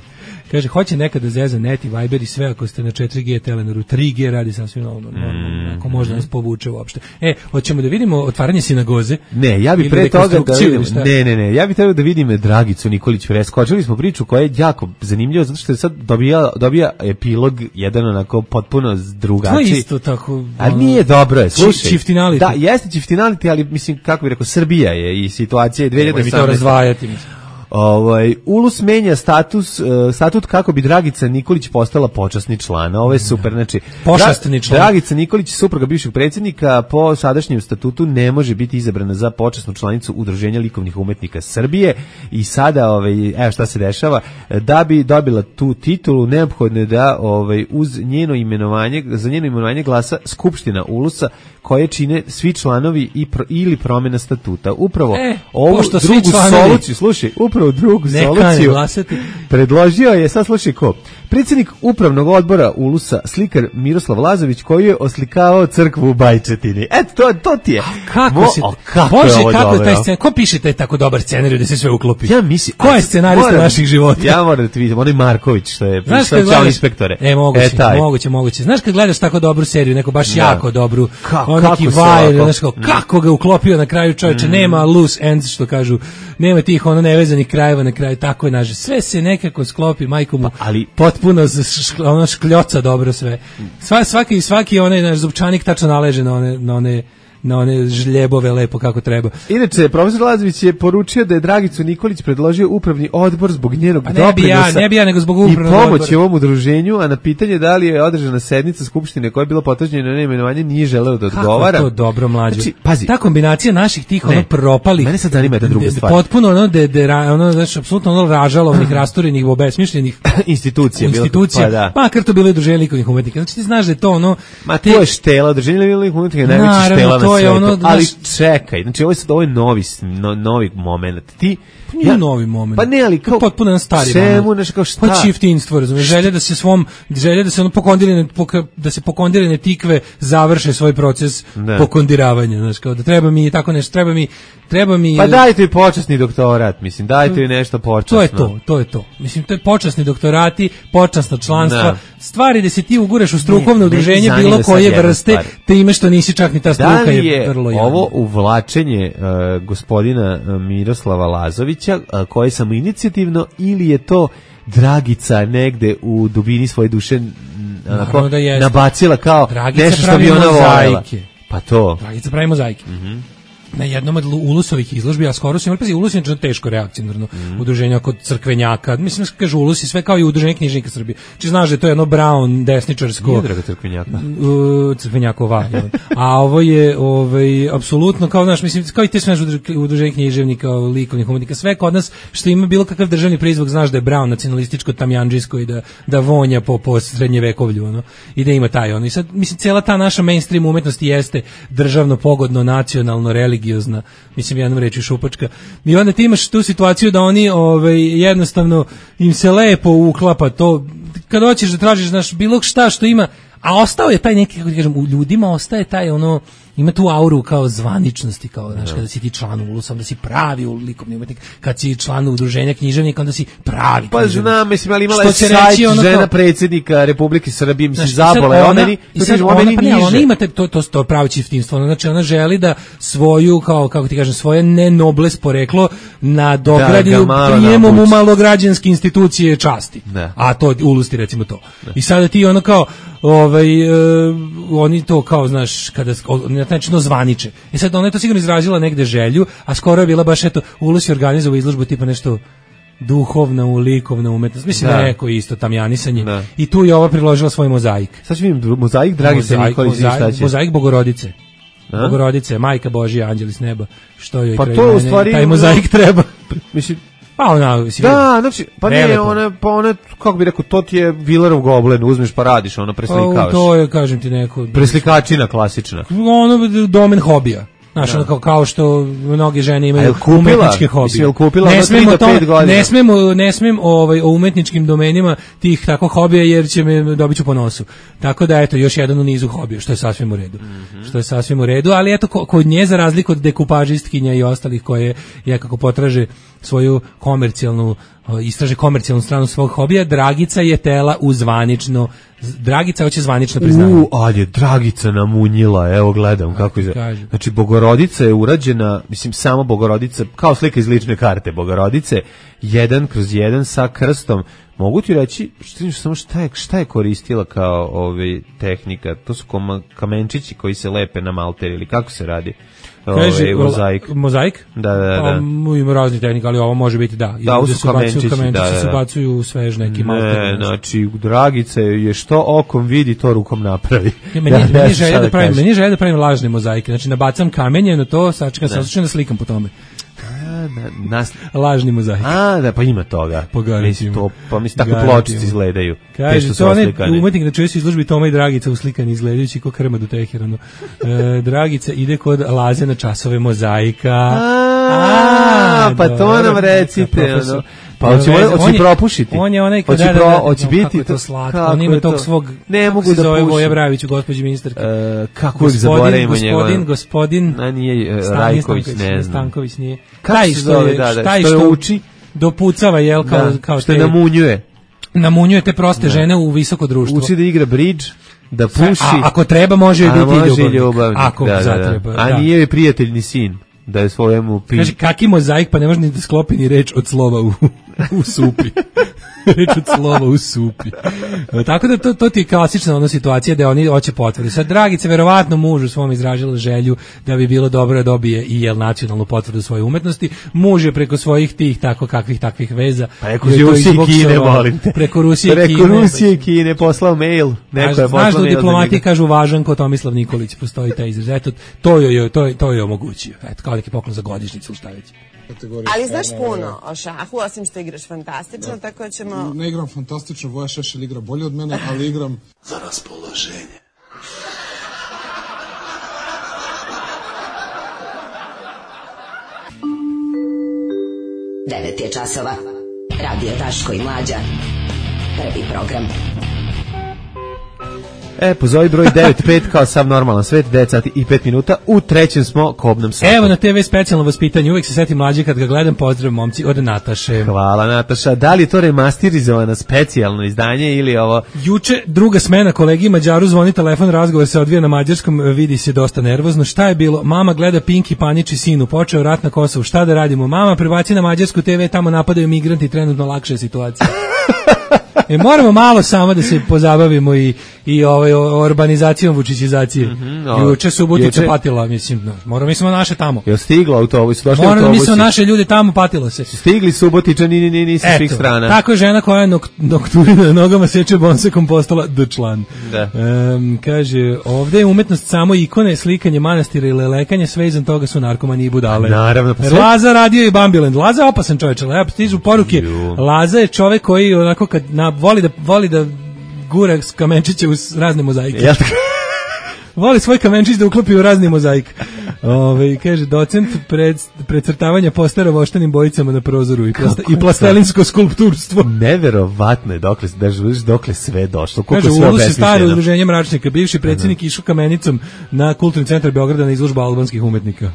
Kaže, hoće nekada zeza net i Viber i sve ako ste na četiri G Telenoru, tri G radi sasvim normalno, mm. ako možda nas povuče uopšte. E, hoćemo da vidimo otvaranje sinagoze? Ne, ja bih pre toga da vidim, ne, ne, ne, ja bih trebao da vidim Dragicu Nikolić. Preskočili smo priču koja je jako zanimljiva, zato što je sad dobija, dobija epilog jedan onako potpuno drugačiji. To je isto tako. A nije dobro je, slušaj. Čiftinality. Da, jeste čiftinality, ali mislim, kako bih rekao, Srbija je i situacija je dve hiljade osamnaeste. Mi to razvajati, mislim. Ovaj Ulus menja status uh, statut kako bi Dragica Nikolić postala počasni član. Ovo je super, znači počasni član. Dragica Nikolić, supruga bivšeg predsjednika, po sadašnjem statutu ne može biti izabrana za počasnu članicu Udruženja likovnih umetnika Srbije i sada ovaj evo šta se dešava, da bi dobila tu titulu neophodno je da ovaj uz njeno imenovanje, za njeno imenovanje glasa skupština Ulusa koje čine svi članovi i pro, ili promjena statuta. Upravo e, ovu drugu soluciju, slušaj, upravo drugu soluciju predložio je, sad slušaj ko, predsjednik upravnog odbora Ulusa, slikar Miroslav Lazović, koji je oslikavao crkvu u Bajčetini. Eto, to, to ti je. A kako Mo, si, o, kako Bože, je kako je taj scenarij, ko piše taj tako dobar scenarij da se sve uklopi? Ja mislim, ko je scenarista moram, naših života? Ja moram da ti vidim, onaj Marković, što je pričao inspektore. E, moguće, e, moguće, moguće. Znaš kad gledaš tako dobru seriju, neko baš da. jako dobru, Ka, on neki vajer, znaš kako, kako ga uklopio na kraju čovječe, mm. nema loose ends, što kažu, nema tih ono nevezanih krajeva na kraju, tako je naže. Sve se nekako sklopi, majko mu, pa, ali potpuno ono škljoca dobro sve. Sva, svaki svaki onaj naš zupčanik tačno naleže na one na one na one žljebove lepo kako treba. Inače, profesor Lazović je poručio da je Dragicu Nikolić predložio upravni odbor zbog njenog pa ne doprinosa bi ja, ne bi ja, nego zbog upravnog i pomoći ovom udruženju, a na pitanje da li je održana sednica skupštine koja je bila potvrđena na imenovanje nije želeo da odgovara. Kako to dobro, mlađo. Znači, pazi, ta kombinacija naših tih ono propalih. Mene sad zanima jedna druga stvar. Potpuno ono de, de ono znači apsolutno ono ražalovnih, rasturenih, obesmišljenih institucija, institucija. Pa, da. Pa kar to bilo udruženje likovnih umetnika. Znači ti znaš da je to ono ma to je štela, udruženje likovnih umetnika je najveća štela na svetu. Ali čekaj, znači ovo je sad ovo je novi, no, novi moment. Ti pa nije ja, novi moment. Pa ne, ali kao potpuno jedan stari moment. Čemu, nešto kao šta? Pa čiftinstvo, razumiješ, želja da se svom, želja da se ono pokondirane, da se pokondirane tikve završe svoj proces da. pokondiravanja, znači kao da treba mi tako nešto, treba mi, treba mi... Pa dajte mi počasni doktorat, mislim, dajte mi nešto počasno. To je to, to je to. Mislim, to je počasni doktorati, počasna članstva, da. stvari da se ti uguraš u strukovno udruženje bilo koje vrste, te ime što nisi čak ni ta struka je, je vrlo javno. Ovo uvlačenje uh, gospodina uh, Miroslava Lazovića, uh, koje je samo inicijativno, ili je to Dragica negde u dubini svoje duše onako, da nabacila kao Dragica nešto što bi ona voljela? Pa to. Dragica pravi mozaike. Mm-hmm. Na jednom od Ulusovih izložbi, a skoro su imali, pazi, Ulus je teško reakcionarno mm. udruženje kod crkvenjaka, mislim, kažu Ulus i sve kao i udruženje knjižnika Srbije. Či znaš da je to jedno Brown, desničarsko... Nije draga crkvenjaka. Uh, crkvenjakova. A ovo je, ovaj, apsolutno, kao, znaš, mislim, kao i te sve udruženje književnika, likovnih umetnika, sve kod nas, što ima bilo kakav državni prizvuk, znaš da je Brown, nacionalističko, tamjanđijsko i da, da vonja po, po srednjevekovlju, ono, i da ima taj, ono. I sad, mislim, cijela ta naša mainstream umetnost jeste državno, pogodno, nacionalno, religiozna, mislim jednom reći šupačka. I onda ti imaš tu situaciju da oni ovaj, jednostavno im se lepo uklapa to, kad hoćeš da tražiš znaš, bilo šta što ima, a ostao je taj neki, kako ti kažem, u ljudima ostaje taj ono, ima tu auru kao zvaničnosti, kao, znaš, kada si ti član Ulusa, onda si pravi likovni umetnik, kad si član udruženja književnika, onda si pravi pa književnik. Znam, mislim, ali imala je sajt ono žena kao... predsjednika Republike Srbije, mislim, zabola je, ona, i sad ona, ona, pa ne, ona ima te, to, to, to pravi čiftinstvo, znači ona želi da svoju, kao, kako ti kažem, svoje nenobles poreklo nadogradi da prijemom u malograđanske institucije časti, da. A to Ulus ti recimo to. Da. I sada ti ono kao, ovaj, uh, oni to kao, znaš, kada, znači no zvaniče. I sad ona je to sigurno izrazila negde želju, a skoro je bila baš eto Ulus je organizovao izložbu tipa nešto duhovna, likovna umetnost. Mislim da je neko isto tamjanisanje. Da. I tu je ova priložila svoj mozaik. Sad ću vidim mozaik Dragice Nikolić, šta će? Mozaik Bogorodice. A? Bogorodice, Majka Božja, anđeli s neba. Što joj pa to u stvari taj mozaik treba. Mislim pa ona, si da, znači, pa ne, ona, pa ona, kako bi rekao, to ti je Villarov goblen, uzmeš pa radiš, ono preslikavaš. To je, kažem ti, neko... Preslikačina klasična. Ono, domen hobija. Znaš, ono kao, kao što mnoge žene imaju A kupila? umetničke hobije. Mislim, jel kupila ne ono smemo tri do pet godina? Ne smemo, ne smem ovaj, o umetničkim domenima tih tako hobija jer će me dobit ću po nosu. Tako da, eto, još jedan u nizu hobija, što je sasvim u redu. Mm-hmm. Što je sasvim u redu, ali eto, kod nje, za razliku od dekupažistkinja i ostalih koje jakako potraže svoju komercijalnu, istraže komercijalnu stranu svog hobija, Dragica je tela u zvanično, Dragica hoće zvanično priznanje. U, ali je Dragica namunjila, evo gledam kako je. Znači, Bogorodica je urađena, mislim, samo Bogorodica, kao slika iz lične karte Bogorodice, jedan kroz jedan sa krstom. Mogu ti reći, što, samo šta je, šta je koristila kao ove tehnika? To su koma, kamenčići koji se lepe na malter ili kako se radi? Kaže, Ove, mozaik. Mozaik? Da, da, da. Pa, ima raznih tehnika, ali ovo može biti da. Da, ovo su kamenčići, kamenčići da, da. se bacuju u svež neki malter. Ne, znači, Dragica je što okom vidi, to rukom napravi. Ja, meni, ja, meni, želje da pravim, meni želje da pravim lažne mozaike, znači nabacam kamenje na to, sačekam, sačekam da slikam po tome. Na, nas... lažni mozaik. A, da, pa ima toga. Mislim, to, pa mislim, tako pločice izgledaju. Kaže, to onaj umetnik na čuje se izložbi Toma i Dragica uslikani izgledajući ko krma do Teheranu. E, Dragica ide kod Laze na časove mozaika. A, a pa to nam recite. Ono. Pa hoće hoće propušiti. On je onaj kada da, hoće biti to slatko. On ima tog svog, ne mogu da zove Voja Bravić, gospođi ministarke. E, kako ih zaboravimo njega? Gospodin, gospodin, a nije Rajković, ne znam. Stanković nije. Taj što je, taj što uči, dopucava, jel, kao kao što namunjuje. Namunjuje te proste žene u visoko društvo. Uči da igra bridge, da puši. A ako treba može biti ljubavnik. Ako zatreba. A nije joj prijatelj ni sin. Da je svojemu pi... Kaže, kaki mozaik, pa ne može ni da sklopi ni reč od slova u, u supi. Reč od slova u supi. Tako da to, to ti je klasična ona situacija da oni hoće potvrdu. Sad, Dragica verovatno mužu svom izražila želju da bi bilo dobro da dobije i jel nacionalnu potvrdu svoje umetnosti. Muž je preko svojih tih tako kakvih takvih veza. Preko Rusije i Kine, molim te. Preko Rusije i Kine. Preko Rusije i Kine poslao mail. Neko je poslao znaš da u diplomatiji kažu važan ko Tomislav Nikolić, postoji taj izraz. Eto, to je, to je, to je omogućio. Eto, kao neki poklon za godišnjicu, šta već. Ali znaš puno o šahu, osim što igraš fantastično, tako ćemo... Ne igram fantastično, Voja Šešelj igra bolje od mene, ali igram za raspoloženje. Devet je časova. Radio Daško i Mlađa. Prvi program. E, pozovi broj devet pet kao sav normalan svet, devet sati i pet minuta, u trećem smo kobnom satu. Evo na te ve specijalno vaspitanje, uvijek se setim Mlađe kad ga gledam, pozdrav momci od Nataše. Hvala Nataša, da li je to remasterizovano specijalno izdanje ili ovo? Juče druga smena, kolegi Mađaru zvoni telefon, razgovor se odvija na mađarskom, vidi se dosta nervozno, šta je bilo? Mama gleda Pinki, paniči sinu, počeo rat na Kosovu, šta da radimo? Mama prebaci na mađarsku te ve, tamo napadaju migranti, trenutno lakša je situacija. E, moramo malo samo da se pozabavimo i, i ovaj, urbanizacijom, vučićizacije. Mm-hmm, no. Juče Subotica Juče... patila, mislim, no, moramo mislimo naše tamo. Je stiglo autobus, došli moramo autobusi. mislimo naše ljudi tamo, patilo se. Stigli Subotičani, ni ni ni sa svih strana. Tako je žena koja je nok, nokturina na nogama seče bonsekom postala d-član. Da. Um, kaže, ovde je umetnost samo ikone, slikanje manastira i lelekanje, sve izan toga su narkomani i budale. Naravno. Pa sve... Laza radio i Bambiland. Laza je opasan čovječ, ali stižu poruke. Ju. Laza je čovjek koji onako kad na, voli da voli da gura kamenčiće u razne mozaike. Ja. Voli svoj kamenčić da uklopi u razni mozaik. Ove, kaže, docent pred, precrtavanja postara voštanim bojicama na prozoru i, plasta, i plastelinsko skulpturstvo. Neverovatno je dokle, dokle sve došlo. Kaže, u Ulu se staro udruženje mračnika, bivši predsjednik išao kamenicom na kulturni centar Beograda na izložbu albanskih umetnika.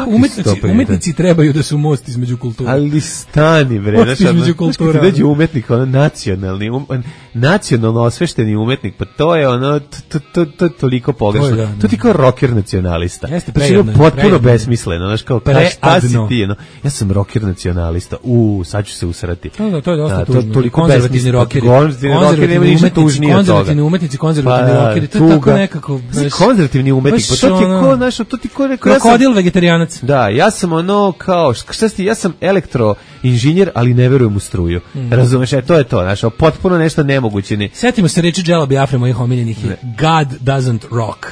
Umetnici, umetnici trebaju da su most između kultura. Ali stani, bre. Most između kultura. Kad dođe umetnik, ono nacionalni, um, nacionalno osvešteni umetnik, pa to je ono, to, to, to, toliko pogrešno. To, to ti kao rocker nacionalista. Jeste, to je potpuno besmisleno, znaš, kao, ka, šta si ti, no? Ja sam rocker nacionalista, u, sad ću se usrati. To, da, to je dosta da, tužno. To, konzervativni rockeri, konzervativni rockeri, nema ništa tužnije od toga. Konzervativni umetnici, konzervativni pa, rockeri, to je tako nekako... Baš, konzervativni umetnik, pa to ti je ko, znaš, to ti ko... Krokodil vegetarianac. Da, ja sam ono, kao, šta si ti, ja sam elektro, inženjer, ali ne verujem u struju. Mm. Razumeš, e, to je to, znaš, potpuno nešto nemoguće. Ne. Setimo se reči Džela Biafre, mojih omiljenih je God doesn't rock.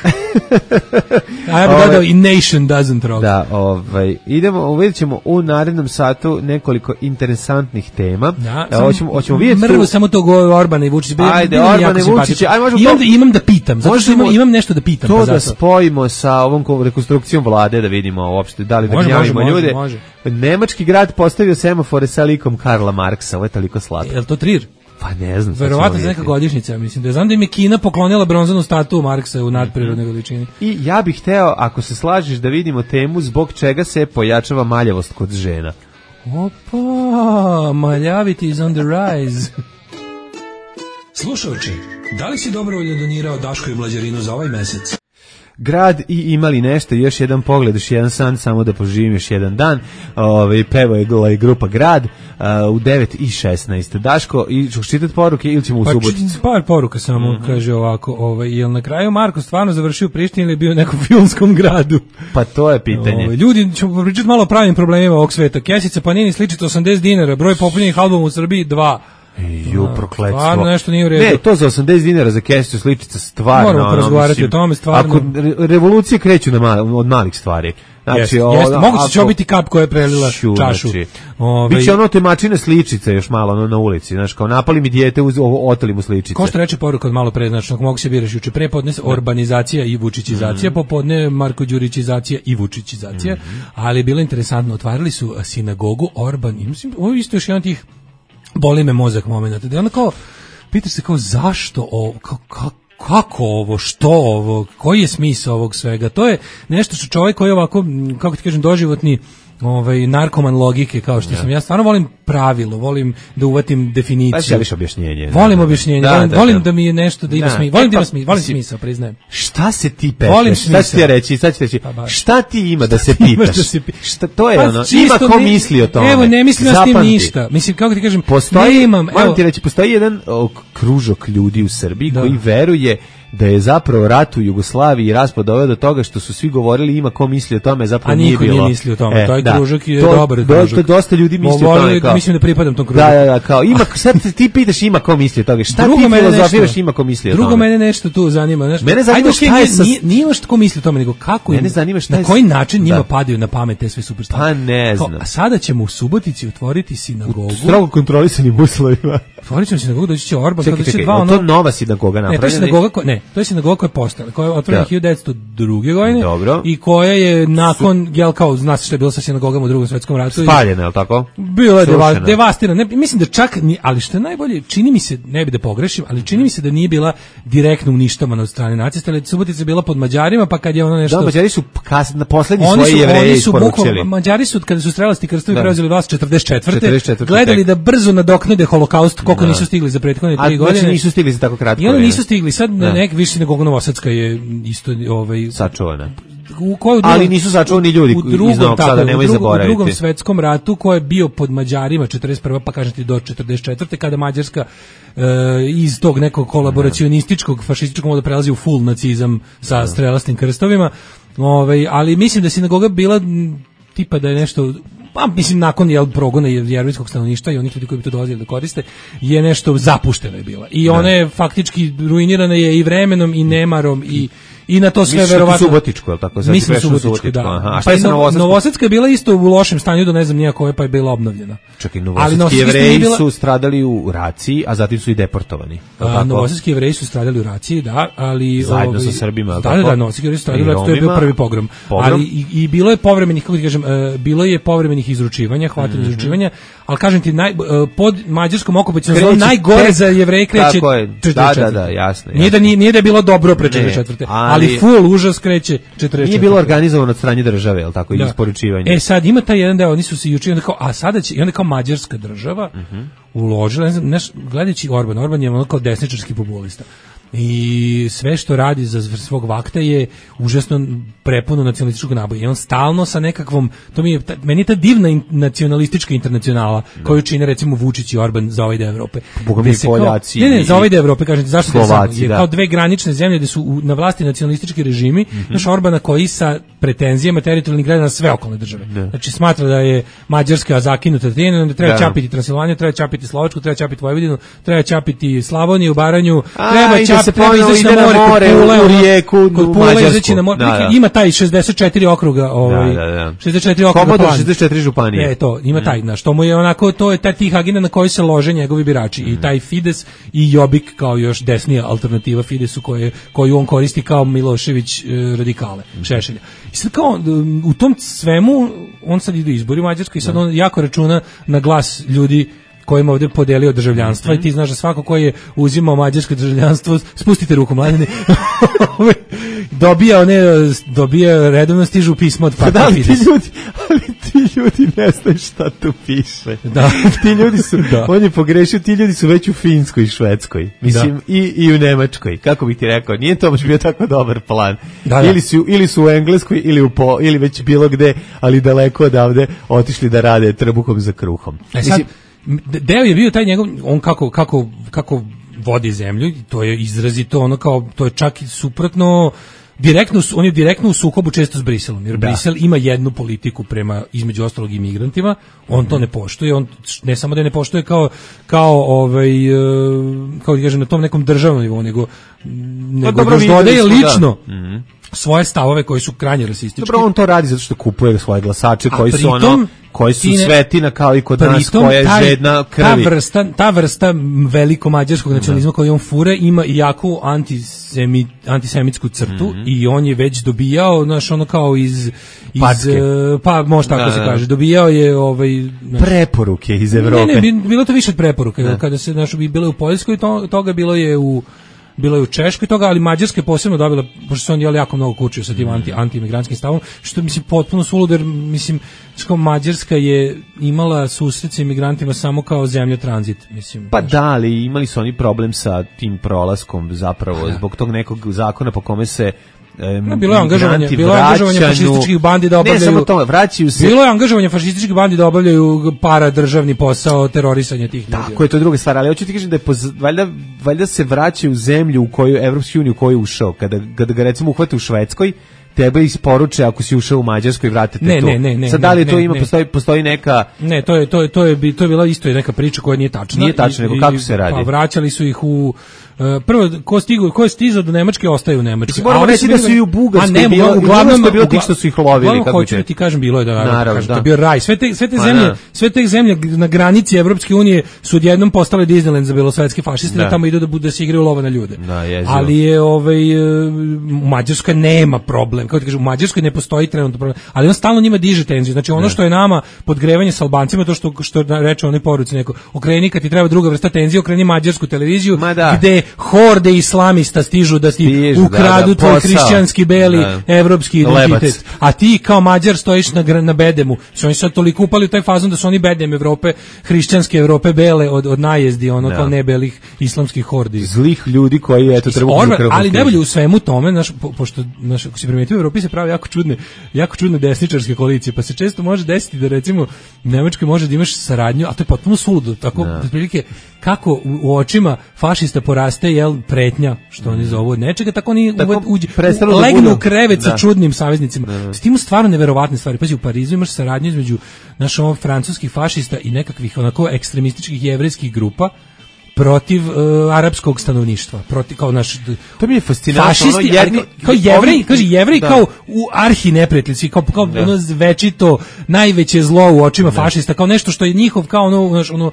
A ja bih dodao i nation doesn't rock. Da, ovaj, idemo, vidjet ćemo u narednom satu nekoliko interesantnih tema. Da, e, hoćemo, hoćemo vidjeti mrvu tu... samo to go Orbana i Vučić. Ajde, Orban i Vučić. Ajde, možemo imam, to... da, imam da pitam, zato što imam, imam nešto da pitam. To pa da zato. spojimo sa ovom rekonstrukcijom vlade, da vidimo uopšte da li da gnjavimo ljude. Može. Nemački grad postavio semafore sa likom Karla Marksa, ovo je toliko slatko. Je li to Trir? Pa ne znam. Verovatno za neka godišnjica, mislim da je. Znam da im je Kina poklonila bronzanu statu Marksa u nadprirodnoj veličini. I ja bih hteo, ako se slažeš, da vidimo temu zbog čega se pojačava maljavost kod žena. Opa, maljaviti is on the rise. Slušaoči, da li si dobrovoljno donirao Daško i Mlađarinu za ovaj mesec? Grad i imali nešto, još jedan pogled, još jedan san, samo da poživim još jedan dan. Ove, pevo je grupa Grad uh, u devet i šesnaest. Daško, i ćeš čitati poruke ili ćemo u pa, Suboticu? Par poruka samo, mm-hmm. kaže ovako, ovaj, jel na kraju Marko stvarno završio u Prištini ili bio u nekom filmskom gradu? Pa to je pitanje. Ove, ljudi, ćemo pričati malo o pravim problemima ovog sveta. Kesica Panini sličite osamdeset dinara, broj popunjenih albuma u Srbiji dva. Ju, prokletstvo. Stvarno nešto nije u redu. Ne, to za osamdeset dinara za kesicu sličica stvarno. Moramo porazgovarati o tome, stvarno. Ako re, revolucije kreću na mal, od malih stvari. Znači, jeste, o, jeste. Moguće ako, će biti kap koja je prelila šu, čašu. Znači, Ove, biće ono temačine sličice još malo ono, na ulici. Znaš, kao napali mi dijete, uz, oteli mu sličice. Ko što reče poruka od malo pre, znači, mogu se biraš juče. Pre podne orbanizacija i vučićizacija, mm-hmm. popodne Marko Đurićizacija i vučićizacija. Mm-hmm. Ali je bilo interesantno, otvarali su sinagogu Orban. I mislim, ovo je isto još jedan tih boli me mozak momenta. Da je ono kao, pitaš se kao zašto ovo, kao, kako, kako ovo, što ovo, koji je smisao ovog svega? To je nešto što čovjek koji je ovako, kako ti kažem, doživotni ovaj narkoman logike kao što ja. sam ja stvarno volim pravilo, volim da uvatim definiciju. Pa želiš objašnjenje. Volim da, objašnjenje, da, volim, da, volim da. da mi je nešto da ima da. smisao. Volim da ima smisao, volim smisao, priznajem. Šta se ti pitaš? Šta ću ti reći? Sad ću reći. Pa šta ti ima da se pitaš? Da se pi... Šta to je pa, ono? Ima ko ne, misli o tome. Evo, ne mislim ja s tim ništa. Mislim kako ti kažem, postoji, ne imam, moram ti reći, postoji jedan o, kružok ljudi u Srbiji da. koji veruje da je zapravo rat u Jugoslaviji i raspad doveo do toga što su svi govorili ima ko misli o tome, zapravo nije bilo. A niko nije misli o tome, e, taj da. kružak je to, dobar do, kružak. To dosta ljudi misli o tome. Kao, mislim da pripadam tom kružku. Da, da, da, kao, ima, sad ti pitaš ima ko misli o toga. Šta drugo ti filozofiraš ima ko misli o tome? Drugo mene nešto tu zanima. Znaš, mene zanima ajde, šta je sa... Nije, nije još ko misli o tome, nego kako mene zanima šta na koji način njima padaju na pamet te sve super stvari. Pa ne znam. A sada ćemo u Subotici otvoriti sinagogu. U strogo kontrolisanim uslovima. Otvorit ćemo sinagogu, doći će Orban. Čekaj, čekaj, je to nova sinagoga napravljena? Ne, to je sinagoga, ne, to je sinagoga koja je postala, koja je otvorena hiljadu devetsto druge godine. Dobro. I koja je nakon, jel kao, zna se što je bilo sa sinagogama u Drugom svetskom ratu. Spaljena, je li tako? Bila je deva, devastirana. Ne, mislim da čak, ni, ali što je najbolje, čini mi se, ne bi da pogrešim, ali čini mi se da nije bila direktno uništavana od strane nacista, ali Subotica je bila pod Mađarima, pa kad je ono nešto... Da, Mađari su kas, na poslednji svoje Jevreje isporučili. Mađari su, kada su strelasti krstovi preuzeli vlast četrdeset četvrte gledali da brzo nadoknade holokaust, koliko nisu stigli za prethodne tri godine. Znači nisu stigli za tako kratko. I oni nisu stigli, sad nek više nego Novosadska je isto ovaj sačuvana. U koju ali nisu sačuvani ljudi iz Novog Sada, nemoj zaboraviti. U Drugom svetskom ratu koji je bio pod Mađarima četrdeset prve pa kažete do četrdeset četvrte kada Mađarska e, iz tog nekog kolaboracionističkog fašističkog moda prelazi u full nacizam sa strelastim krstovima. Ovaj, ali mislim da sinagoga bila tipa da je nešto pa mislim nakon jel progona jevrejskog stanovništva i onih ljudi koji bi to dolazili da koriste je nešto zapušteno je bila. I ona je faktički ruinirana je i vremenom i nemarom i i na to sve verovatno Subotičko, je li tako? Mislim Subotičko, da. Aha. A šta je sa Novosadska? Novosadska je bila isto u lošem stanju do ne znam nija koje, pa je bila obnovljena. Čekaj, novosadski Jevreji bila... su stradali u raciji, a zatim su i deportovani. A, novosadski Jevreji su stradali u raciji, da, ali... Zajedno ovaj, sa Srbima, da, da, da, novosadski Jevreji su stradali u raciji, to je bio prvi pogrom. pogrom. Ali i, i bilo je povremenih, kako ti kažem, uh, bilo je povremenih izručivanja, hvatanja mm-hmm. izručivanja, ali kažem ti, naj, uh, pod mađarskom okupacijom zonu najgore za Jevreje kreće četrdeset četvrte. Da, da, da, jasno. Nije da, nije da je bilo dobro pre četrdeset četvrte, ali full užas kreće četrdeset četvrte. Nije bilo organizovano od strane države, el tako, i isporučivanje. E sad ima taj jedan deo, oni su se juče onda kao, a sada će i onda kao mađarska država uh-huh. uložila, ne znam, neš, gledajući Orban, Orban je ono kao desničarski populista. i sve što radi za svog vakta je užasno prepuno nacionalističkog naboja. I on stalno sa nekakvom, to mi je, ta, meni je ta divna in, nacionalistička internacionala no. koju čine recimo Vučić i Orban za ovaj deo Evrope. Boga mi Poljaci. Ne, ne, za ovaj deo Evrope, kažem ti, zašto Slovaci, je da. kao dve granične zemlje gde su u, na vlasti nacionalistički režimi, mm -hmm. naš Orbana koji sa pretenzijama teritorijalnih grada na sve okolne države. Da. Znači smatra da je Mađarska zakinuta time, da treba čapiti Transilvaniju, treba čapiti Slovačku, treba čapiti Vojvodinu, treba čapiti Slavoniju, Baranju, A, treba čapiti, treba izaći na more, more kod Pule, u rijeku, kod Pule izaći na more. Da, da. Ima taj šezdeset četiri okruga, ovaj, da, da, da. šezdeset četiri okruga Komodor plan. šezdeset četiri županije. E, to, ima taj, na što mu je onako, to je ta tih agenda na koji se lože njegovi birači. Mm. I taj Fides i Jobbik kao još desnija alternativa Fidesu koje, koju on koristi kao Milošević e, radikale, mm. Šešelja. I sad kao, u tom svemu, on sad ide izbori u Mađarskoj i sad on jako računa na glas ljudi kojima ovdje podelio državljanstva, mm-hmm. i ti znaš da svako koji je uzimao mađarsko državljanstvo, spustite ruku mladine, dobija one, dobija redovno stižu pismo od partije da, Fides. Ti ljudi, ali ti ljudi ne znaju šta tu piše. Da. Ti ljudi su, da. On je pogrešio, ti ljudi su već u Finskoj i Švedskoj, mislim, da. i, i u Nemačkoj, kako bih ti rekao, nije to baš bio tako dobar plan. Da, da. Ili, su, ili su u Engleskoj, ili, u po, ili već bilo gde, ali daleko odavde otišli da rade trbuhom za kruhom. E sad, deo je bio taj njegov, on kako, kako, kako vodi zemlju, to je izrazito ono kao, to je čak i suprotno, direktno, on je direktno u sukobu često s Briselom, jer da. Brisel ima jednu politiku prema, između ostalog, imigrantima, on to ne poštuje, on ne samo da ne poštuje kao, kao ovaj, kao da kažem, na tom nekom državnom nivou, nego, nego još dodaje lično da. mm-hmm. svoje stavove koji su krajnje rasistički. Dobro, on to radi zato što kupuje svoje glasače koji su ono, koji su svetina kao i kod nas, koja je taj, žedna krvi. Ta vrsta, ta vrsta veliko mađarskog nacionalizma koju on fure ima i jaku antisemi, antisemitsku crtu mm-hmm. i on je već dobijao, znaš, ono kao iz, iz pa može tako da, se kaže, dobijao je ovaj, znaš, preporuke iz Evrope. Ne, ne, bilo to više od preporuke, da. Kada se, znaš, bilo je u Poljskoj, to, toga bilo je u bilo je u Češkoj toga, ali Mađarska je posebno dobila, pošto se on jel jako mnogo kučio sa tim anti, anti-imigrantskim stavom, što mislim potpuno suludo, jer mislim, što Mađarska je imala susret sa imigrantima samo kao zemlja tranzit, mislim. Pa da, ali imali su oni problem sa tim prolaskom zapravo, ja. Zbog tog nekog zakona po kome se No, bilo je angažovanje, bilo je angažovanje fašističkih bandi da obavljaju. Ne samo to, vraćaju se. Bilo je angažovanje fašističkih bandi da obavljaju paradržavni posao terorisanja tih ljudi. Tako je, to je druga stvar, ali hoću ti kažem da je poz, valjda, valjda se vraćaju u zemlju u koju Evropsku uniju u koju je ušao. Kada, kada ga recimo uhvate u Švedskoj, tebe isporuče ako si ušao u Mađarsku i vratite ne, tu. Ne, ne, ne. Sad da li to ne, ima, ne. Postoji, postoji neka... Ne, to je, to je, to je, to je bila isto neka priča koja nije tačna. Nije tačna, nego kako se radi? Pa vraćali su ih u... Uh, prvo, ko, stigu, ko je stizao do Nemačke, ostaje u Nemačkoj. Moramo reći da su i u Bugarskoj bilo, uglavnom je bilo tih što su ih lovili. Kako hoću da ti kažem, bilo je da, naravno, kažem, da. To je bio raj. Sve te, sve te zemlje, da. sve te zemlje na granici Evropske unije su odjednom postale Disneyland za belosvetske fašiste, da, da tamo idu da, da se igraju lova na ljude. Da, ali je, ovaj, u Mađarskoj nema problem. Kako ti kažem, u Mađarskoj ne postoji trenutno problem. Ali on stalno njima diže tenziju. Znači ono što je nama podgrevanje s Albancima, to što, što reče onoj poruci neko, okreni kad ti treba druga vrsta tenzije, okreni mađarsku televiziju, gde horde islamista stižu da ti Stižu, ukradu da, da, tvoj hrišćanski beli da. Evropski identitet. Lebac. A ti kao Mađar stojiš na, na bedemu. Su oni sad toliko upali u taj fazon da su oni bedem Evrope, hrišćanske Evrope bele od, od najezdi, ono da. Kao nebelih islamskih hordi. Zlih ljudi koji eto treba Orban, ali najbolje u svemu tome, naš, po, pošto naš, ako se primetio u Evropi se pravi jako čudne, jako čudne desničarske koalicije, pa se često može desiti da recimo u Nemačkoj može da imaš saradnju, a to je potpuno suludo, tako da prilike kako u, u očima fašista poraste jel pretnja, što oni zovu od nečega, tako oni tako uđe, u, legnu u krevet sa čudnim saveznicima. Da, da. S tim stvarno neverovatne stvari. Pazi, u Parizu imaš saradnju između naših ovog francuskih fašista i nekakvih onako ekstremističkih jevrejskih grupa protiv uh, arapskog stanovništva, protiv kao naš to mi je fascinantno, fašisti, jedni, kao, kao jevreji, kaže jevreji kao u arhi neprijateljski, kao kao da. Ono večito najveće zlo u očima da. Fašista, kao nešto što je njihov kao ono naš ono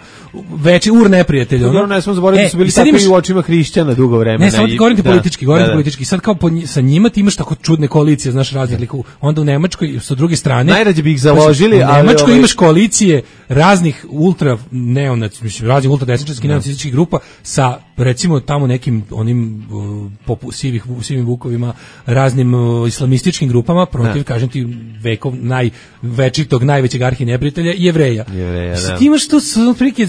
veći ur neprijatelj, ono. Ne smo zaboravili da su bili tako i u očima hrišćana dugo vremena. Ne, samo ti govorim politički, govorim da, da. politički. Sad kao po, sa njima ti imaš tako čudne koalicije, znaš, raznih likova. Onda u Nemačkoj sa druge strane najrađe bi ih založili, ali u Nemačkoj ovaj... imaš koalicije raznih ultra neonaci, mislim raznih ultra desničarskih neonacističkih grupa sa recimo tamo nekim onim uh, popu, sivih, sivim vukovima, raznim uh, islamističkim grupama protiv, da. Kažem ti, vekov največitog, najvećeg arhineprijatelja, Jevreja. Jevreja, da. Ti imaš tu otprilike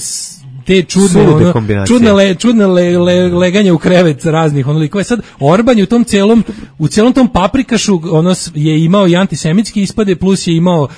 te čudne, ono, čudne, le, čudne le, le, leganje u krevet raznih ono likova. Sad Orban je u tom celom, u celom tom paprikašu ono je imao i antisemitski ispade, plus je imao uh,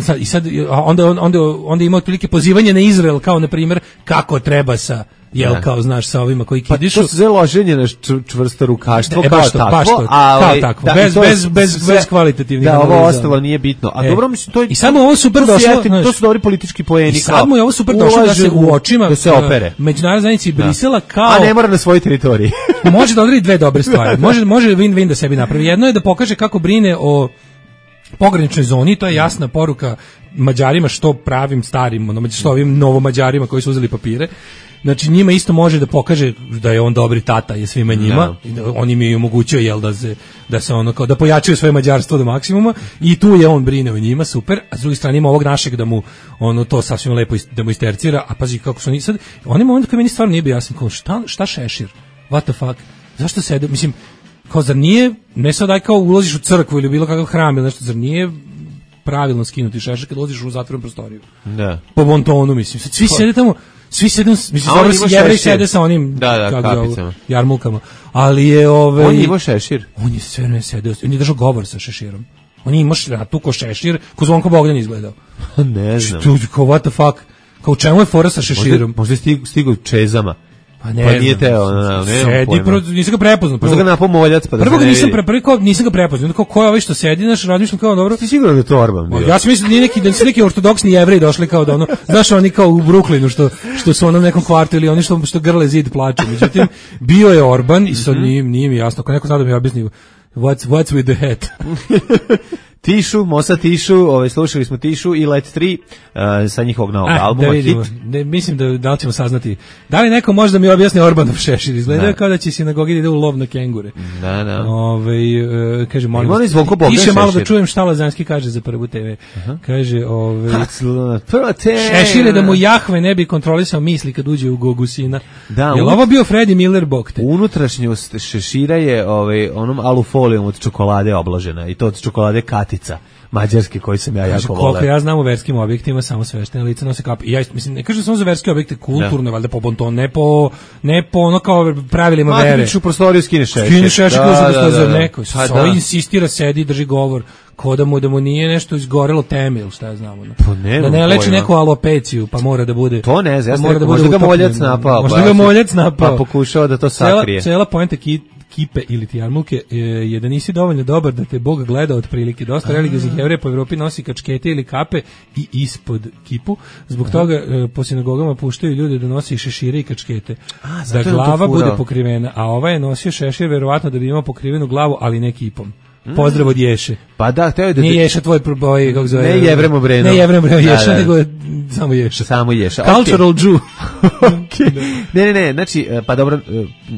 sad, i sad onda onda onda je imao otprilike pozivanje na Izrael, kao na primjer kako treba sa jel da. Kao znaš sa ovima koji kidišu. Pa to se loženje na čvrsto rukaštvo e, kao baš to, takvo, baš to, a kao takvo, da, bez, bez, bez, sve, bez kvalitativnih da, analiza. ovo ostalo nije bitno. A e. dobro, mislim, to je... I sad mu ovo super to došlo, jetim, to su dobri politički poeni. I sad mu je ovo super došlo da se u očima da se opere. Međunarodne zajednice Brisela kao... A ne mora na svojoj teritoriji. Može da odradi dve dobre stvari. Može, može win-win da sebi napravi. Jedno je da pokaže kako brine o pograničnoj zoni, to je jasna poruka Mađarima, što pravim starim, ono, što ovim novomađarima koji su uzeli papire. Znači njima isto može da pokaže da je on dobri tata je svima njima, no. On im je omogućio jel da se da se ono kao da pojačaju svoje mađarstvo do maksimuma i tu je on brine o njima, super. A s druge strane ima ovog našeg da mu ono to sasvim lepo da mu istercira, a pazi kako su oni sad, oni moment kad meni stvarno nije bio jasan, kao šta šta Šešir? What the fuck? Zašto se mislim kao zar nije ne sad aj kao ulaziš u crkvu ili bilo kakav hram ili nešto, zar nije pravilno skinuti šešir kad ulaziš u zatvorenu prostoriju? Da. Po bontonu mislim. Sad svi sede tamo. Svi sede, mislim, dobro se Jevrej sede sa onim da, da, kako jarmulkama, ali je ove... On je imao šešir. On je sve ne sedeo, on je držao govor sa šeširom. On je imao tu ko šešir, ko Zvonko Bogdan izgledao. Ne znam. Što, kao what the fuck, kao čemu je fora sa šeširom? Možda je stig, stigao čezama. Pa ne, pa nije teo, no, no, sedi, pro, nisam ga prepoznao. Možda ga napao moljac, pa da prvo ga nisam, pre, prvi kao, nisam ga prepoznao, kao ko je ovaj što sedi, znaš, razmišljam kao dobro. Ti sigurno da je to Orban bio? Ja sam mislim da nije neki, da su neki ortodoksni Jevreji došli kao da ono, znaš oni kao u Brooklynu što, što su ono u nekom kvartu ili oni što, što grle zid plaču. Međutim, bio je Orban i sad nije, nije mi jasno, ako neko zna da mi objasni what's, what's with the hat. Tišu, Mosa Tišu, ovaj, slušali smo Tišu i Let tri uh, sa njihovog novog ah, albuma, da vidimo, hit. Ne, mislim da, da li ćemo saznati. Da li neko može da mi objasni Orbanov šešir? Izgleda kao da će sinagogi da ide u lov na kengure. Da, da. Ove, uh, kaže, molim vas, piše malo da čujem šta Lazanski kaže za Prvu te ve. Uh-huh. Kaže, ove, Prva te ve. Šešir je da mu Jahve ne bi kontrolisao misli kad uđe u Gogusina. Da, je li ovo bio Freddie Miller Bokte? Unutrašnjost šešira je ovaj, onom alufolijom od čokolade obložena i to od čokolade Katica, mađarske, koji sam ja jako voleo. Koliko ja znam u verskim objektima samo sveštene lice nose kape. I ja mislim ne kažem samo za verske objekte kulturne, valjda po bonton, ne po ne po ono kao pravilima Ma, vere. Ma u prostoriju skine šešir. Skine šešir da, da, da, da. Neko. Pa da. Insistira, sedi, drži govor. Ko da mu, da mu nije nešto izgorelo teme ili šta ja znam. No. Pa ne, da ne leči neku alopeciju, pa mora da bude... To ne znam, ja sam rekao, možda ga moljac napao. Možda ga moljac napao. Pa pokušao da to sakrije. Cela, cela poenta ki, kipe ili ti jarmulke je da nisi dovoljno dobar da te Bog gleda otprilike. Dosta religioznih Jevreja po Evropi nosi kačkete ili kape i ispod kipu. Zbog toga e, po sinagogama puštaju ljude da nosi šešire i kačkete. A, da glava bude pokrivena. A ovaj je nosio šešir verovatno da bi imao pokrivenu glavu, ali ne kipom. Pozdrav od Ješe. Pa da, hteo je da... Nije Ješa tvoj proboj, kako zove... Ne Jevrem Obreno. Ne Jevrem Obreno Ješa, da, da. Nego je samo Ješa. Samo Ješa. Cultural okay. Jew. Okay. Ne, ne, ne, znači, pa dobro,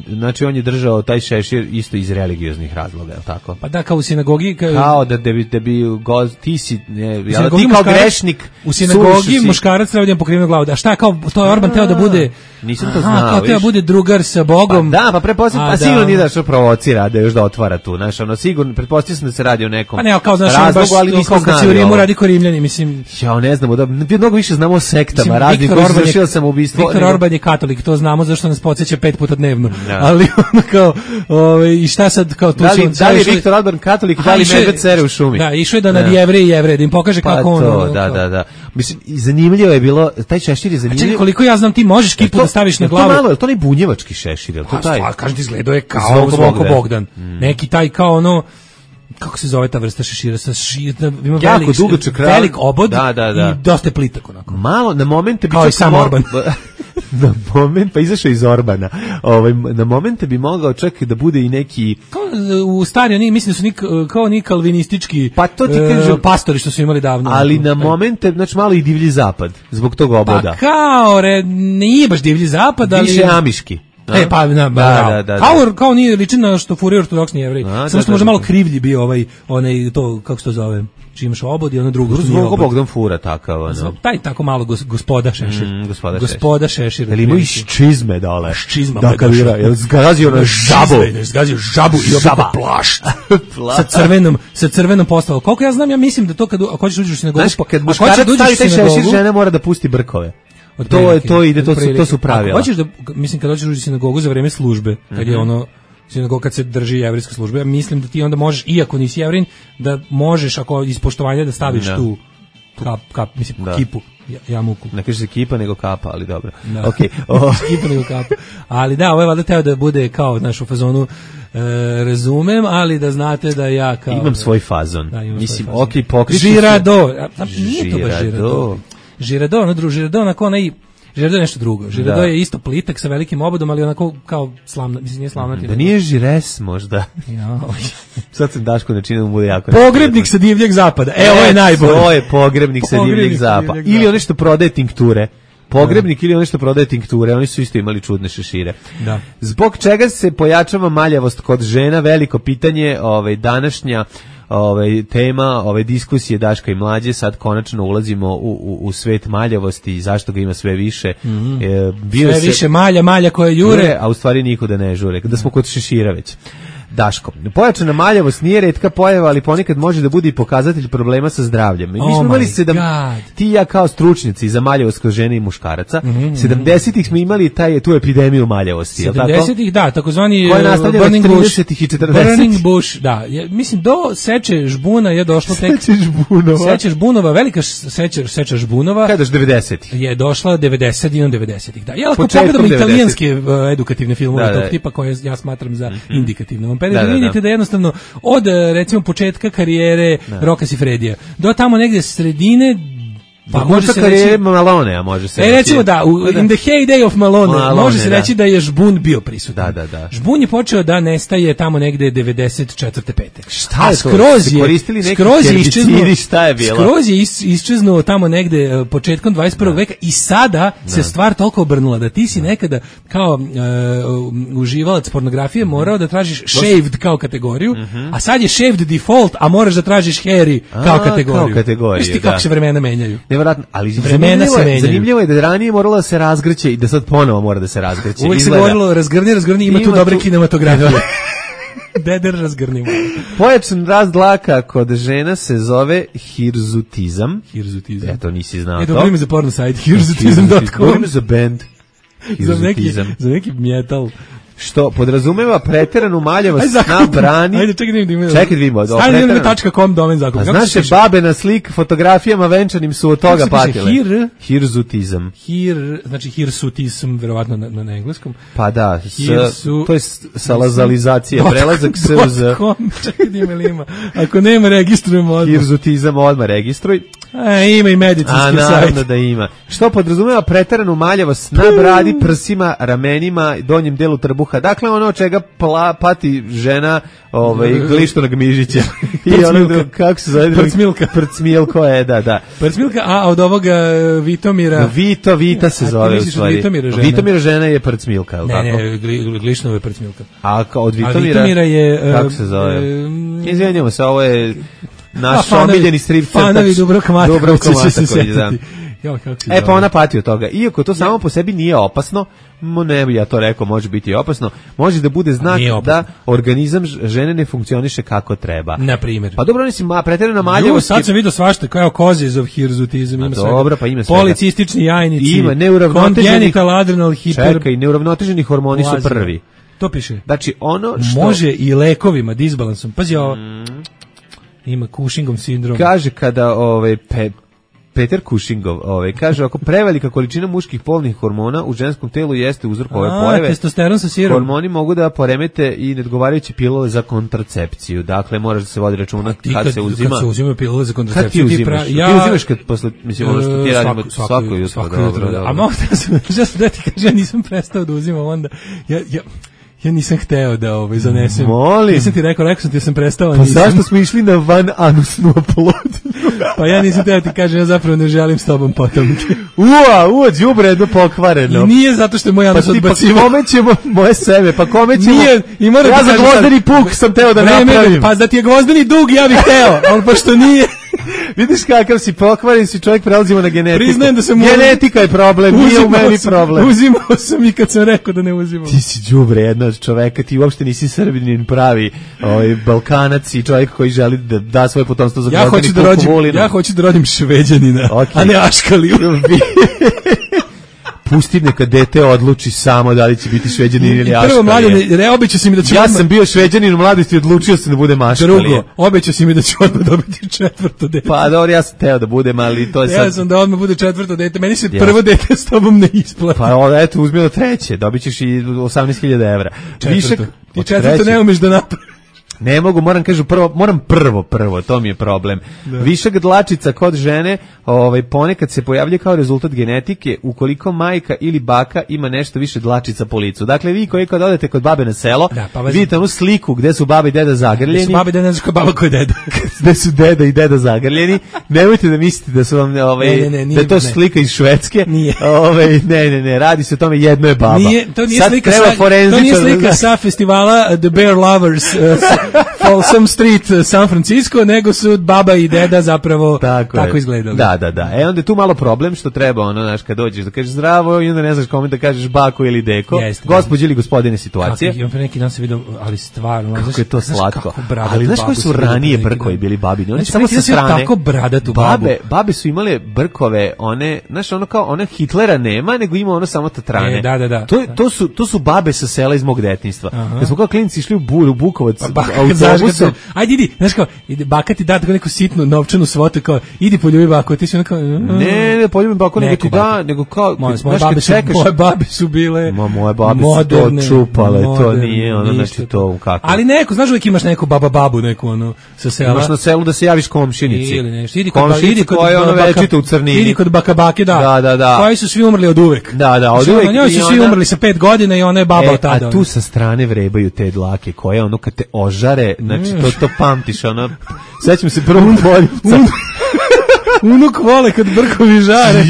znači on je držao taj šešir isto iz religioznih razloga, je li tako? Pa da, kao u sinagogi... Kao, kao da, da bi, da bi go, ti si, ne, ja, ti kao grešnik... U sinagogi muškarac treba da ima pokrivenu glavu. A šta, kao, to je Orban teo da bude... Nisam to znao, kao teo da bude drugar sa Bogom. Pa da, pa pretpostavljam, pa sigurno nije da što provocira, da još da otvara tu, znaš, ono, sigurno, pretpostavljam sam da se radi o nekom pa ne, kao, znaš, razlogu, ali nismo znali. Kad se u Rimu radi ko Rimljani, mislim... Ja, ne znamo, da, mnogo više znamo o sektama, raznim koji su završili samoubistvo. Viktor Orban je katolik, to znamo zašto nas podsjeća pet puta dnevno. Da. Ali ono kao, ove, i šta sad, kao tu da li, su... Da li je Viktor Orban katolik, da li medved sere u šumi? Da, išao je da nad Jevreji i Jevreje, da im pokaže pa kako to, ono... Da, da, da. Mislim, zanimljivo je bilo, taj šešir je zanimljiv. A čekaj, koliko ja znam, ti možeš kipu da staviš na glavu. To malo, je to ne bunjevački šešir, je to taj? Pa, kažem ti, izgledao je kao Zvonko Bogdan. Neki taj kao ono... kako se zove ta vrsta šešira sa šira, ima jako velik, dugačak, velik obod da, da, da. I dosta plitak onako. Malo na momente bi kao i sam Orban. Na moment pa izašao iz Orbana. Ovaj na momente bi mogao čak da bude i neki kao u stari oni mislim da su nik, kao ni kalvinistički pa to ti kažem, uh, pastori što su imali davno. Ali na momente znači malo i divlji zapad zbog tog oboda. Pa kao re, nije baš divlji zapad, ali više amiški. E, pa, na, ba, da, da, da, kao, da. Kao nije liči na što furira ortodoksni Jevrej. Samo što možda malo krivlji bio ovaj, onaj, to, kako se to zove, čiji imaš obod i ono drugo. Zvonko Bogdan fura takav, ono. Taj tako malo gos, gospoda Šešir. Mm, gospoda, gospoda Šešir. Jel ima i čizme dole? Čizma. Da, kavira, jel zgazio na žabu. Zgazio žabu i obako plašt. sa crvenom, sa crvenom postavom. Koliko ja znam, ja mislim da to kad, ako ćeš uđeš u sinagogu... Znaš, kad muškarac stavi taj šešir, žena mora da pusti brkove. To je to ide, to su to su pravila. Hoćeš da mislim kad dođeš u sinagogu za vreme službe, kad je ono sinagoga kad se drži jevrijska služba, ja mislim da ti onda možeš, iako nisi Jevrin, da možeš ako iz poštovanja da staviš da. tu kap, kap, mislim, da. kipu, jamuku. Ne kaže se kipa nego kapa, ali dobro. Da. Okay. Oh. Kipa nego kapa. Ali da, ovo je valjda teo da bude kao naš u fazonu e, razumem, ali da znate da ja kao... Imam svoj fazon. Da, imam mislim, svoj fazon. Ok, pokriču Žirado. A, nije to baš Žirado. Žirado, ono drugo, Žirado, onako onaj... Žirado je nešto drugo. Žirado da. je isto plitak sa velikim obodom, ali onako kao slavna, mislim nije slavnatina. Da nije žires možda. Ja. Sad sam Daško načinio da mu bude jako. Pogrebnik sa divljeg zapada. E, ovo je najbolje. To je pogrebnik sa divljeg zapada. Ili ono što prodaje tinkture. Pogrebnik da. ili ono što prodaje tinkture, oni su isto imali čudne šešire. Da. Zbog čega se pojačava maljavost kod žena, veliko pitanje, ovaj današnja Ove, tema, ove diskusije Daška i Mlađe, sad konačno ulazimo u, u, u svet maljavosti i zašto ga ima sve više. Mm-hmm. E, bio sve se, više malja, malja koje jure. jure. A u stvari nikuda ne žure. Da smo kod šešira već. Daško, pojačana maljavost nije retka pojava, ali ponekad može da bude i pokazatelj problema sa zdravljem. Mi oh smo imali sedam, ti i ja kao stručnjaci za maljavost kod žene i muškaraca, mm-hmm. sedamdesetih smo imali taj, tu epidemiju maljavosti. sedamdesetih, da, takozvani Burning Bush. i četrdesetih Burning Bush, da. Je, mislim, do seče žbuna je došlo tek... Seče žbunova. Seče žbunova, velika seča, seča žbunova. Kada je devedesetih Je došla devedesetih i devedesetih Da, ja ako pogledamo italijanske uh, edukativne filmove da, tog da, tipa koje ja smatram za mm-hmm. indikativne. On da, da, vidite da. da jednostavno od recimo početka karijere Rocka Siffredija do tamo negde sredine pa može se reći Malone, a može se reći. E recimo da, u, in the heyday of Malone, Malone može se da. reći da je žbun bio prisutan. Da, da, da. Žbun je počeo da nestaje tamo negde devedeset četvrte pete Šta je to? Skroz je, koristili neki skroz je iščeznuo, šta je bilo? Skroz je iščeznuo tamo negde početkom dvadeset prvog veka i sada da. se stvar toliko obrnula da ti si nekada kao uh, uživalac pornografije morao da tražiš shaved kao kategoriju, uh-huh. a sad je shaved default, a moraš da tražiš hairy kao a, kategoriju. Kao kategoriju, Viš ti kako se vremena menjaju. Nevjerojatno, ali zanimljivo je, zanimljivo je da ranije moralo da se razgrće i da sad ponovo mora da se razgrće. Uvijek se govorilo razgrni, razgrni, ima, ima tu dobre tu... kinematografije. Deder razgrnimo. Pojačan rast dlaka kod žena se zove hirzutizam. Hirzutizam. Eto, nisi znao e, to. Dobro ime za porno sajt, hirzutizam dot com. Dobro ime za band. Za neki, za neki metal. Što podrazumeva preteranu maljavost na brani. Ajde, čekaj da vidimo. Čekaj da vidimo. Stavljeno na tačka com domen zakup. Znaš se babe na slik fotografijama venčanim su od toga patile. Hir, hirzutizam. Hir, znači hirsutizam, verovatno na, na, na engleskom. Pa da, s, Hirsu, to je salazalizacija, prelazak s z. Čekaj da ima, ima. Ako nema, registrujemo odmah. Hirzutizam odmah registruj. A, ima i medicinski sajt. A naravno da ima. Što podrazumeva preteranu maljavost na bradi, prsima, ramenima, donjem delu trbuha. Dakle, ono od čega pla, pati žena ovaj, glištonog mižića. I ono, kako se zove? Prcmilka. Prcmilko je, da, da. Prcmilka, a od ovoga Vitomira... Vito, Vita se zove u stvari. Vitomira žena. Vitomira žena je prcmilka, je li tako? Ne, ne, gli, glišnova je prcmilka. A od Vitomira... A Vitomira je... Kako se zove? Um, Izvinjamo se, ovo je naš fanovi, omiljeni strip crtač. Fanovi Dubravka Matakovića će se setiti. Jo, kako e pa ona pati od toga. Iako to samo po sebi nije opasno, mo ne bi ja to rekao, može biti opasno, može da bude znak da organizam žene ne funkcioniše kako treba. Na primjer. Pa dobro, mislim, ma preterana maljavost. Sad sam vidio svašta, kao causes of hirzutizam, ima svega. Dobro, pa ima svega. Policistični jajnici. Ima neuravnoteženi adrenal hiper. Čekaj, neuravnoteženi hormoni su prvi. To piše. Znači ono što može i lekovima disbalansom. Pazi ovo. Mm. Ima Cushingov sindrom. Kaže kada ovaj pe, Peter Cushingov, ovaj kaže ako prevelika količina muških polnih hormona u ženskom telu jeste uzrok ove pojave. Testosteron sa sirom. Hormoni mogu da poremete i neodgovarajuće pilule za kontracepciju. Dakle, moraš da se vodi računa kad, kad se uzima. Kad se uzimaju pilule za kontracepciju, kad ti uzimaš? Ti, pra, ja, ti uzimaš kad posle, mislim, ono što ti radimo svako, svako jutro. Svako jutro, da. A mogu da sam, da ti kažem, ja nisam prestao da uzimam onda. Ja, ja, Ja nisam hteo da ovaj zanesem. Molim. Nisam ti rekao, rekao sam ti ja sam prestao. Pa nisam. Zašto smo išli na van anusnu oplodnju? Pa ja nisam teo ti kažem, ja zapravo ne želim s tobom potomke. Ua, ua, đubre jedno pokvareno. I nije zato što je moj anus odbacivo. Pa kome ćemo moje sebe, pa kome ćemo... Nije, i mora ja da za gvozdeni puk sam teo da vreme, napravim. Pa da ti je gvozdeni dug, ja bih hteo, ali pošto nije... Vidiš kakav si pokvaren, si čovjek, prelazimo na genetiku. Priznajem da sam genetika je problem, nije u meni sam, problem. Uzimao sam i kad sam rekao da ne uzimam. Ti si đubre jedna od čoveka, ti uopšte nisi Srbinin pravi, ovaj Balkanac i čovjek koji želi da da svoje potomstvo za ja hoću da rodim, ja hoću da rodim Šveđanina, okay. A ne Aškaliju. pusti neka dete odluči samo da li će biti Šveđanin ili Aškalije. Prvo, mladen, ne, obećao si mi da ću... Ja sam bio Šveđanin u mladosti i odlučio sam da budem Aškalije. Drugo, obećao si mi da ću odmah dobiti četvrto dete. Pa dobro, ja sam teo da budem, ali to je sad... Ja sam da odmah bude četvrto dete, meni se ja. prvo dete s tobom ne isplati. Pa ovo, eto, uzmi od treće, dobit ćeš i osamnaest hiljada evra. Četvrto. Višak, I četvrto ne umeš da napraviš. Ne mogu, moram kažu prvo, moram prvo, prvo, to mi je problem. Da. Višak dlačica kod žene, ovaj ponekad se pojavljuje kao rezultat genetike ukoliko majka ili baka ima nešto više dlačica po licu. Dakle, vi koji kad odete kod babe na selo, da, pa vidite onu sliku gde su baba i deda zagrljeni. Gde su baba i deda, znači baba ko je deda. Gde su deda i deda zagrljeni. Nemojte da mislite da su vam ovaj ne, ne, ne, nije, da je to ne. slika iz Švedske. Nije. Ovaj ne, ne, ne, radi se o tome, jedno je baba. Nije, to nije Sad slika sa, to nije slika sa festivala The Bear Lovers. Uh, Folsom Street, San Francisco, nego su baba i deda zapravo tako, tako izgledali. Da, da, da. E onda je tu malo problem što treba, ono, znaš, kad dođeš da kažeš zdravo i onda ne znaš kome da kažeš bako ili deko. Jeste, gospođe ili gospodine situacije. Kako, pre neki dan se vidio, ali stvarno, kako znaš, je to slatko. Ali znaš koji su ranije brkovi bili babini? Oni znači, samo sa strane. Tako bradatu babu. Babe, babe su imale brkove, one, znaš, ono kao, one Hitlera nema, nego ima ono samo tatrane. E, da, da, da. To, to, su, to su babe sa sela iz mog detinjstva. Kad smo kao klinici išli u Buru, Bukovac, pa, autobusom. Ajde, idi, znaš kao, ide, baka ti da tako neku sitnu novčanu svotu, kao, idi poljubi bako, ti si ono kao... Ne, ne, poljubi bako, nego ti da, nego kao, moje, moje, babe su, moje babe su bile Ma, moje babe moderne, su to čupale, moderne, to nije, ono, znači to kako. Ali neko, znaš uvijek imaš neku baba babu, neku, ono, sa sela. Imaš na selu da se javiš komšinici. Ili nešto, idi kod, idi kod koja ono večita u crnini. Idi kod baka bake, da. Da, da, da. Koji su svi umrli od uvek. Da, da, od uvek. Njoj su svi umrli sa pet godina i ona je baba od tada. A tu sa strane vrebaju te dlake, koje ono kad te ožare, znači to to pamtiš, ono, sećam se prvog poljupca. Unuk vole kad brkovi žare,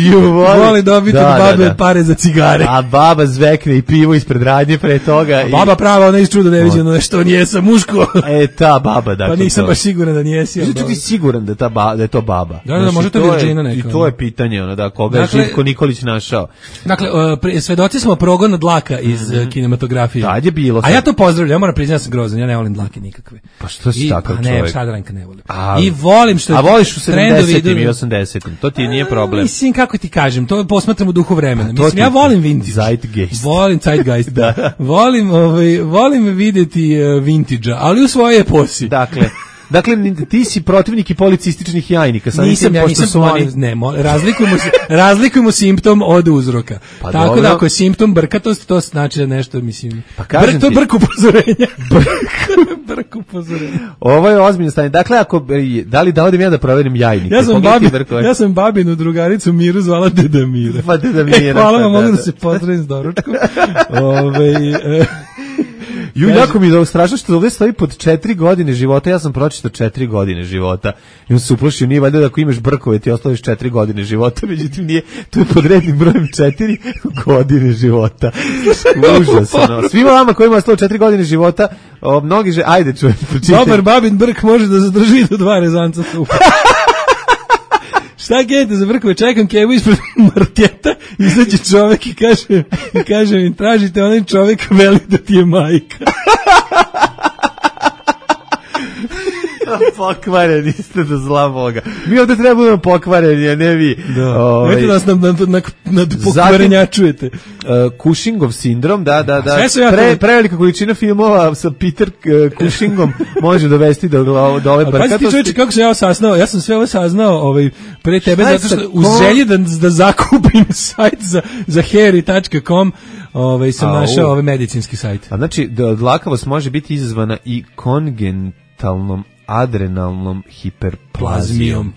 vole dobiti od babe da, da. pare za cigare. A baba zvekne i pivo ispred radnje pre toga. A baba i... prava, ona iz čuda neviđeno je što nije sa muško. E, ta baba, dakle. Pa nisam to. baš siguran da nijesi. Znači, ti siguran da, ta ba, da je to baba. Da, da, da može to Virgina neka. I to je pitanje, ono, da, koga dakle, je Živko Nikolić našao. Dakle, uh, svedoci smo progona dlaka iz mm -hmm. uh, kinematografije. Tad je bilo. A ja to pozdravljam, ja moram priznati, ja sam grozan, ja ne volim dlake nikakve. Pa što si takav pa čovjek? Ne, Šadranka ne volim. A, I volim što... A voliš u sedamdesetim i osamdesetim, to ti nije problem. Mislim, kako ti kažem, to posmatram u duhu vremena. Mislim, ja volim vintage. Zeitgeist. Volim Zeitgeist, da. Volim, ovaj, volim videti uh, vintage-a, ali u svoje eposi. Dakle, dakle, ti si protivnik i policističnih jajnika. Sad nisam, ja nisam, su oni... ne, razlikujemo, razlikujemo simptom od uzroka. Pa tako dobro. Da, ako je simptom brkatost, to znači da nešto, mislim, pa kažem Br, to je brk upozorenja. Brk upozorenja. Ovo je ozbiljno stanje. Dakle, ako, da li da odem ja da proverim jajnike? Ja sam, babi, ja sam babinu drugaricu Miru zvala Deda Mira. Pa Deda Mira. E, hvala vam, mogu da se pozdravim s doručkom. Ove, e, Ju, jako mi je strašno što ovdje stoji pod četiri godine života, ja sam pročitao četiri godine života. I on se uplašio, nije valjda da ako imaš brkove ti ostaviš četiri godine života, međutim nije, to je pod rednim brojem četiri godine života. Užasno. Svima vama koji ima ostalo četiri godine života, o, mnogi že, ajde čujem, pročitaj. Dobar babin brk može da zadrži do dva rezanca supa. Šta kete za brkove, čekam kevu ispred marketa, izađe čovek i kaže, i kaže mi, tražite onaj čovek, veli da ti je majka. Pokvareni ste do zla Boga. Mi ovdje treba budemo pokvareni, a ne vi. Da. Ovaj. Vidite nas nad, nad, nad, nad pokvarenjačujete. Uh, Cushingov sindrom, da, da, da. Ja Pre, prevelika količina filmova sa Peter uh, Cushingom može dovesti do, do ove brkatosti. Pazi ti čovječe, kako sam ja saznao, ja sam sve ovo saznao ovaj, pre tebe, zato što u želji da, da zakupim sajt za, za hairy tačka com, ovaj, sam a, našao ovaj medicinski sajt. A znači, dlakavost može biti izazvana i kongentalnom adrenalnom hiperplazijom.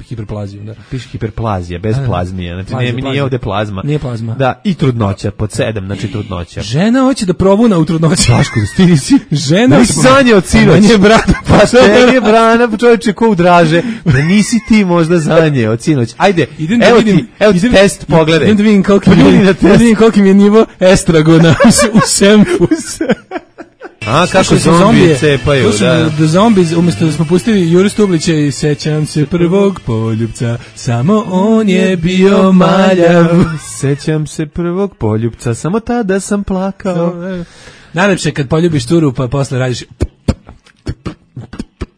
Hiperplazijom, da. Piše hiperplazija, bez plazmije. Znači, plazija, nije, nije ovde plazma. Nije plazma. Da, i trudnoća, pod sedam, znači trudnoća. Žena hoće da probuna u trudnoći. Daško, ti nisi... Žena... Nisi sanje od sinoć. Nije brana. Pa te je brana, čovječe, ko udraže. Da nisi ti možda zanje od sinoć. Ajde, idem evo vidim, ti, evo ti test, pogledaj. Idem da vidim koliko mi je nivo estragona u semfu. A, kako zombije cepaju, da. Da zombi, umjesto da smo pustili Juru Stublića i sećam se prvog poljupca, samo on je bio maljav. Sećam se prvog poljupca, samo tada sam plakao. Najlepše kad poljubiš turu, pa posle radiš...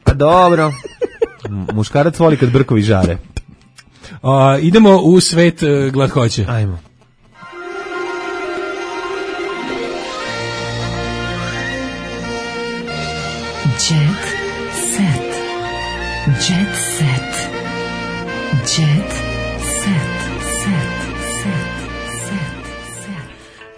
Pa dobro. Muškarac voli kad brkovi žare. A, idemo u svet uh, glatkoće. Ajmo. Jet set. Jet set. Jet set.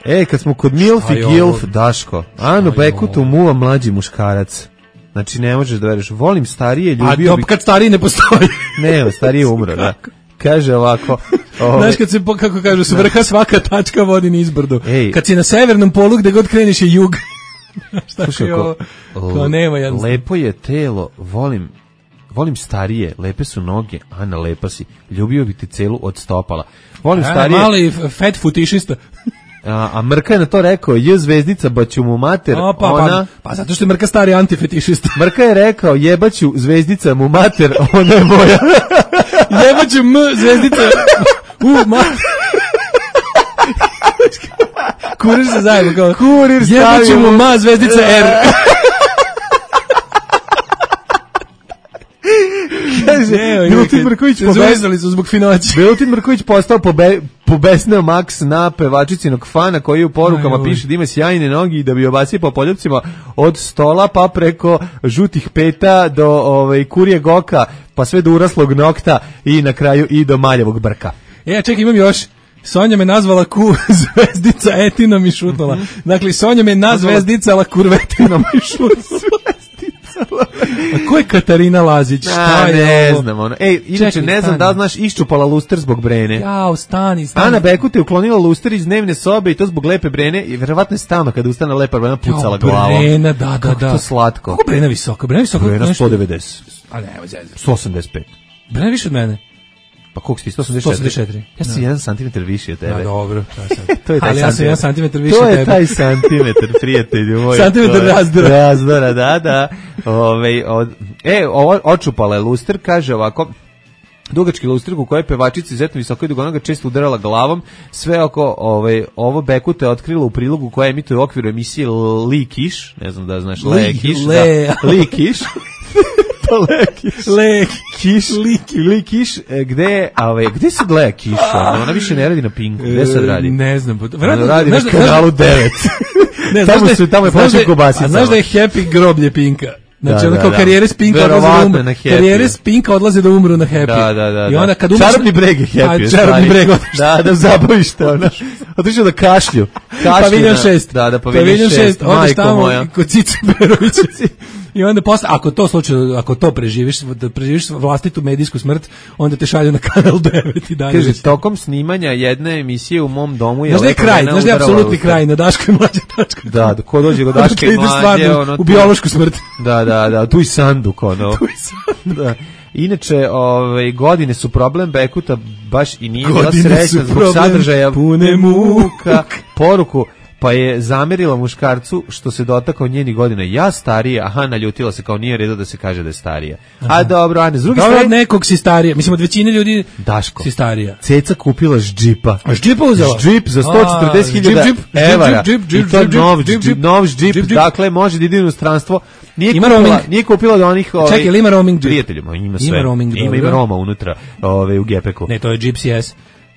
E, kad smo kod Milf i Gilf, Daško, Anu Bekutu muva mlađi muškarac. Znači, ne možeš da veriš. Volim starije, ljubio A bi... kad stariji ne postoji. Ne, stariji umro, da. Kaže ovako... Ove... Znaš, kad se, kako kažu, s vrha svaka tačka vodi niz brdo. Ej. Kad si na severnom polu, gde god kreniš je jug. Šta Slušaj, je ovo? Kao nema jednostavno. Lepo je telo, volim... Volim starije, lepe su noge, Ana, lepa si. Ljubio bi ti celu od stopala. Volim Ana, starije... mali fat futišista. A, a Mrka je na to rekao, je zvezdica, baću mu mater, o, pa, ona... Pa, pa zato što je Mrka stari antifetišista. Mrka je rekao, jebaću zvezdica mu mater, ona je moja. Jebaću m, zvezdica, u, mater. Kurir se zajedno, kao, Kurir stavio. Jebaću mu ma, zvezdica R. Kaže, Milutin Mrković zvezali su zbog finoći. Milutin Mrković postao pobe, pobesneo Max na pevačicinog fana koji u porukama Aj, piše da ima sjajne nogi i da bi obacio po poljupcima od stola pa preko žutih peta do ovaj, kurje goka pa sve do uraslog nokta i na kraju i do maljavog brka. E, čekaj, imam još. Sonja me nazvala ku zvezdica etinom i šutnula. Dakle, Sonja me na zvezdicala kurvetinom i šutnula. A ko je Katarina Lazić? Šta je ne ovo? znam ono. Ej, inače Čekaj, ne znam stani. da li znaš, iščupala luster zbog Brene. Jao, stani, stani. Ana Bekut je uklonila luster iz dnevne sobe i to zbog lepe Brene i verovatno je stalno kada ustane lepa Brena pucala glavom. Brena, da, da, Kako da. to slatko. Kako Brena visoko? Brena visoko. Brena sto devedeset. A ne, evo zezam. sto osamdeset pet. Brena više od mene. Pa koliko si ti? sto osamdeset četiri? sto osamdeset četiri. Ja sam jedan centimetar više od tebe. Da, dobro. To je taj ali ja sam jedan centimetar više to od je tebe. taj centimetar, prijatelju moj. Centimetar razdora. Razdora, da, da. Ove, od, e, ovo, očupala je luster, kaže ovako, dugački luster u kojoj pevačici izuzetno visoko i dugonoga često udarala glavom, sve oko ovaj, ovo Bekuta je otkrila u prilogu koja emituje u okviru emisije Li Kiš, ne znam da znaš, Le, Le Kiš, Le, da, Li Kiš. Lekiš. Lekiš. Lekiš, gde, ove, gde se gleda Kiš? Ona više ne radi na Pinku. Gde sad radi? Ne znam. Ona radi na kanalu devet. Ne, tamo su, tamo je plaćen kobasica. A znaš da je Happy groblje Pinka? Znači, da, ono kao da, karijere s Pinka odlaze da umru. Karijere s Pinka odlaze da umru na Happy. Da, da, da. I onda kad umru... Čarobni breg je Happy. Čarobni breg. Da, da zabaviš te, ona. Otišao da kašlju. Paviljon šest. Da, da, paviljon šest. Odeš tamo kod Cice Berovića. I onda posle, ako to slučajno, ako to preživiš, da preživiš vlastitu medijsku smrt, onda te šalju na kanal devet i dalje. Kaže, tokom snimanja jedne emisije u mom domu je... Znaš da je kraj, znaš da je apsolutni kraj, na Daško i mlađe tačka. Da, ko dođe do Daške i mlađe, ono... U biološku smrt. Da, da, da, tu i sanduk, ono. Tu i sanduk. Da. Inače, ove, godine su problem Bekuta, baš i nije bila srećna zbog sadržaja pune muka. Poruku, pa je zamerila muškarcu što se dotakao njeni godina. Ja starija, aha, naljutila se kao nije redo da se kaže da je starija. Aha. A dobro, Ane, s druge strane... Dobro, nekog si starija. Mislim, od većine ljudi Daško, si starija. Ceca kupila ždžipa. A ždžipa uzela? Ždžip za sto četrdeset hiljada evara. I to je nov ždžip, nov ždžip, dakle, može da ide u inostranstvo. Nije ima kupila, roaming. Nije kupila od onih... Ovaj, čekaj, ili ima roaming? Prijateljima, ima sve. Ima roaming, ima, ima Roma unutra ovaj, u gepeku. Ne, to je Gypsy S.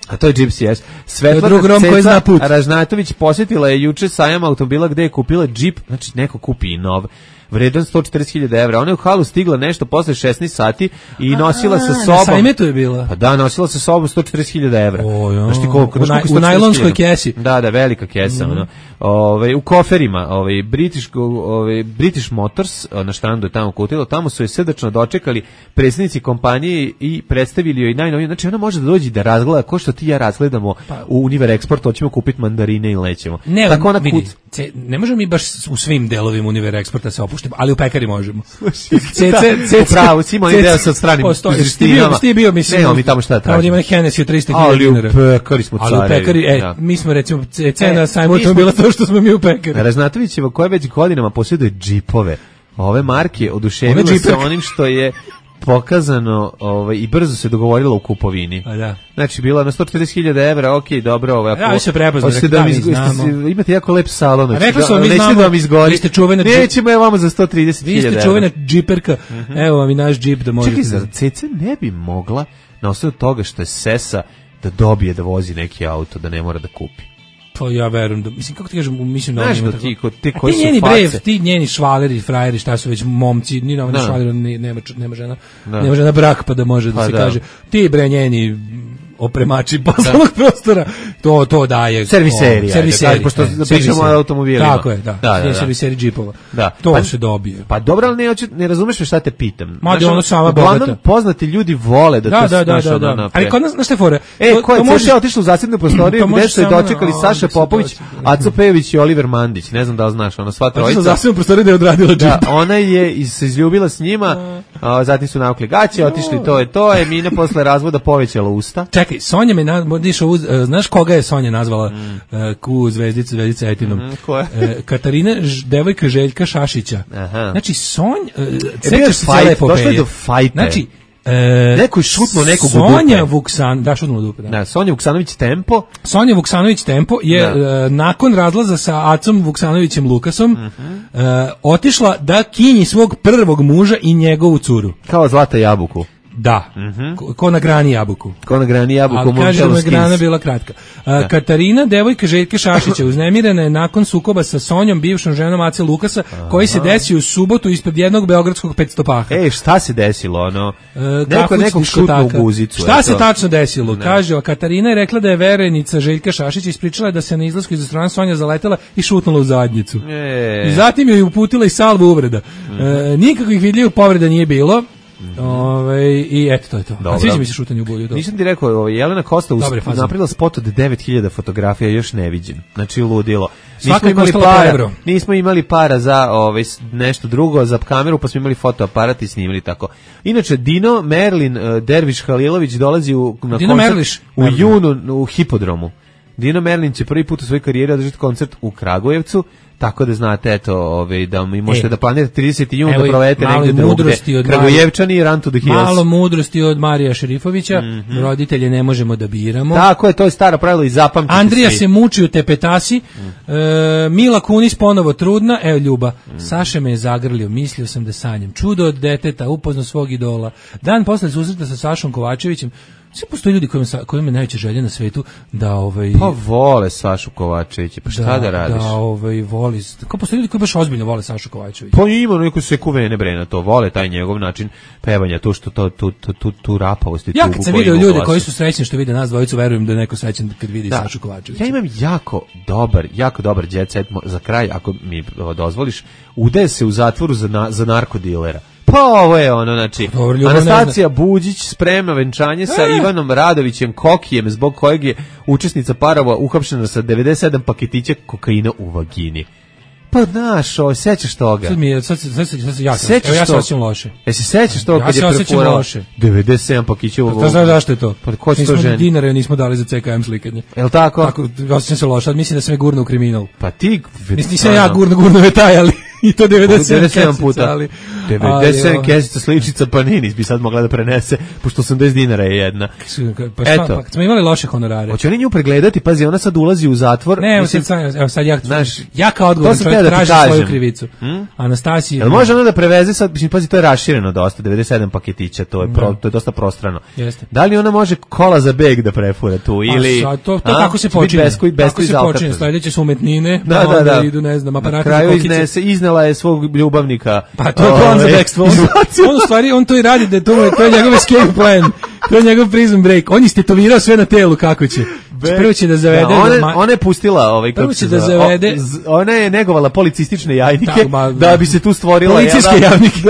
A to je Gypsy S. Svetlana Ceca Ražnatović posjetila je juče sajam automobila gde je kupila džip, znači neko kupi i nov, vredan sto četrdeset hiljada evra. Ona je u halu stigla nešto posle šesnaest sati i nosila sa sobom... Na sajmetu je bila? Pa da, nosila sa sobom sto četrdeset hiljada evra. O, jo. Znaš ti koliko? U, naj, u najlonskoj kesi. Da, da, velika kesa. Mm. Ono. Ove, u koferima, ove, British, ove, British Motors, na štandu je tamo kutilo, tamo su je srdačno dočekali predsjednici kompanije i predstavili joj najnovije. Znači ona može da dođe da razgleda, ko što ti ja razgledamo pa, u Univer Export, hoćemo kupiti mandarine i lećemo. Ne, tako ona vidi, kuc... ce, ne možemo mi baš u svim delovima Univer Exporta se opuštimo, ali u pekari možemo. Upravo, si imao ideja sa stranim izveštinama. Ti je bio, mislim, ne, mi tamo šta tražimo. Tamo ima Hennessy od trista hiljada dinara. Ali u pekari smo carevi. Ali u pekari, e, ja. mi smo recimo, cena e, sajmu to bila to što smo mi u pekari. Ražnatovićeva koja već godinama posjeduje džipove. Ove marke oduševila se onim što je pokazano ovaj, i brzo se dogovorila u kupovini. A da. Znači, bila na sto četrdeset hiljada evra, ok, dobro. Ovaj, ja, vi se prepoznali, da, da mi znamo. Imate jako lep salon. A rekli su vam, mi znamo, da vam izgori. Vi ste čuvena džip. Nećemo je vama za sto trideset hiljada evra. Vi ste čuvena džiperka, uh-huh. Evo vam i naš džip da možete. Čekaj, zar Ceca ne bi mogla, na osnovu toga što je sesa, da dobije da vozi neki auto, da ne mora da kupi? Pa ja verujem da, mislim, kako ti kažem, mislim da znaš ima da tako... ti, ko, ti koji ti su njeni face. brev, ti njeni švaleri, frajeri, šta su već momci, ni na švaleri, nema, nema žena, da. nema žena brak pa da može da pa se da. kaže, ti bre njeni opremači poslovnog da. prostora, to to daje serviseri, serviseri, pošto pričamo o automobilima. Tako je, da, da, da, da. serviseri džipova. Da. To pa, se dobije. Pa dobro, ali ne, ne razumeš me šta te pitam. Ma da ono sama bogata. Poznati ljudi vole da, da to da, da, da, da, da. Ali kod nas, znaš te fore? E, ko je možeš... otišla u zasebnu prostoriju gde su je dočekali no, Saša Popović, Aco Pejević i Oliver Mandić. Ne znam da li znaš, ona sva trojica. Otišla u zasebnu prostoriju da je odradila džip. Da, ona je se izljubila s njima, a, zatim su navukli gaće, otišli to je to, Emina posle razvoda povećala usta. Čekaj, Sonja me na, Uz, uh, znaš koga je Sonja nazvala mm. uh, ku zvezdicu, zvezdica Etinom? Mm, ko je? Uh, Katarina, ž, devojka Željka Šašića. Aha. Znači, Sonj, uh, sećaš se cijela epopeje. Došlo je do fajte. Znači, uh, neko je šutnuo nekog u dupe. Sonja Vuksan, da, šutnuo u dupe. Da. Da, Sonja Vuksanović Tempo. Sonja Vuksanović Tempo je uh, nakon razlaza sa Acom Vuksanovićem Lukasom mm -hmm. uh, otišla da kinji svog prvog muža i njegovu curu. Kao Zlata Jabuku. Da, mm-hmm. ko, ko na grani jabuku. Ko na grani jabuku. Ali kaže da je grana bila kratka. A, Katarina, devojka Željke Šašića, uznemirena je nakon sukoba sa Sonjom, bivšom ženom Ace Lukasa, aha, koji se desio u subotu ispred jednog beogradskog petstopaha. Ej, šta se desilo, ono? E, neko nekog šutno u guzicu. Šta se tačno desilo? Ne. Kaže, Katarina je rekla da je verenica Željka Šašića, ispričala je da se na izlasku iz restorana Sonja zaletela i šutnula u zadnjicu. E. I zatim joj uputila i salvu uvreda. Mm. E, nikakvih vidljivih povreda nije bilo. Mm-hmm. Ove, i eto to je to. A sviđa mi se šutanje u bulju. Nisam ti rekao, ovo, Jelena Kosta napravila spot od devet hiljada fotografija, još neviđen. Znači ludilo. Nismo imali para, nismo imali para za ove, nešto drugo, za kameru, pa smo imali fotoaparat i snimali tako. Inače, Dino Merlin, Derviš Halilović dolazi u, na Dino koncert Merliš. u Merlin. junu u Hipodromu. Dino Merlin će prvi put u svojoj karijeri održati koncert u Kragujevcu. Tako da znate, eto, ovaj, da mi možete e, da planirate trideseti jun da provedete negde drugde. Kragujevčani i Run to the Hills. Malo mudrosti od Marija Šerifovića, mm-hmm. roditelje ne možemo da biramo. Tako je, to je staro pravilo i zapamtite. Andrija svi. se muči u tepetasi, mm. e, Mila Kunis ponovo trudna, evo Ljuba, mm. Saša me je zagrlio, mislio sam da sanjam. Čudo od deteta, upozno svog idola. Dan posle susreta sa Sašom Kovačevićem, sve postoji ljudi kojima, kojima je najveća želja na svetu da ovaj pa vole Sašu Kovačevića, pa šta da, da radiš? Da, ovaj voli. Kako postoji ljudi koji baš ozbiljno vole Sašu Kovačevića? Pa ima neko se kuvene bre na to, vole taj njegov način pevanja, to što to tu tu tu, tu rapavost i tu. Ja kad sam video ljude koji su srećni što vide nas dvojicu, verujem da je neko srećan kad vidi da, Sašu Kovačevića. Ja imam jako dobar, jako dobar jet set za kraj, ako mi dozvoliš, udaje se u zatvoru za na, za narkodilera. Pa ovo je ono, znači, Dobar, Anastacija Buđić sprema venčanje sa e. Ivanom Radovićem Kokijem, zbog kojeg je učesnica parova uhapšena sa devedeset sedam paketića kokaina u vagini. Pa znaš, o, sećaš toga? Sad mi je, sad, sad, sad, sad ja, sam, evo, ja se osjećam loše. Jesi sećaš toga ja kad je prefurala devedeset sedam paketića u vagini? Pa znaš zašto je to? Pa ko će to ženi? Dinare nismo dali za C K M slikanje. Jel tako? Tako, osjećam se loše, mislim da sam je gurno u kriminal. Pa ti... Nisam ja gurno, gurno vetaj, ali... I to devedeset sedam puta. Ali, devedeset sedam kesica sličica Panini bi sad mogla da prenese, pošto osamdeset dinara je jedna. Pa šta, eto. Pa smo imali loše honorare. Hoće oni nju pregledati, pazi, ona sad ulazi u zatvor. Ne, mislim, sad, evo sad ja, znaš, ja kao odgovoran čovjek da tražim svoju krivicu. Hmm? Anastasija... Jel može ona da preveze sad, mislim, pazi, to je rašireno dosta, devedeset sedam paketića, to je, pro, to je dosta prostrano. Jeste. Da li ona može kola za beg da prefura tu, ili... A, to, to tako se počinje. Besko, tako se počinje, sledeće su umetnine, da, da, da. idu, ne znam, aparati za kokice. Iznela je svog ljubavnika. Pa to je plan za bekstvo. On, on u stvari, on to i radi, da to, to je njegov escape plan. To je njegov prison break. On je istetovirao sve na telu kako će. Prvo će da zavede... Da, ona, ona je pustila ovaj... Prvo će da zavede... O, ona je negovala policistične jajnike da, ma, da bi se tu stvorila... Policijske da, javnike.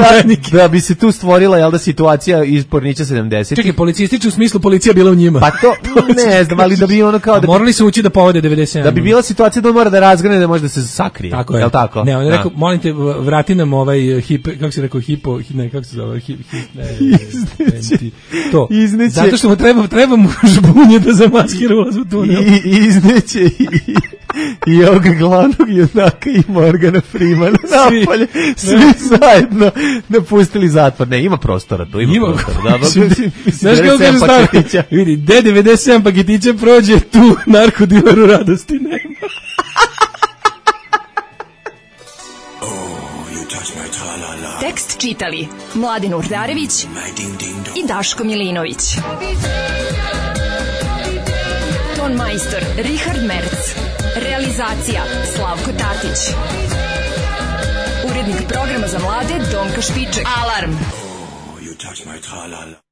Da, da bi se tu stvorila, jel da, situacija iz Pornića sedamdeset. Čekaj, policistički u smislu policija bila u njima. Pa to, ne znam, ali da bi ono kao... Da morali su ući da povode devedeset sedam. Da bi bila situacija da on mora da razgrane, da može da se sakrije. Tako je. Jel tako? Ne, on je rekao, molim te, vrati nam ovaj hip... Kako se rekao, hipo... Ne, kako se zove? Hip, hip, ne, izneće. To. Izneće. Zato što mu treba, treba mu žbunje da zamaskira ulaz u tunel. I, izneće i, i ovoga glavnog junaka i Morgana Freemana napolje, svi zajedno napustili zatvor. Ne, ima prostora tu, ima, ima prostora. Da, znaš kako kaže staro? Vidi, de devedeset sedam paketića prođe, tu narkodileru radosti nema. Tekst čitali Mladin Urdarević i Daško Milinović. Ton majstor Richard Merc. Realizacija Slavko Tatić. Urednik programa za mlade Donka Špiček. Alarm! You touch my tra-la-la.